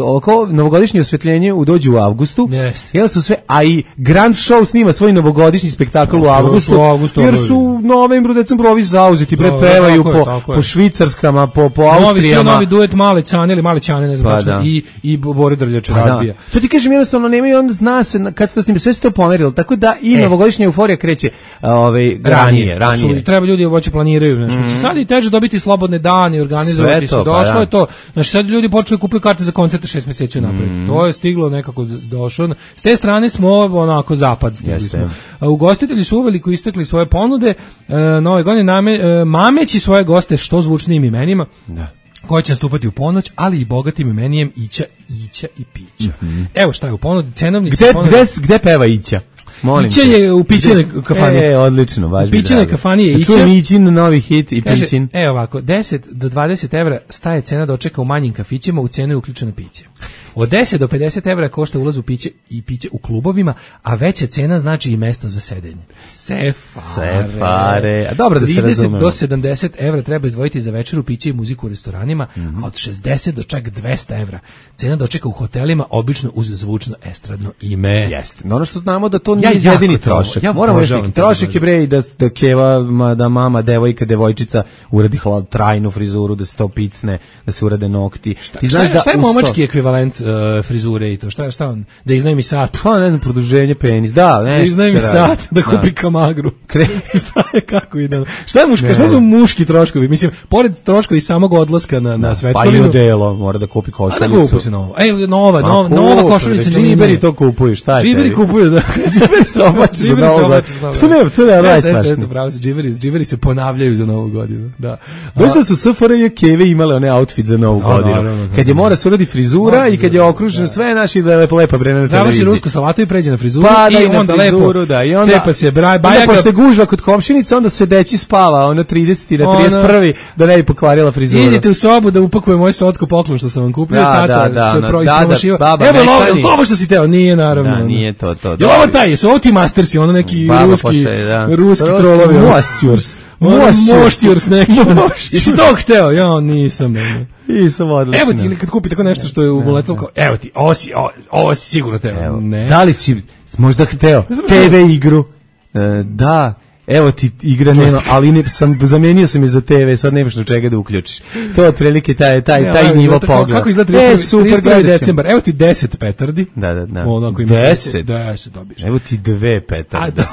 oko novogodišnje osvjetljenje dođe u avgustu, jel su sve, a i Grand Show snima svoj novogodišnji spektakl u avgustu, jer su u novembru, decembru ovi zauzeti, pevaju po švicarskama, po Austrijama. Novi duet Male Ćane ili Male Ćane, ne znam tačno, i Bore Drljač razbija. To ti kažem, jednostavno nemaju, onda zna se kad to snima, sve se to pomerilo, tako da i novogodišnja euforija kreće ranije. Treba ljudi hoće planiraju, sad je teže dobiti slobodne dane i organizovati se, došlo je to. Znači sad ljudi počeli kupuju karte za koncerte 6 mjeseci unapred. To je stiglo nekako došlo. S te strane smo onako zapad stigli smo. Ugostitelji su uveliko istekli svoje ponude, nove godine mameći svoje goste što zvučnijim imenima. Da. Koji će nastupati u ponoć, ali i bogatim imenijem Ića i Pića. Evo šta je u ponudi, cenovnici gde peva Ića? Ića je u Pićinoj kafani. Odlično, baš mi. U Pićinoj kafani je Ića. Čujem Ićin novi hit i Pićin. Evo ovako, 10 do 20 evra staje cena dočeka u manjim kafićima, u cenu je uključeno piće. Od 10 do 50 evra košta ulaz u piće i piće u klubovima, a veća cena znači i mesto za sedenje. Sefare. A dobro da se razumemo. 30 do 70 evra treba izdvojiti za večeru, piće i muziku u restoranima, a od 60 do čak 200 evra cena dočeka u hotelima, obično uz zvučno estradno ime. Jeste. Ono što znamo da to nije jedini trošak. Moramo reći, trošak je bre i da keva, da mama, devojka, devojčica uradi trajnu frizuru, da se to picne, da se urade nokti. Šta je momački ekvivalent frizure i to? Šta on? Da iznajmi sat? Pa ne znam, produženje penis. Da iznajmi sat, da kupi kamagru. Šta je, kako ide? Šta su muški troškovi? Mislim, pored troškovi samog odlaska na svetkovinu. Pa i odelo, mora da kupi košuljicu. A da kupi se novo. Nova košuljica. Džiberi to kupuju, šta je? Džiberi kupuju, da. Džiberi se oblače za Novu godinu. To ne najstrašnije. Džiberi se ponavljaju za Novu godinu. Doista su SFRJ keve imale one outfit za Novu godinu. Kad je mora se uradi frizura i kad kad je okruženo sve naši da je lepa bre na televiziji. Završi rusku salatu i pređe na frizuru i onda frizuru, lepo da, i onda cepa se bajaka. Pošto je gužva kod komšinica, onda sve deći spava, ono 30 na 31 da ne bi pokvarila frizuru. Idite u sobu da upakuje moj socko poklon što sam vam kupio, tata, to je proizpromašio. Evo je to što si teo, nije naravno. Da, nije to. Je ovo taj, su ovo ti mastersi, ono neki ruski trolovi. Moštjurs neki. Jesi to hteo? Ja nisam. Nisam odlično. Evo ti, ili kad kupi tako nešto što je uletelo kao, evo ti, ovo si sigurno teo. Ne. Da li si možda hteo TV igru? Da. Evo ti igra nema, ali zamenio sam je za TV, sad nemaš do čega da uključiš. To je otprilike taj nivo pogleda. Kako izgleda 31. decembar? Evo ti 10 petardi. Da. 10 dobiješ. Evo ti 2 petarde.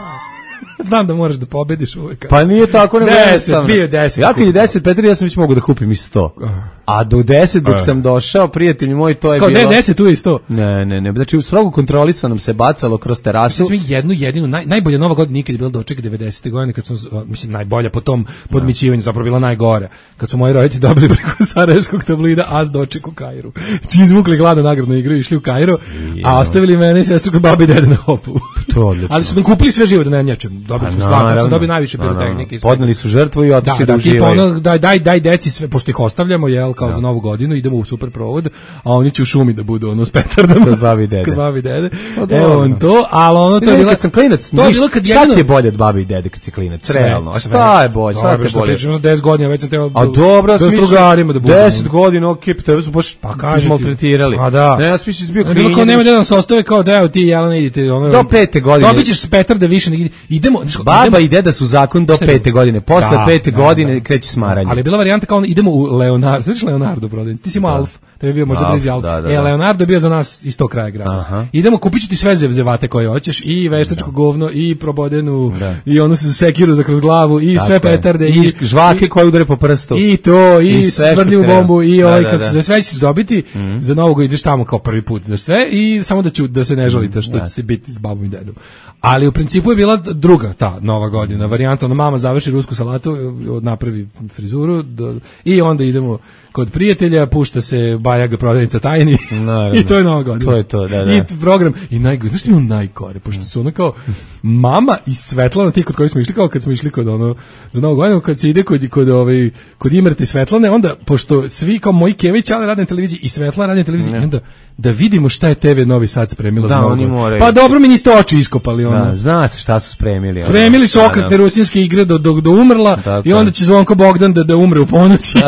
Znam da moraš da pobediš uvek. Pa nije tako nego jednostavno. 10. Ja kad je 10 petardi, ja sam već mogu da kupim i 100. A do 10 dok sam došao, prijatelji moji, to je kao bilo... Kao 10 tu je 100? Ne. Znači, u strogu kontrolisanom se bacalo kroz terasu. Mislim, jednu jedinu, najbolja Nova godina nikad je bila doček 90. godine, kad su, mislim, najbolja po tom podmićivanju, zapravo bila najgora. Kad su moji roditelji dobili preko sarajevskog tablida as doček u Kairu. Či izvukli gladnu nagradnu igru i išli u Kairo, a ostavili mene i sestru kod babi i dede na hopu. Ali su nam kupili sve živo da ne njačem. Dobili smo stvarno, sam dobio najviše pirotehnike. Podneli su žrtvu i otišli da uživaju. Daj deci sve, pošto ih ostavljamo, jel, kao za Novu godinu, idemo u super provod, a oni će u šumi da budu ono s petardama. Kod babi i dede. Evo on to, ali ono to je bilo... Kad sam klinac, šta ti je bolje od babi i dede kad si klinac? Realno. A šta je bolje? Šta te bolje? Pričamo 10 godina, već sam teo... A dobro, s drugarima da budemo. 10 godina, okej, pa tebe su baš maltretirali. A da. Ne, ja sam više bio klinac. Bilo nema da nam se ostave kao da evo ti Jelena idite. Do 5. godine. Dobićeš petarde više. Idemo. Baba i deda su zakon do 5. godine. Posle 5. godine kreće smaranje. Ali je bila varijanta kao idemo u Leonardo. Znaš Leonardo prodavnicu? Ti si imao Alf. To je bio možda blizu Alf. Leonardo je bio za nas iz tog kraja grada. Idemo, kupit ću ti sve zevzevate koje hoćeš, i veštačko govno, i probodenu, i ono se sekiru za kroz glavu, i sve petarde, i žvake koje udare po prstu. I to, i smrdljivu bombu, i kako se sve ćeš dobiti. Za Novoga ideš tamo kao prvi put da sve, i samo da se ne žalite što ćete biti s babom i dedom. Ali u principu je bila druga ta Nova godina varijanta, ona mama završi rusku salatu, napravi frizuru i onda idemo kod prijatelja, pušta se Bajaga prodavnica tajni i to je Nova godina. To je to, da. I program, i najgore, znaš što je najgore, pošto su ono kao mama i Svetlana, ti kod koji smo išli, kao kad smo išli kod ono, za Novu godinu, kad se ide kod Imrete i Svetlane, onda, pošto svi kao moji kevići, ali rade na televiziji i Svetlana radi na televiziji, i onda da vidimo šta je TV Novi Sad spremila za Novu godinu. Pa dobro, mi niste oči iskopali. Da, zna se šta su spremili. Spremili su okretne rusinske igre do umrla, i onda će Zvonko Bogdan da umre u ponoći.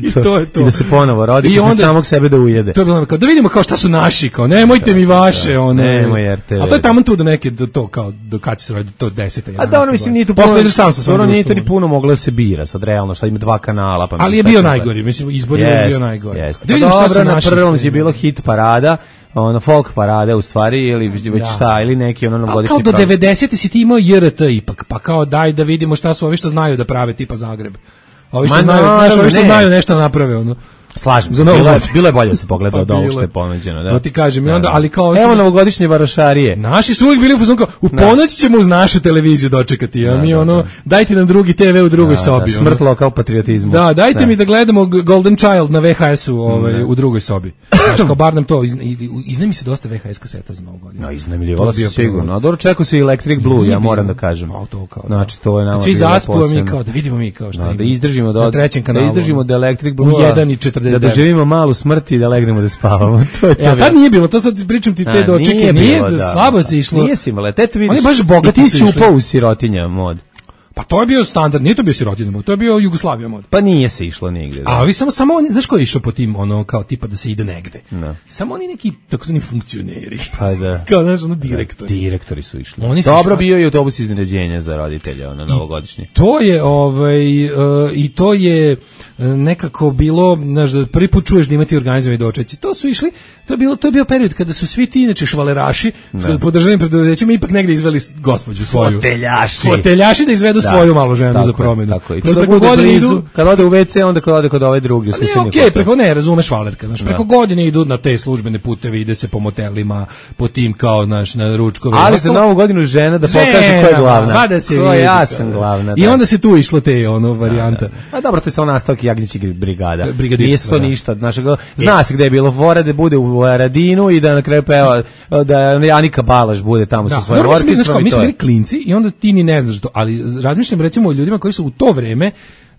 I to je to. I da se ponovo rodi, i onda samog sebe da ujede. To je bilo kao, da vidimo kao šta su naši, kao nemojte mi vaše, one. Nemoj RTV. A to je tamo tu da neke, to kao, do kad će se roditi, to 10. A da, ono mislim, nije tu puno, nije to ni puno moglo da se bira, sad realno, sad ima 2 kanala. Ali je bio najgori, mislim, izbor je bio najgori. Da vidimo šta su naši. Na prvom je bilo hit parada, ono folk parade u stvari, ili već šta, ili neki ono novogodišnji program. Kao do 90. si ti imao JRT ipak, pa kao daj da vidimo šta su ovi što znaju da prave tipa Zagreb. Ovi što znaju nešto naprave, ono. Slažem se, bilo je bolje da se pogleda od ovog što je ponuđeno. To ti kažem, i onda, ali kao... Evo novogodišnje varošarije. Naši su uvijek bili u fazonu kao, u ponoć ćemo uz našu televiziju dočekati, a mi ono, dajte nam drugi TV u drugoj sobi. Smrt lokal patriotizmu. Da, dajte mi da gledamo Golden Child na VHS-u u drugoj sobi. Znaš, kao bar nam to, iznajmi se dosta VHS kaseta za Novu godinu. No, iznajmljivalo se sigurno. A dobro, čekao se Electric Blue, ja moram da kažem. Znači, to je nama svi zaspu, mi kao, da vidimo mi kao šta da izdržimo na trećem kanalu. Da izdržimo da Electric Blue u 1:49. Da doživimo malu smrt i da legnemo da spavamo. To je to. Ja tad nije bilo, to sad pričam ti te dočeke, nije slabo se išlo. Nije si imala, te vidiš. On je baš bogati ti si upao u sirotinja mod. Pa to je bio standard, nije to bio sirotinja mod, to je bio Jugoslavija mod. Pa nije se išlo nigde. A vi samo znaš ko je išao po tim, ono, kao tipa da se ide negde? No. Samo oni neki takozvani funkcioneri. Pa da. Kao, znaš, ono, direktori. Direktori su išli. Dobro bio i autobus iznenađenja za roditelje, ono, novogodišnji. To je, i to je nekako bilo, znaš, da prvi put čuješ da imati organizovani dočeci. To su išli, to je bio period kada su svi ti, inače, švaleraši, sa podržanim preduzećima, ipak negde izveli gospođu svoju. Foteljaši da izvedu svoju malu ženu tako za promenu. Tako i preko godine idu, kad ode u WC, onda kad ode kod ove druge. Okej, preko ne, razumeš Valerka, znaš, preko godine idu na te službene puteve, ide se po motelima, po tim kao naš na ručkove. Ali za Novu godinu žena da pokaže ko je glavna. Da se vidi. Ja sam glavna. I onda se tu išlo te varijanta. A dobro, to je samo nastavak Jagnjećih brigada. Nije to ništa, zna se gde je bilo fora da bude u Aradinu i da na kraju peva da Anika Balaš bude tamo sa svojim orkestrom. Mi smo bili klinci i onda ti ni ne znaš to, ali razmišljam recimo o ljudima koji su u to vreme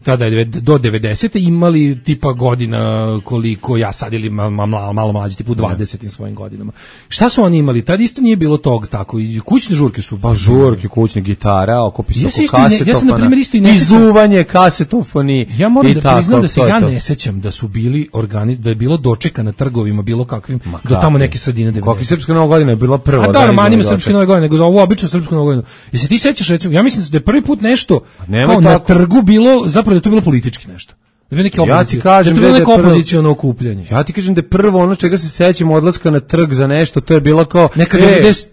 tada do 90. imali tipa godina koliko ja sad ili malo mlađi, tipu 20 svojim godinama. Šta su oni imali? Tad isto nije bilo tog tako. I kućne žurke su. Pa žurke, kućne gitara, okupis oko kasetofona. Ja sam na primjer isto i ne sećam. Izuvanje, kasetofoni. Ja moram da priznam da se ja ne sećam da su bili da je bilo dočeka na trgovima bilo kakvim do tamo neke sredine 90. Kako Srpska Nova godina je bila prva. A da, manima Srpska Nova godina, nego za ovu običnu Srpsku Novu godinu. Jesi ti sećaš recimo? Ja mislim da je prvi put nešto kao na trgu bilo zapravo da je to bilo politički nešto. Ja ti kažem da je neko opoziciono okupljanje. Ja ti kažem da je prvo ono čega se sećamo odlaska na trg za nešto, to je bilo kao neka 95.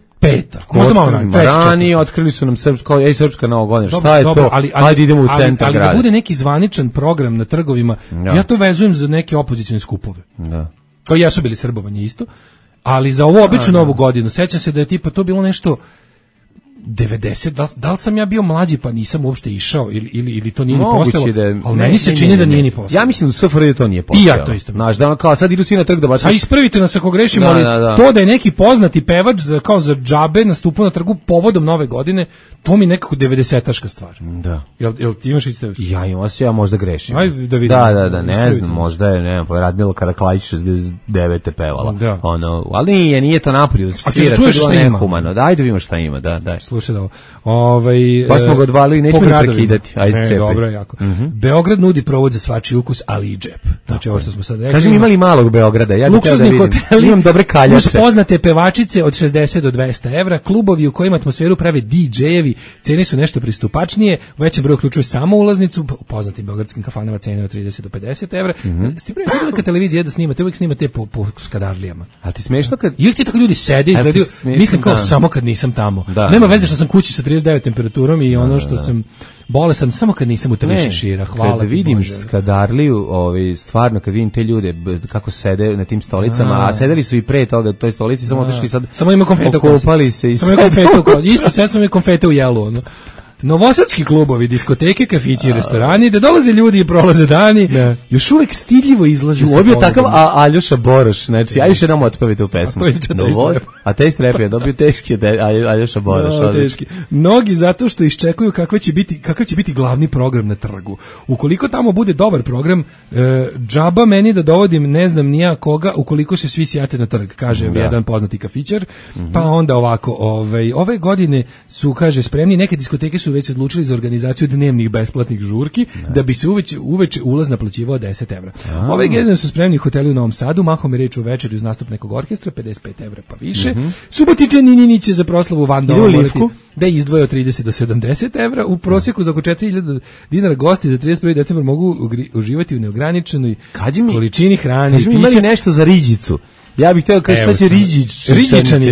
Možda malo ranije otkrili su nam Srpska Nova godina. Šta je to? Ajde idemo u centar grada. Ali da bude neki zvaničan program na trgovima, ja to vezujem za neke opozicione skupove. Da. Kao jesu bili Srbovanje isto, ali za ovu običnu Novu godinu sećam se da je tipa to bilo nešto 90, da li sam ja bio mlađi pa nisam uopšte išao ili to nije ni postojalo, ali meni se čini da nije ni postojalo. Ja mislim da SFRJ to nije postojalo. I ja to isto mislim. Znaš, da kao sad idu svi na trg da baš... A ispravite nas ako grešimo, ali to da je neki poznati pevač kao za džabe nastupao na trgu povodom Nove godine, to mi nekako 90-taška stvar. Da. Jel ti imaš isto? Ja imam se, ja možda grešim. Ajde da vidimo. Da, ne znam, možda je, ne znam, Radmila Karaklajić 69. pevala. Da. Ali nije to napolje da se svira, to je bilo nehumano. Ajde vidimo šta ima, da. Slušaj da ovo. Baš smo ga odvalili, nećemo ni prekidati. Ajde, cepaj. Dobro, jako. Beograd nudi provod za svačiji ukus, ali i džep. Znači ovo što smo sad rekli. Kažem, imali malog Beograda, ja bih da vidim. Imam dobre kaljače. Uz poznate pevačice od 60 do 200 evra, klubovi u kojima atmosferu prave DJ-evi, cene su nešto pristupačnije, u većem broju uključuju samo ulaznicu, u poznatim beogradskim kafanama cene od 30 do 50 evra. Ste prije kad televizija da snimate, uvijek snimate po skadarlijama. A ti smešno kad... I uvijek ti tako ljudi sede, izgledaju, mislim kao samo kad nisam tamo. Nema veze što sam kući sa 39 temperaturom i ono što sam bolesan samo kad nisam u tebi šira. Hvala kad vidim Skadarliju, stvarno kad vidim te ljude kako sede na tim stolicama, a sedeli su i pre toga toj stolici, samo otišli sad. Samo ima konfete u kosi. Okupali se i samo ima konfete u kosi. Isto sad sam i konfete u jelu, ono. Novosadski klubovi, diskoteke, kafići i restorani, da dolaze ljudi i prolaze dani, još uvijek stidljivo izlaže se. Obio takav Aljoša Boroš, znači, ajde nam otpavite u pesmu. A te strep je dobio teški Aljoša Boroš. Mnogi zato što iščekuju kakav će biti glavni program na trgu. Ukoliko tamo bude dobar program, džaba meni da dovodim ne znam nija koga, ukoliko se svi sjate na trg, kaže jedan poznati kafićar, pa onda ovako, ove godine su, kaže, spremni, neke diskoteke su već odlučili za organizaciju dnevnih besplatnih žurki, da bi se uveče ulaz naplaćivao 10 evra. Ove godine su spremni hoteli u Novom Sadu, mahom je reč o večeri uz nastup nekog orkestra, 55 evra pa više. Subotičani Nini će za proslavu Van Doma morati da je izdvoje od 30 do 70 evra. U prosjeku za oko 4.000 dinara gosti za 31. decembar mogu uživati u neograničenoj količini hrane i pića. Imali nešto za riđicu. Ja bih htio kaži šta će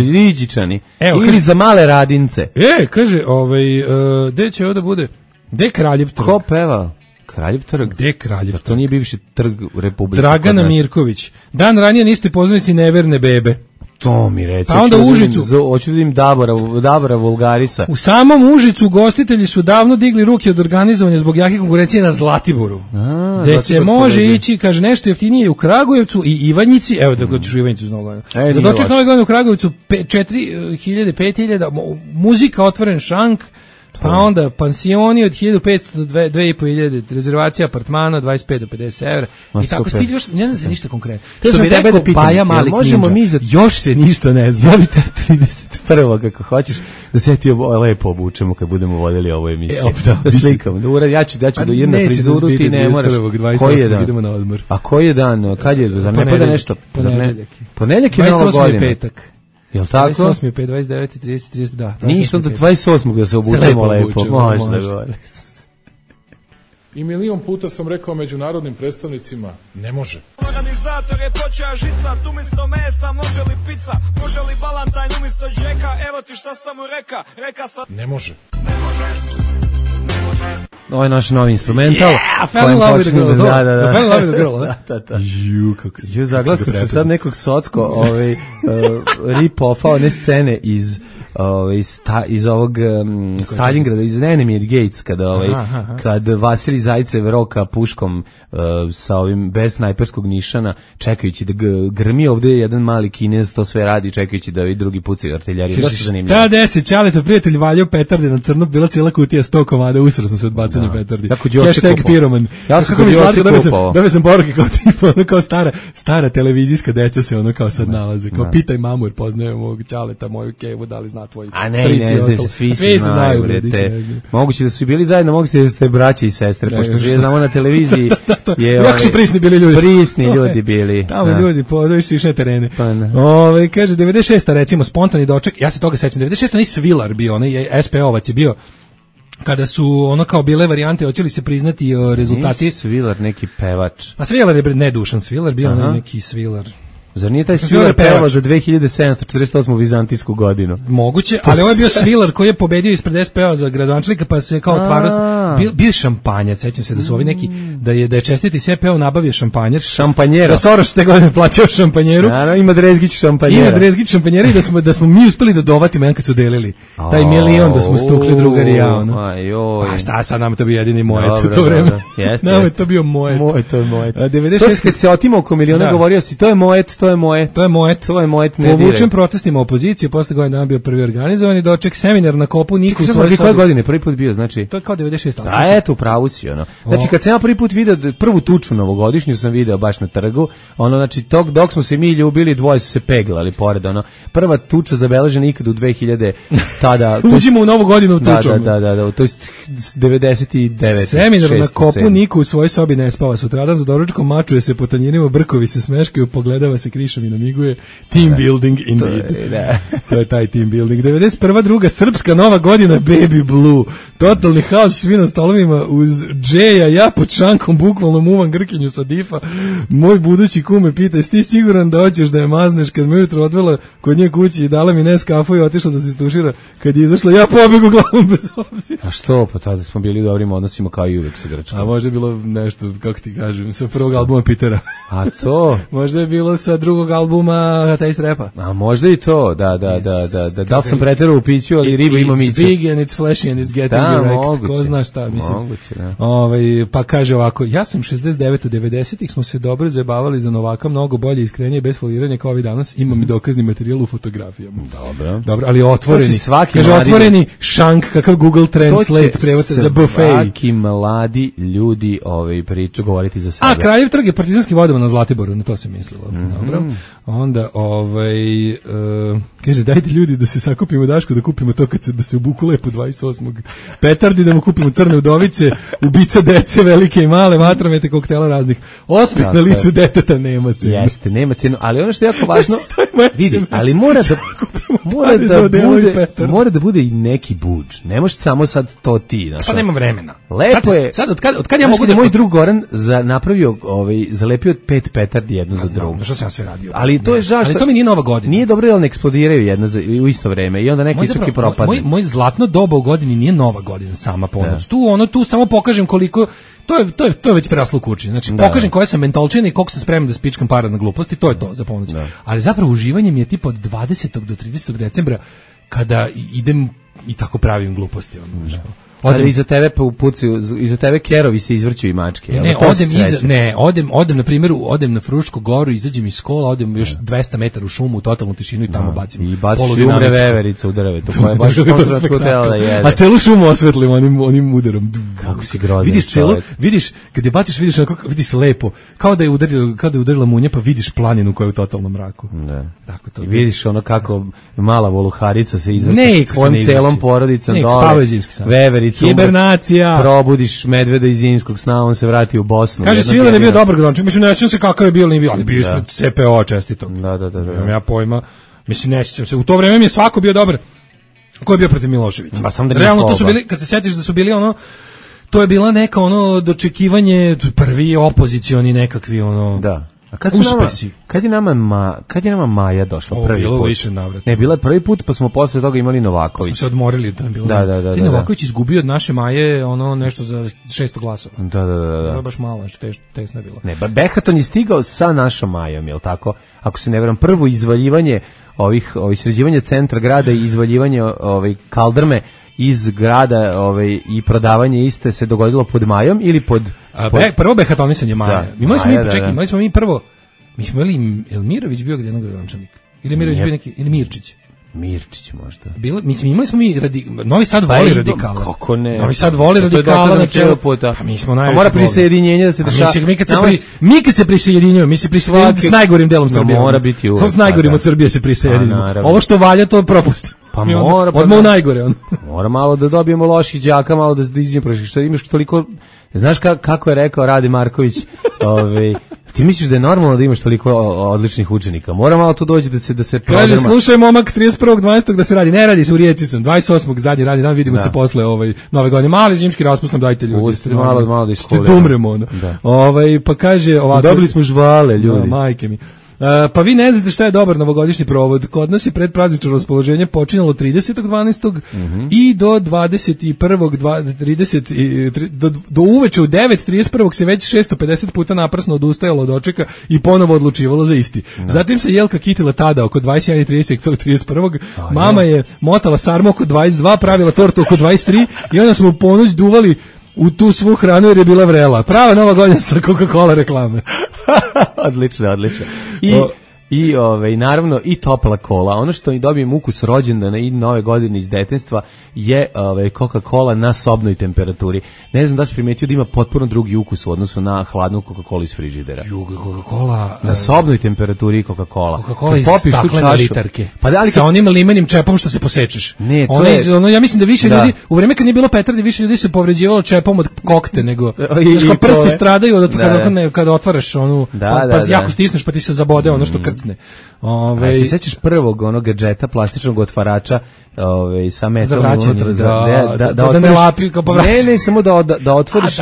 riđičani. Ili za male radince. Kaže, gde će ovo da bude? Gde je Kraljev trg? Ko peva? Kraljev trg? Gde je Kraljev trg? To nije bivši trg Republike. Dragana Mirković. Dan ranije niste poznanici neverne bebe. To mi reći. Pa onda Užicu. Hoću da im Dabora Vulgarisa. U samom Užicu ugostitelji su davno digli ruke od organizovanja zbog jake konkurencije na Zlatiboru. Gde se može ići, kaže, nešto jeftinije u Kragujevcu i Ivanjici. Evo da ćeš u Ivanjicu z Nove godine. Za doček Nove godine u Kragujevcu 4.000, 5.000, muzika, otvoren šank, pa onda pansioni od 1.500 do 2.500, rezervacija apartmana 25 do 50 evra. I tako stil još, ne zna se ništa konkretno. Što bi rekao Baja Malik Ninja, još se ništa ne zna. Ja bi te 31. kako hoćeš da se ti lepo obučemo kad budemo vodili ovu emisiju. Da slikam, ja ću do jedna frizuru, ti ne moraš. Koji je dan? Idemo na odmor. A koji je dan? Kad je? Zar ne pada nešto? Ponedeljak je Nova godina. 28. petak. Jel tako? 28. 5, 29, 30, da. Ništa da 28. da se obučemo lepo. Možda govori. I milion puta sam rekao međunarodnim predstavnicima, ne može. Organizator je počeo žicat, umjesto mesa može li pizza, može li balantajn umjesto džeka, evo ti šta sam mu reka sam... Ne može. Ovo je naš novi instrumental. Fell in love with the girl. Da. Fell in love with the girl, Da. Ju, zaglasio se sad nekog socko rip-offa one scene iz ovog Stalingrada, iz Enemy at Gates, kad Vasilij Zajcev roka puškom sa ovim bez snajperskog nišana, čekajući da grmi ovde jedan mali Kinez, to sve radi, čekajući da ovi drugi pucaju artiljeriju. Dosta zanimljivo. Šta desi, Ćaleta prijatelj valjao petarde na crno, bila cijela kutija 100 komada, usro sam se od bacanja petardi. Hashtag piroman. Ja sam kod Joci kupao. Dobio sam poruke kao tipa, ono kao stara televizijska deca se ono kao sad nalaze. Kao pitaj mamu jer poznaje mog Ćaleta, moju kevu, da li zna tvoji strici. Ne znam, svi znaju. Moguće da su bili zajedno, moguće da ste braće i sestre, pošto svi znamo na televiziji. Jako su prisni bili ljudi. Prisni ljudi bili. Tamo ljudi, podoviš išne terene. Kaže, 96. recimo, spontani doček, ja se toga sećam, 96. onaj Svilar bio, onaj SPO-vac je bio, kada su ono kao bile varijante, hoće li se priznati rezultati. Nije Svilar neki pevač. A Svilar je, ne Dušan Svilar, bio onaj neki Svilar. Zar nije taj Svilar pevao za 2748. vizantijsku godinu? Moguće, ali ovo je bio Svilar koji je pobedio ispred SPO za gradonačelnika, pa se kao otvarao, bio šampanjac, sećam se da su ovi neki, da je čestiti SPO nabavio šampanjer. Šampanjera. Da Soros te godine plaćao šampanjeru. Ima Drezgić šampanjera. Ima Drezgić šampanjera i da smo mi uspeli da dovatimo jedan kad su delili. Taj milion da smo stukli drugari ja, ono. Pa šta sad, nam to bio jedini mojet u to vreme. Nam je to bio mojet. To je mojet. To se kad se otimao oko miliona govorio si, to je mojet, to je mojet. Povučen protestima opozicije, posle godine dana bio prvi organizovani doček, seminar na Kopu Niku. Koje godine prvi put bio, znači? To je kao 96. A eto, upravo si, ono. Znači, kad sam ja prvi put video, prvu tuču novogodišnju sam video baš na trgu, ono, znači, dok smo se mi ljubili, dvoje su se peglali pored, ono. Prva tuča zabeležena ikad u 2000, tada... Uđimo u novu godinu tučom. Da, to je 99. Seminar na Kopu Niku u svojoj sobi ne spava. Sutradan za doručkom mačuje se po tanjirima, brkovi se smeškaju, pogledava se krišom i namiguje. Team building indeed. To je taj team building. 91. druga srpska nova godina, Baby Blue. Totalni haos, svi na stolovima uz džeja, ja pod šankom bukvalno muvam grkinju sa difa. Moj budući kume pita, jesi ti siguran da hoćeš da je mazneš? Kad me ujutro odvela kod nje kući i dala mi Neskafu i otišla da se istušira. Kad je izašla, ja pobegu glavom bez obzira. A što? Pa tada smo bili u dobrim odnosima kao i uvek sa Grčkom. A možda je bilo nešto, kako ti kažem, sa prvog albuma Petera. A to? Možda je bilo sa drugog albuma Taste Rapa. A možda i to, da li sam preterao u piću, ali riba ima miću. It's big and it's flashy and it's getting you right. Moguće, ko zna šta, mislim. Moguće, da. Pa kaže ovako, ja sam 69 u 90-ih, smo se dobro zajebavali za Novaka, mnogo bolje, iskrenije, bez foliranja kao ovi danas, imam i dokazni materijal u fotografijama. Dobro, ali otvoreni. Kaže, otvoreni šank, kakav Google Translate prevod za buffet. Svaki mladi ljudi priču govoriti za sebe. A, Kraljev trg je partizanski vodovan na Zlatiboru, na to se mislilo. Dobro. Onda, kaže, dajte ljudi da se sakupimo Daško, da kupimo to da se obuku lepo 28. petardi, da mu kupimo crne udovice, ubica dece, velike i male, vatromete, koktela raznih. Osmeh na licu deteta nema cenu. Jeste, nema cenu, ali ono što je jako važno, vidi, ali mora da bude i neki budž. Ne može samo sad to ti. Sad nema vremena. Lepo je. Sad, od kad ja mogu da... Moj drug Goran napravio, zalepio 5 petardi jednu za drugu. Što sam ja sve radio? Ali to je žao što... Ali to mi nije nova godina. Nije dobro jer ne eksplodiraju jedna u isto vreme i onda neki istoki propadne. Moj zlatno doba u godini nije nova godina sama ponoć. Tu samo pokažem koliko... To je već preraslo u kući. Znači, pokažem koja sam mentolčina i koliko sam spreman da spičkam para na gluposti, to je to za ponoć. Ali zapravo uživanje mi je tipa od 20. do 30. decembra kada idem i tako pravim gluposti. Ali iza tebe iza tebe kerovi se izvrću i mačke. Odem na primjer, odem na Frušku goru, izađem iz škola, odem još 200 metara u šumu, u totalnu tišinu i tamo bacim. I baciš umre veverica u drvetu, koja je baš htela da jede. A celu šumu osvetlim onim udarom. Kako si grozan čovjek. Vidiš, kad je baciš, vidiš lepo, kao da je udarila munja, pa vidiš planinu koja je u totalnom mraku. Tako to. I vidiš ono kako mala voluharica se izvrće s svojom celom porodicom dole. Veverica. Hibernacija. Probudiš medveda iz zimskog sna, on se vrati u Bosnu. Kaže, Svilar je bio dobar gradonačelnik. Mislim, ne sjećam se kakav je bio, ali nije bio ispred CPO čestitog. Da. Imam ja pojma. Mislim, ne sjećam se. U to vreme mi je svako bio dobar. Ko je bio protiv Miloševića? Pa sam da nije realno, to su bili, kad se sjetiš da su bili ono, to je bila neka dočekivanje, prvi opozicioni nekakvi Da. A kad je nama Maja došla prvi put? Bilo više navrata. Ne, bila je prvi put, pa smo posle toga imali Novaković. Smo se odmorili da nam bilo. Da. Ti Novaković izgubio od naše Maje ono nešto za 600 glasova. Da. To je baš malo, tesno je bilo. Ne, Behaton je stigao sa našom Majom, jel tako? Ako se ne veram, prvo izvaljivanje ovih sređivanja centra grada i izvaljivanje kaldrme iz grada i prodavanje iste se dogodilo pod Majom ili pod prvo Behatonisanje Maja. Imali smo mi prvo. Mi smo imali Elmirović bio jednog gradonačelnika. Ili Mirović bio neki ili Mirčić možda. Imali smo Novi Sad voli radikala. Kako ne? Novi Sad voli radikala na čelu puta. Pa mi smo najveći. Mora prisjedinjenje da se dešava. Mi kad se prisjedinjujemo, mi se prisjedinjujemo s najgorim delom Srbije. Mora biti uvek. S najgorim od Srbije se prisjedinimo. Ovo što valja to propustimo. Pa mora odmah u najgore on. Mora malo da dobijemo loših đaka, malo da iđemo što imaš toliko. Znaš kako je rekao Rade Marković, ti misliš da je normalno da imaš toliko odličnih učenika? Mora malo to doći da se kaže, slušaj momak 31.12. da se radi. Ne radi se, u Rijeci sam. 28. zadnji radni dan, vidimo se posle nove godine. Mali zimski raspust nam dajte ljudi. Pustite malo da iskolimo. Ste umremo. Pa kaže ovako. Dobili smo žvale ljudi. Majke mi. Pa vi ne znate šta je dobar novogodišnji provod. Kod nas je predpraznično raspoloženje počinjalo 30.12. I do 21.30 do uveče u 9.31. se već 650 puta naprasno odustajalo od dočeka i ponovo odlučivalo za isti. Zatim se Jelka kitila tada oko 21.30 tog 31. Mama je motala sarmu oko 22, pravila tortu oko 23 i onda smo u ponoć duvali u tu svu hranu jer je bila vrela. Prava nova godina sa Coca-Cola reklame. Odlično. I naravno i topla kola. Ono što mi dobijem ukus rođendana i nove godine iz detinjstva je Coca-Cola na sobnoj temperaturi. Ne znam da se primetio da ima potpuno drugi ukus u odnosu na hladnu Coca-Cola iz frižidera. Coca-Cola na sobnoj temperaturi Coca-Cola. Coca-Cola iz staklene litarke. Sa onim limenim čepom što se posečeš. Ne, ja mislim da više ljudi u vreme kad nije bilo petardi više ljudi se povređivalo čepom od kokte nego prsti stradaju od kada otvaraš onu pa jako stisneš pa ti se zabode ono što krcne. Se sećaš prvog onog gadžeta plastičnog otvarača sa metalom unutra da ne lapi kao povraćaš. Ne, samo da otvoriš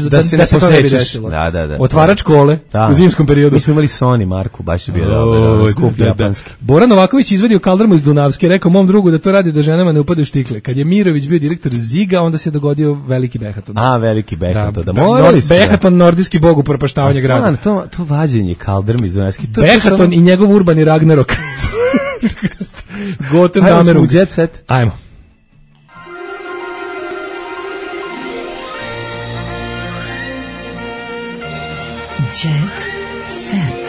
da se ne posečeš. Da. Otvarač kole u zimskom periodu. Mi smo imali Sony marku, baš je bio dobar, skup japanski. Bora Novaković izvadio kaldrmu iz Dunavske, rekao mom drugu da to radi da ženama ne upadaju štikle. Kad je Mirović bio direktor Ziga, onda se dogodio veliki Behaton. Veliki Behaton. Behaton, nordijski bog upropaštavanja grada. To vađenje kaldrme iz Dunavske. Behaton i njegov urbani Ragnarok. Goten Damerung. Ajmo. Jet set.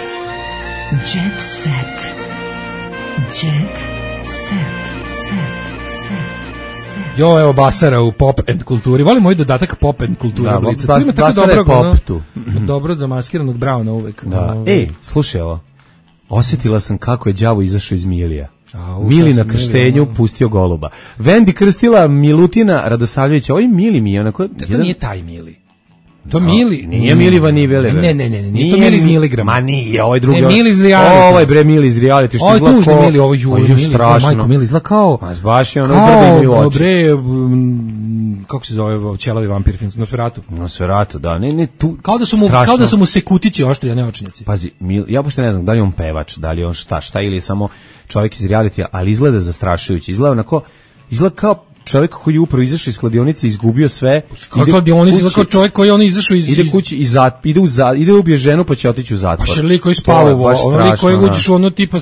Jet set. Jet set. Jo, evo Basara u pop and kulturi. Volim moj dodatak pop and kultura. Basara je pop tu. Dobro zamaskiranog Brauna uvek. Slušaj ovo. Osjetila sam kako je đavo izašao iz Milija. Mili na krštenju pustio goluba. Vendi krstila Milutina Radosavljevića. Ovo je Mili mi je onako... To nije taj Mili. To Mili. Nije Mili Vanivele. Ne, nije to Mili iz miligrama. Ma nije, ovaj drugi. Ne, Mili iz reality. Ovo je bre Mili iz reality. Ovo je tužni Mili, ovo je Mili. Strašno. Mili izgleda kao... Baš je ono brdo mi u oči. Bre, kako se zove ćelavi vampir film? Nosferatu, da. Ne, tu... Kao da su mu sekutići oštri, a ne očnjaci. Pazi, ja pošto ne znam da li on pevač, da li on šta ili je samo čovjek iz realitija, ali izgleda zastrašujući. Izgleda kao čovjek koji je upravo izašao iz kladionice, izgubio sve. Kladionice, kao čovjek koji je izašao iz... Ide kući i ide ubije ženu pa će otići u zatvor. Pa lik koji spava u vozu. Lik koji uđeš u ono tipa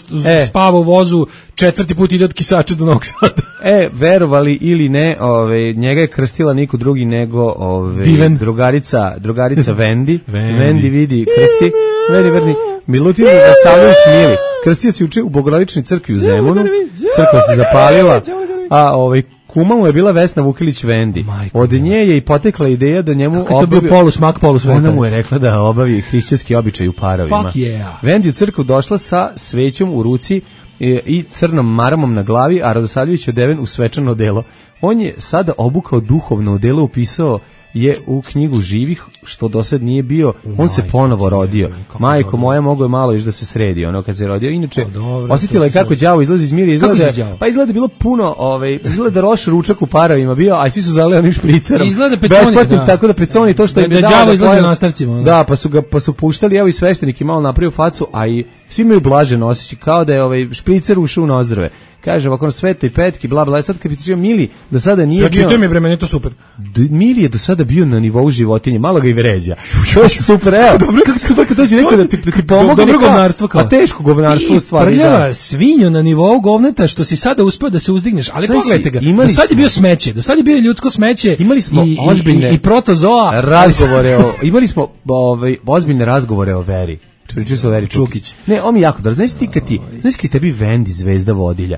spava u vozu, 4. put ide od Kisača do Novog Sada. Verovali ili ne, njega je krstila niko drugi nego drugarica Vendi. Vendi vidi krsti. Verni. Milutin Radosavljević Mili. Krstio se u Bogorodičnoj crkvi u Zemunu. Crkva se zapalila. A kuma mu je bila Vesna Vukilić Vendi. Od nje je i potekla ideja da njemu obavi... Kako je to bio polusmak, polusvetaj? Ona mu je rekla da obavi hrišćanski običaj u parovima. Fuck yeah. Vendi u crkvu došla sa svećom u ruci i crnom maramom na glavi, a Radosavljević odeven u svečano odelo. On je sada obukao duhovno odelo, upisao je u knjigu živih, što do sad nije bio, on se ponovo rodio. Majko moja, mogo je malo još da se sredi, ono kad se rodio. Inače, osjetila je kako đavo izlazi iz mira, izgleda bilo puno, izgleda loš ručak u paravima bio, a svi su zaleli onim špricerom. Izgleda Peconi, tako da Peconi to što je da đavo izlazi u nastavcima. Da, pa su puštali, evo i sveštenik je malo napravio facu, a i svi imaju blažen osjećaj, kao da je špricer ušao u nozdrve. Kaže ovako na Svetoj Petki, bla bla, sad kad pričao Mili, do sada nije bio. Čitao mi bre, meni je to super. Mili je do sada bio na nivou životinje, malo ga i vređa. To je super, evo. Kako super kad dođe neko da ti pomogne. Dobro govnarstvo kao. A teško govnarstvo u stvari. Prljava svinju na nivou govneta što si sada uspeo da se uzdigneš, ali pogledajte ga. Do sad je bio smeće, do sad je bio ljudsko smeće. Imali smo ozbiljne i protozoa razgovore imali smo ozbiljne razgovore o veri. Pričao se o Veri Čukić. Ne, on mi jako dobro. Znaš ti kad tebi Vendi zvezda vodilja.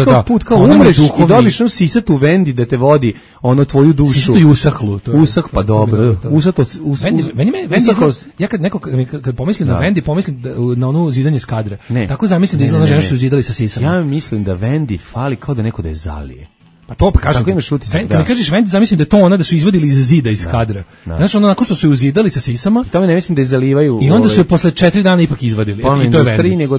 Da. Put kao umreš i dobiš onu sisatu Vendi da te vodi ono tvoju dušu. Sisatu i usahlu. Usah, pa dobro. Vendi, ja kad pomislim na Vendi, pomislim na onu zidanje s kadra. Tako zamislim da izgleda žena što su zidali sa sisama. Ja mislim da Vendi fali kao da neko da je zalije. Pa to kažem. Kad mi kažeš Vendi, zamislim da je to ona da su izvadili iz zida iz kadra. Znaš, ono nakon što su je uzidali sa sisama. To ne mislim da je zalivaju. I onda su je posle 4 dana ipak izvadili. I to je Vendi. Nego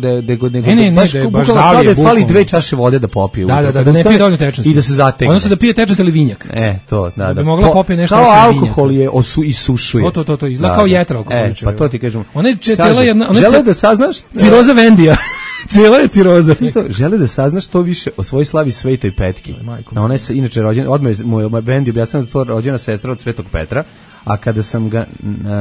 baš zalije, fali 2 čaše vode da popiju. Da ne pije dovoljno tečnosti. I da se zategne. Odnosno da pije tečnost ili vinjak. To, da. Da bi mogla popiti nešto kao alkohol je isušuje. To izgleda kao jetra alkoholiča. Pa to ti kažem. Ona je cijela jedna, žele da saznaš ciroza Vendija. Cijela je ciroza. Žele da saznaš što više o svojoj slavi Svetoj Petki. Ona je inače rođena, odmah moj Vendi objasnila da to rođena sestra od Svetog Petra, a kada sam ga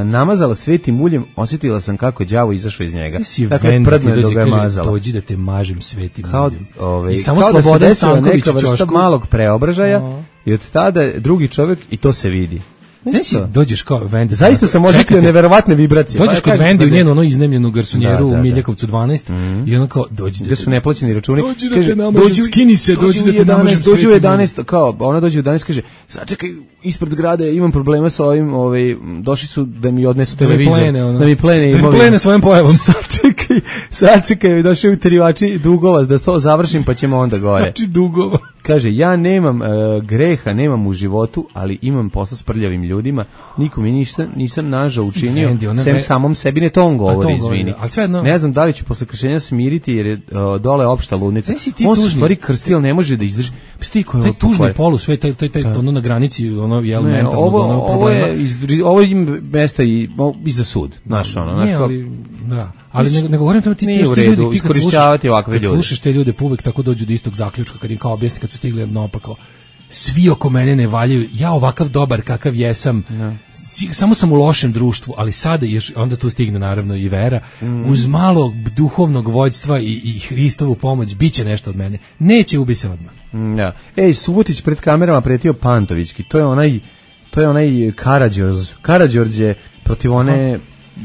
namazala svetim uljem, osjetila sam kako je đavo izašao iz njega. Tako je prdno da ga je mazala. Dođi da te mažem svetim uljem. I samo Slobodan Stanković neka vrsta malog preobražaja i od tada drugi čovjek i to se vidi. Znači, dođeš kao Vendi. Zaista sam osjetio neverovatne vibracije. Dođeš kod Vendi u njenu ono iznemljenu garsonjeru u Miljakovcu 12 i ono kao dođi. Gde su neplaćeni računi. Dođi da te namažem, skini se, dođi da te namažem. Dođi u 11, kao ona dođe u 11 kaže, sačekaj, ispred zgrade imam problema sa ovim, došli su da mi odnesu televizor. Da mi plene imovinu. Da mi plene svojom pojavom. Sačekaj, došli u terivači dugova, da to završim pa ćemo onda gore. Znači dugova. Kaže, ja nemam greha, nemam u životu, ali imam posla s prljavim ljudima, nikom nisam nažao učinio, sem samom sebi, ne to on govori, izvini. Ne znam da li ću posle kršenja smiriti, jer je dole opšta ludnica. On se stvari krsti, ali ne može da izdrži. Taj tužni polu, sve taj ono na granici, ono mentalno problema. Ovo im mesta i za sud, znaš ono. Ne, ali, da. Ali ne govorim tamo ti nije u redu iskorišćavati ovakve ljude. Kad slušaš te ljude, uvek tako dođu do istog zaključka, kad im kao objasni, kad su stigli naopako. Svi oko mene ne valjaju, ja ovakav dobar kakav jesam, samo sam u lošem društvu, ali sada onda tu stigne naravno i vera, uz malo duhovnog vođstva i Hristovu pomoć, bit će nešto od mene. Neće, ubi se odmah. Ja. Ej, Subotić pred kamerama pretio Pantovićki, to je onaj Karađorđe protiv one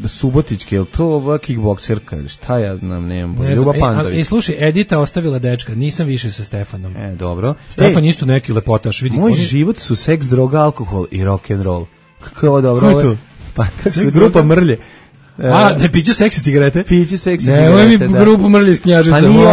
Subotičke, je li to ova kickbokserka ili šta ja znam, nemam. Ljuba Pantović. Slušaj, Edita ostavila dečka, nisam više sa Stefanom. Dobro. Stefan isto neki lepotaš, vidi. Moj život su seks, droga, alkohol i rock and roll. Kako je ovo dobro? Ko je to? Pa grupa Mrlje. Da piće seksi cigarete? Piće seksi cigarete, ovo je mi grupu Mrlje iz Knjaževca. Pa nije,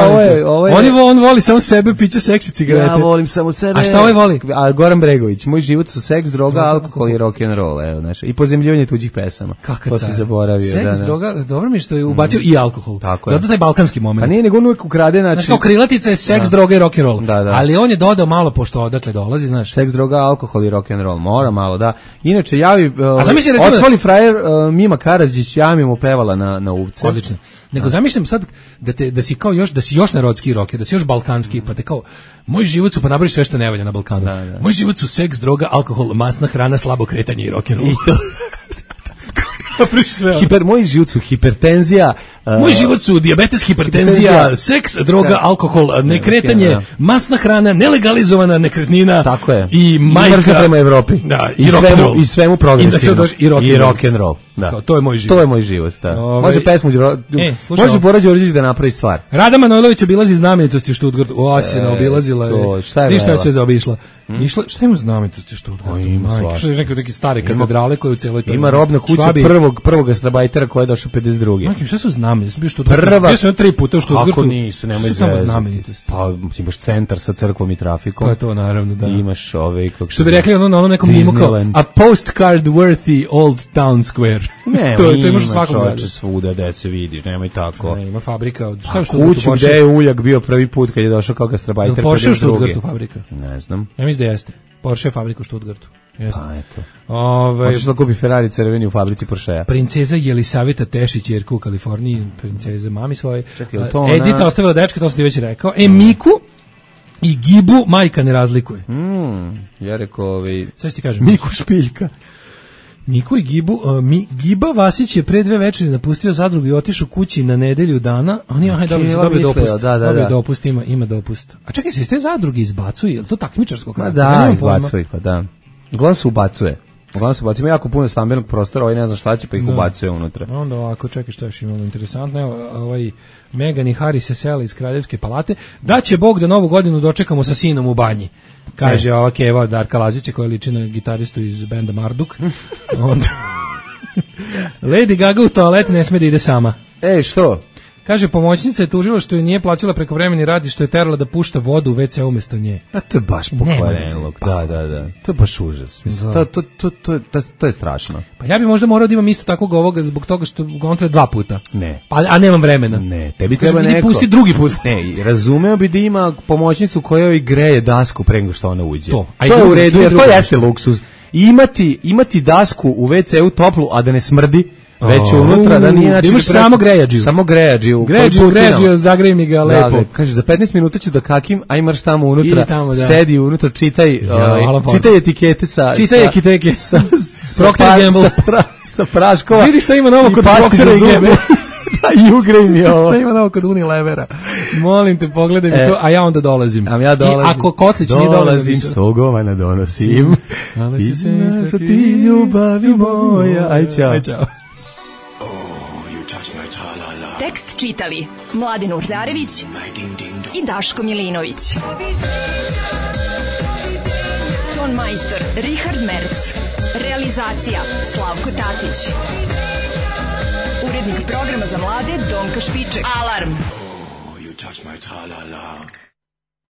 ovo je... On voli samo sebe, piće seksi cigarete. Ja volim samo sebe. A šta ovaj voli? Goran Bregović, moj život su seks, droga, alkohol i rock and roll, evo, znaš. I pozemljivanje tuđih pesama. Kakav to si zaboravio. Seks, droga, dobro mi što je ubacio i alkohol. Tako je. Zato taj balkanski moment. Pa nije, nego on uvijek ukrade, znači kao krilatica je seks, droga i rock and roll. Ali on je dodao malo, pošto odakle dolazi, znaš. Seks, droga, alkohol i rock and roll, mora malo, da. Inače, javi, odsvali frajer Mima Karadžić, ja mi mu pevala na uvce. Odlično. Nego zamišljam sad da si kao još, da si još narodski rocker, da si još balkanski, pa te kao, moj život su, pa nabraviš sve što ne valja na Balkanu. Moj život su seks, droga, alkohol, masna hrana, slabo kretanje i rock and roll. I to. Moj život su hipertenzija. Moj život su dijabetes, hipertenzija, seks, droga, alkohol, nekretanje, masna hrana, nelegalizovana nekretnina. Tako je. I majka. Mržnja prema Evropi. Da, i rock and roll. I svemu progresivno. I rock and roll. Da. To je moj život. To je moj život, da. Može pesmu, može Bora Đorđević da napravi stvar. Rada Manojlović obilazi znamenitosti u Stuttgartu. Osina obilazila je. Šta je sve zaobišla? Šta ima znamenitosti u Stuttgartu? Ima svašta. Neke stare katedrale koje u celoj toj. Ima robna kuća prvog gastrobajtera koji je došao 52. Makim, šta su znamenitosti? Bio sam 3 puta u Stuttgartu. Ako nisu, nemoj znamenitosti. Pa imaš centar sa crkvom i trafikom. To je to, naravno, da. Imaš što bi rekli na onom nekom mimo kao a postcard worthy old town square. Ne, to imaš u svakom gradu. Svuda gde se vidiš, nemoj tako. Ne, ima fabrika od... Šta je što kuću gde je Uljak bio prvi put kad je došao kao gastrobajter. Porsche u Stuttgartu fabrika? Ne znam. Ja mislim da jeste. Porsche je fabrika u Stuttgartu. Pa eto. Možeš da kupi Ferrari crveni u fabrici Porschea. Princeza Jelisaveta Tešić, jerka u Kaliforniji, princeza mami svoje. Čekaj, to ona... Edita ostavila dečka, to sam ti već rekao. Miku i Gibu majka ne razlikuje. Ja rekao sad ću ti kažem. Miku Špiljka. Miku i Gibu, Giba Vasić je pre 2 večeri napustio zadrugu i otišao kući na nedelju dana. On je dobio dopust. Dobio dopust, ima dopust. A čekaj, se iz te zadruge izbacuje, je li to takmičarsko? Da, izbacuje, pa da. Uglavnom se ubacuje. Ima jako puno stambenog prostora, ne zna šta će, pa ih ubacuje unutra. Onda ovako, čekaj, što još imamo interesantno. Evo, Meghan i Harry se sele iz Kraljevske palate. Da će Bog da novu godinu dočekamo sa sinom u banji. Kaže ova Keva Darka Lazića koja liči na gitaristu iz benda Marduk. Onda Lady Gaga u toalet ne sme da ide sama. Što? Kaže, pomoćnica je tužila što je nije plaćala prekovremeni rad i što je terala da pušta vodu u WC umjesto nje. A to je baš pokvareno. Da. To je baš užas. To je strašno. Pa ja bi možda morao da imam isto takvog ovoga zbog toga što on treba 2 puta. Ne. A nemam vremena. Ne, tebi treba neko. Pusti drugi put. Ne, razumeo bi da ima pomoćnicu koja joj greje dasku pre nego što ona uđe. To je u redu, jer to jeste luksuz. Imati dasku u WC-u toplu, a da ne smrdi, već unutra, da nije način... Imaš samo grejađiju. Samo grejađiju. Grejađiju, zagreji mi ga lepo. Kaže, za 15 minuta ću da kakim, a imaš tamo unutra, sedi unutra, čitaj etikete sa Procter & Gamble. Sa praškova. Vidi šta ima novo kod Procter & Gamble. I ugrej mi ovo. Šta ima novo kod Unilevera? Molim te, pogledaj mi to, a ja onda dolazim. Ja dolazim. I ako Kotlić nije dolazim, 100 govana donosim. I znaš da ti ljubavi moja. Aj, čao. Tekst čitali Mladen Urdarević i Daško Milinović. Ton majstor Richard Merc. Realizacija Slavko Tatić. Urednik programa za mlade Donka Špiček. Alarm! You touch my tra-la-la.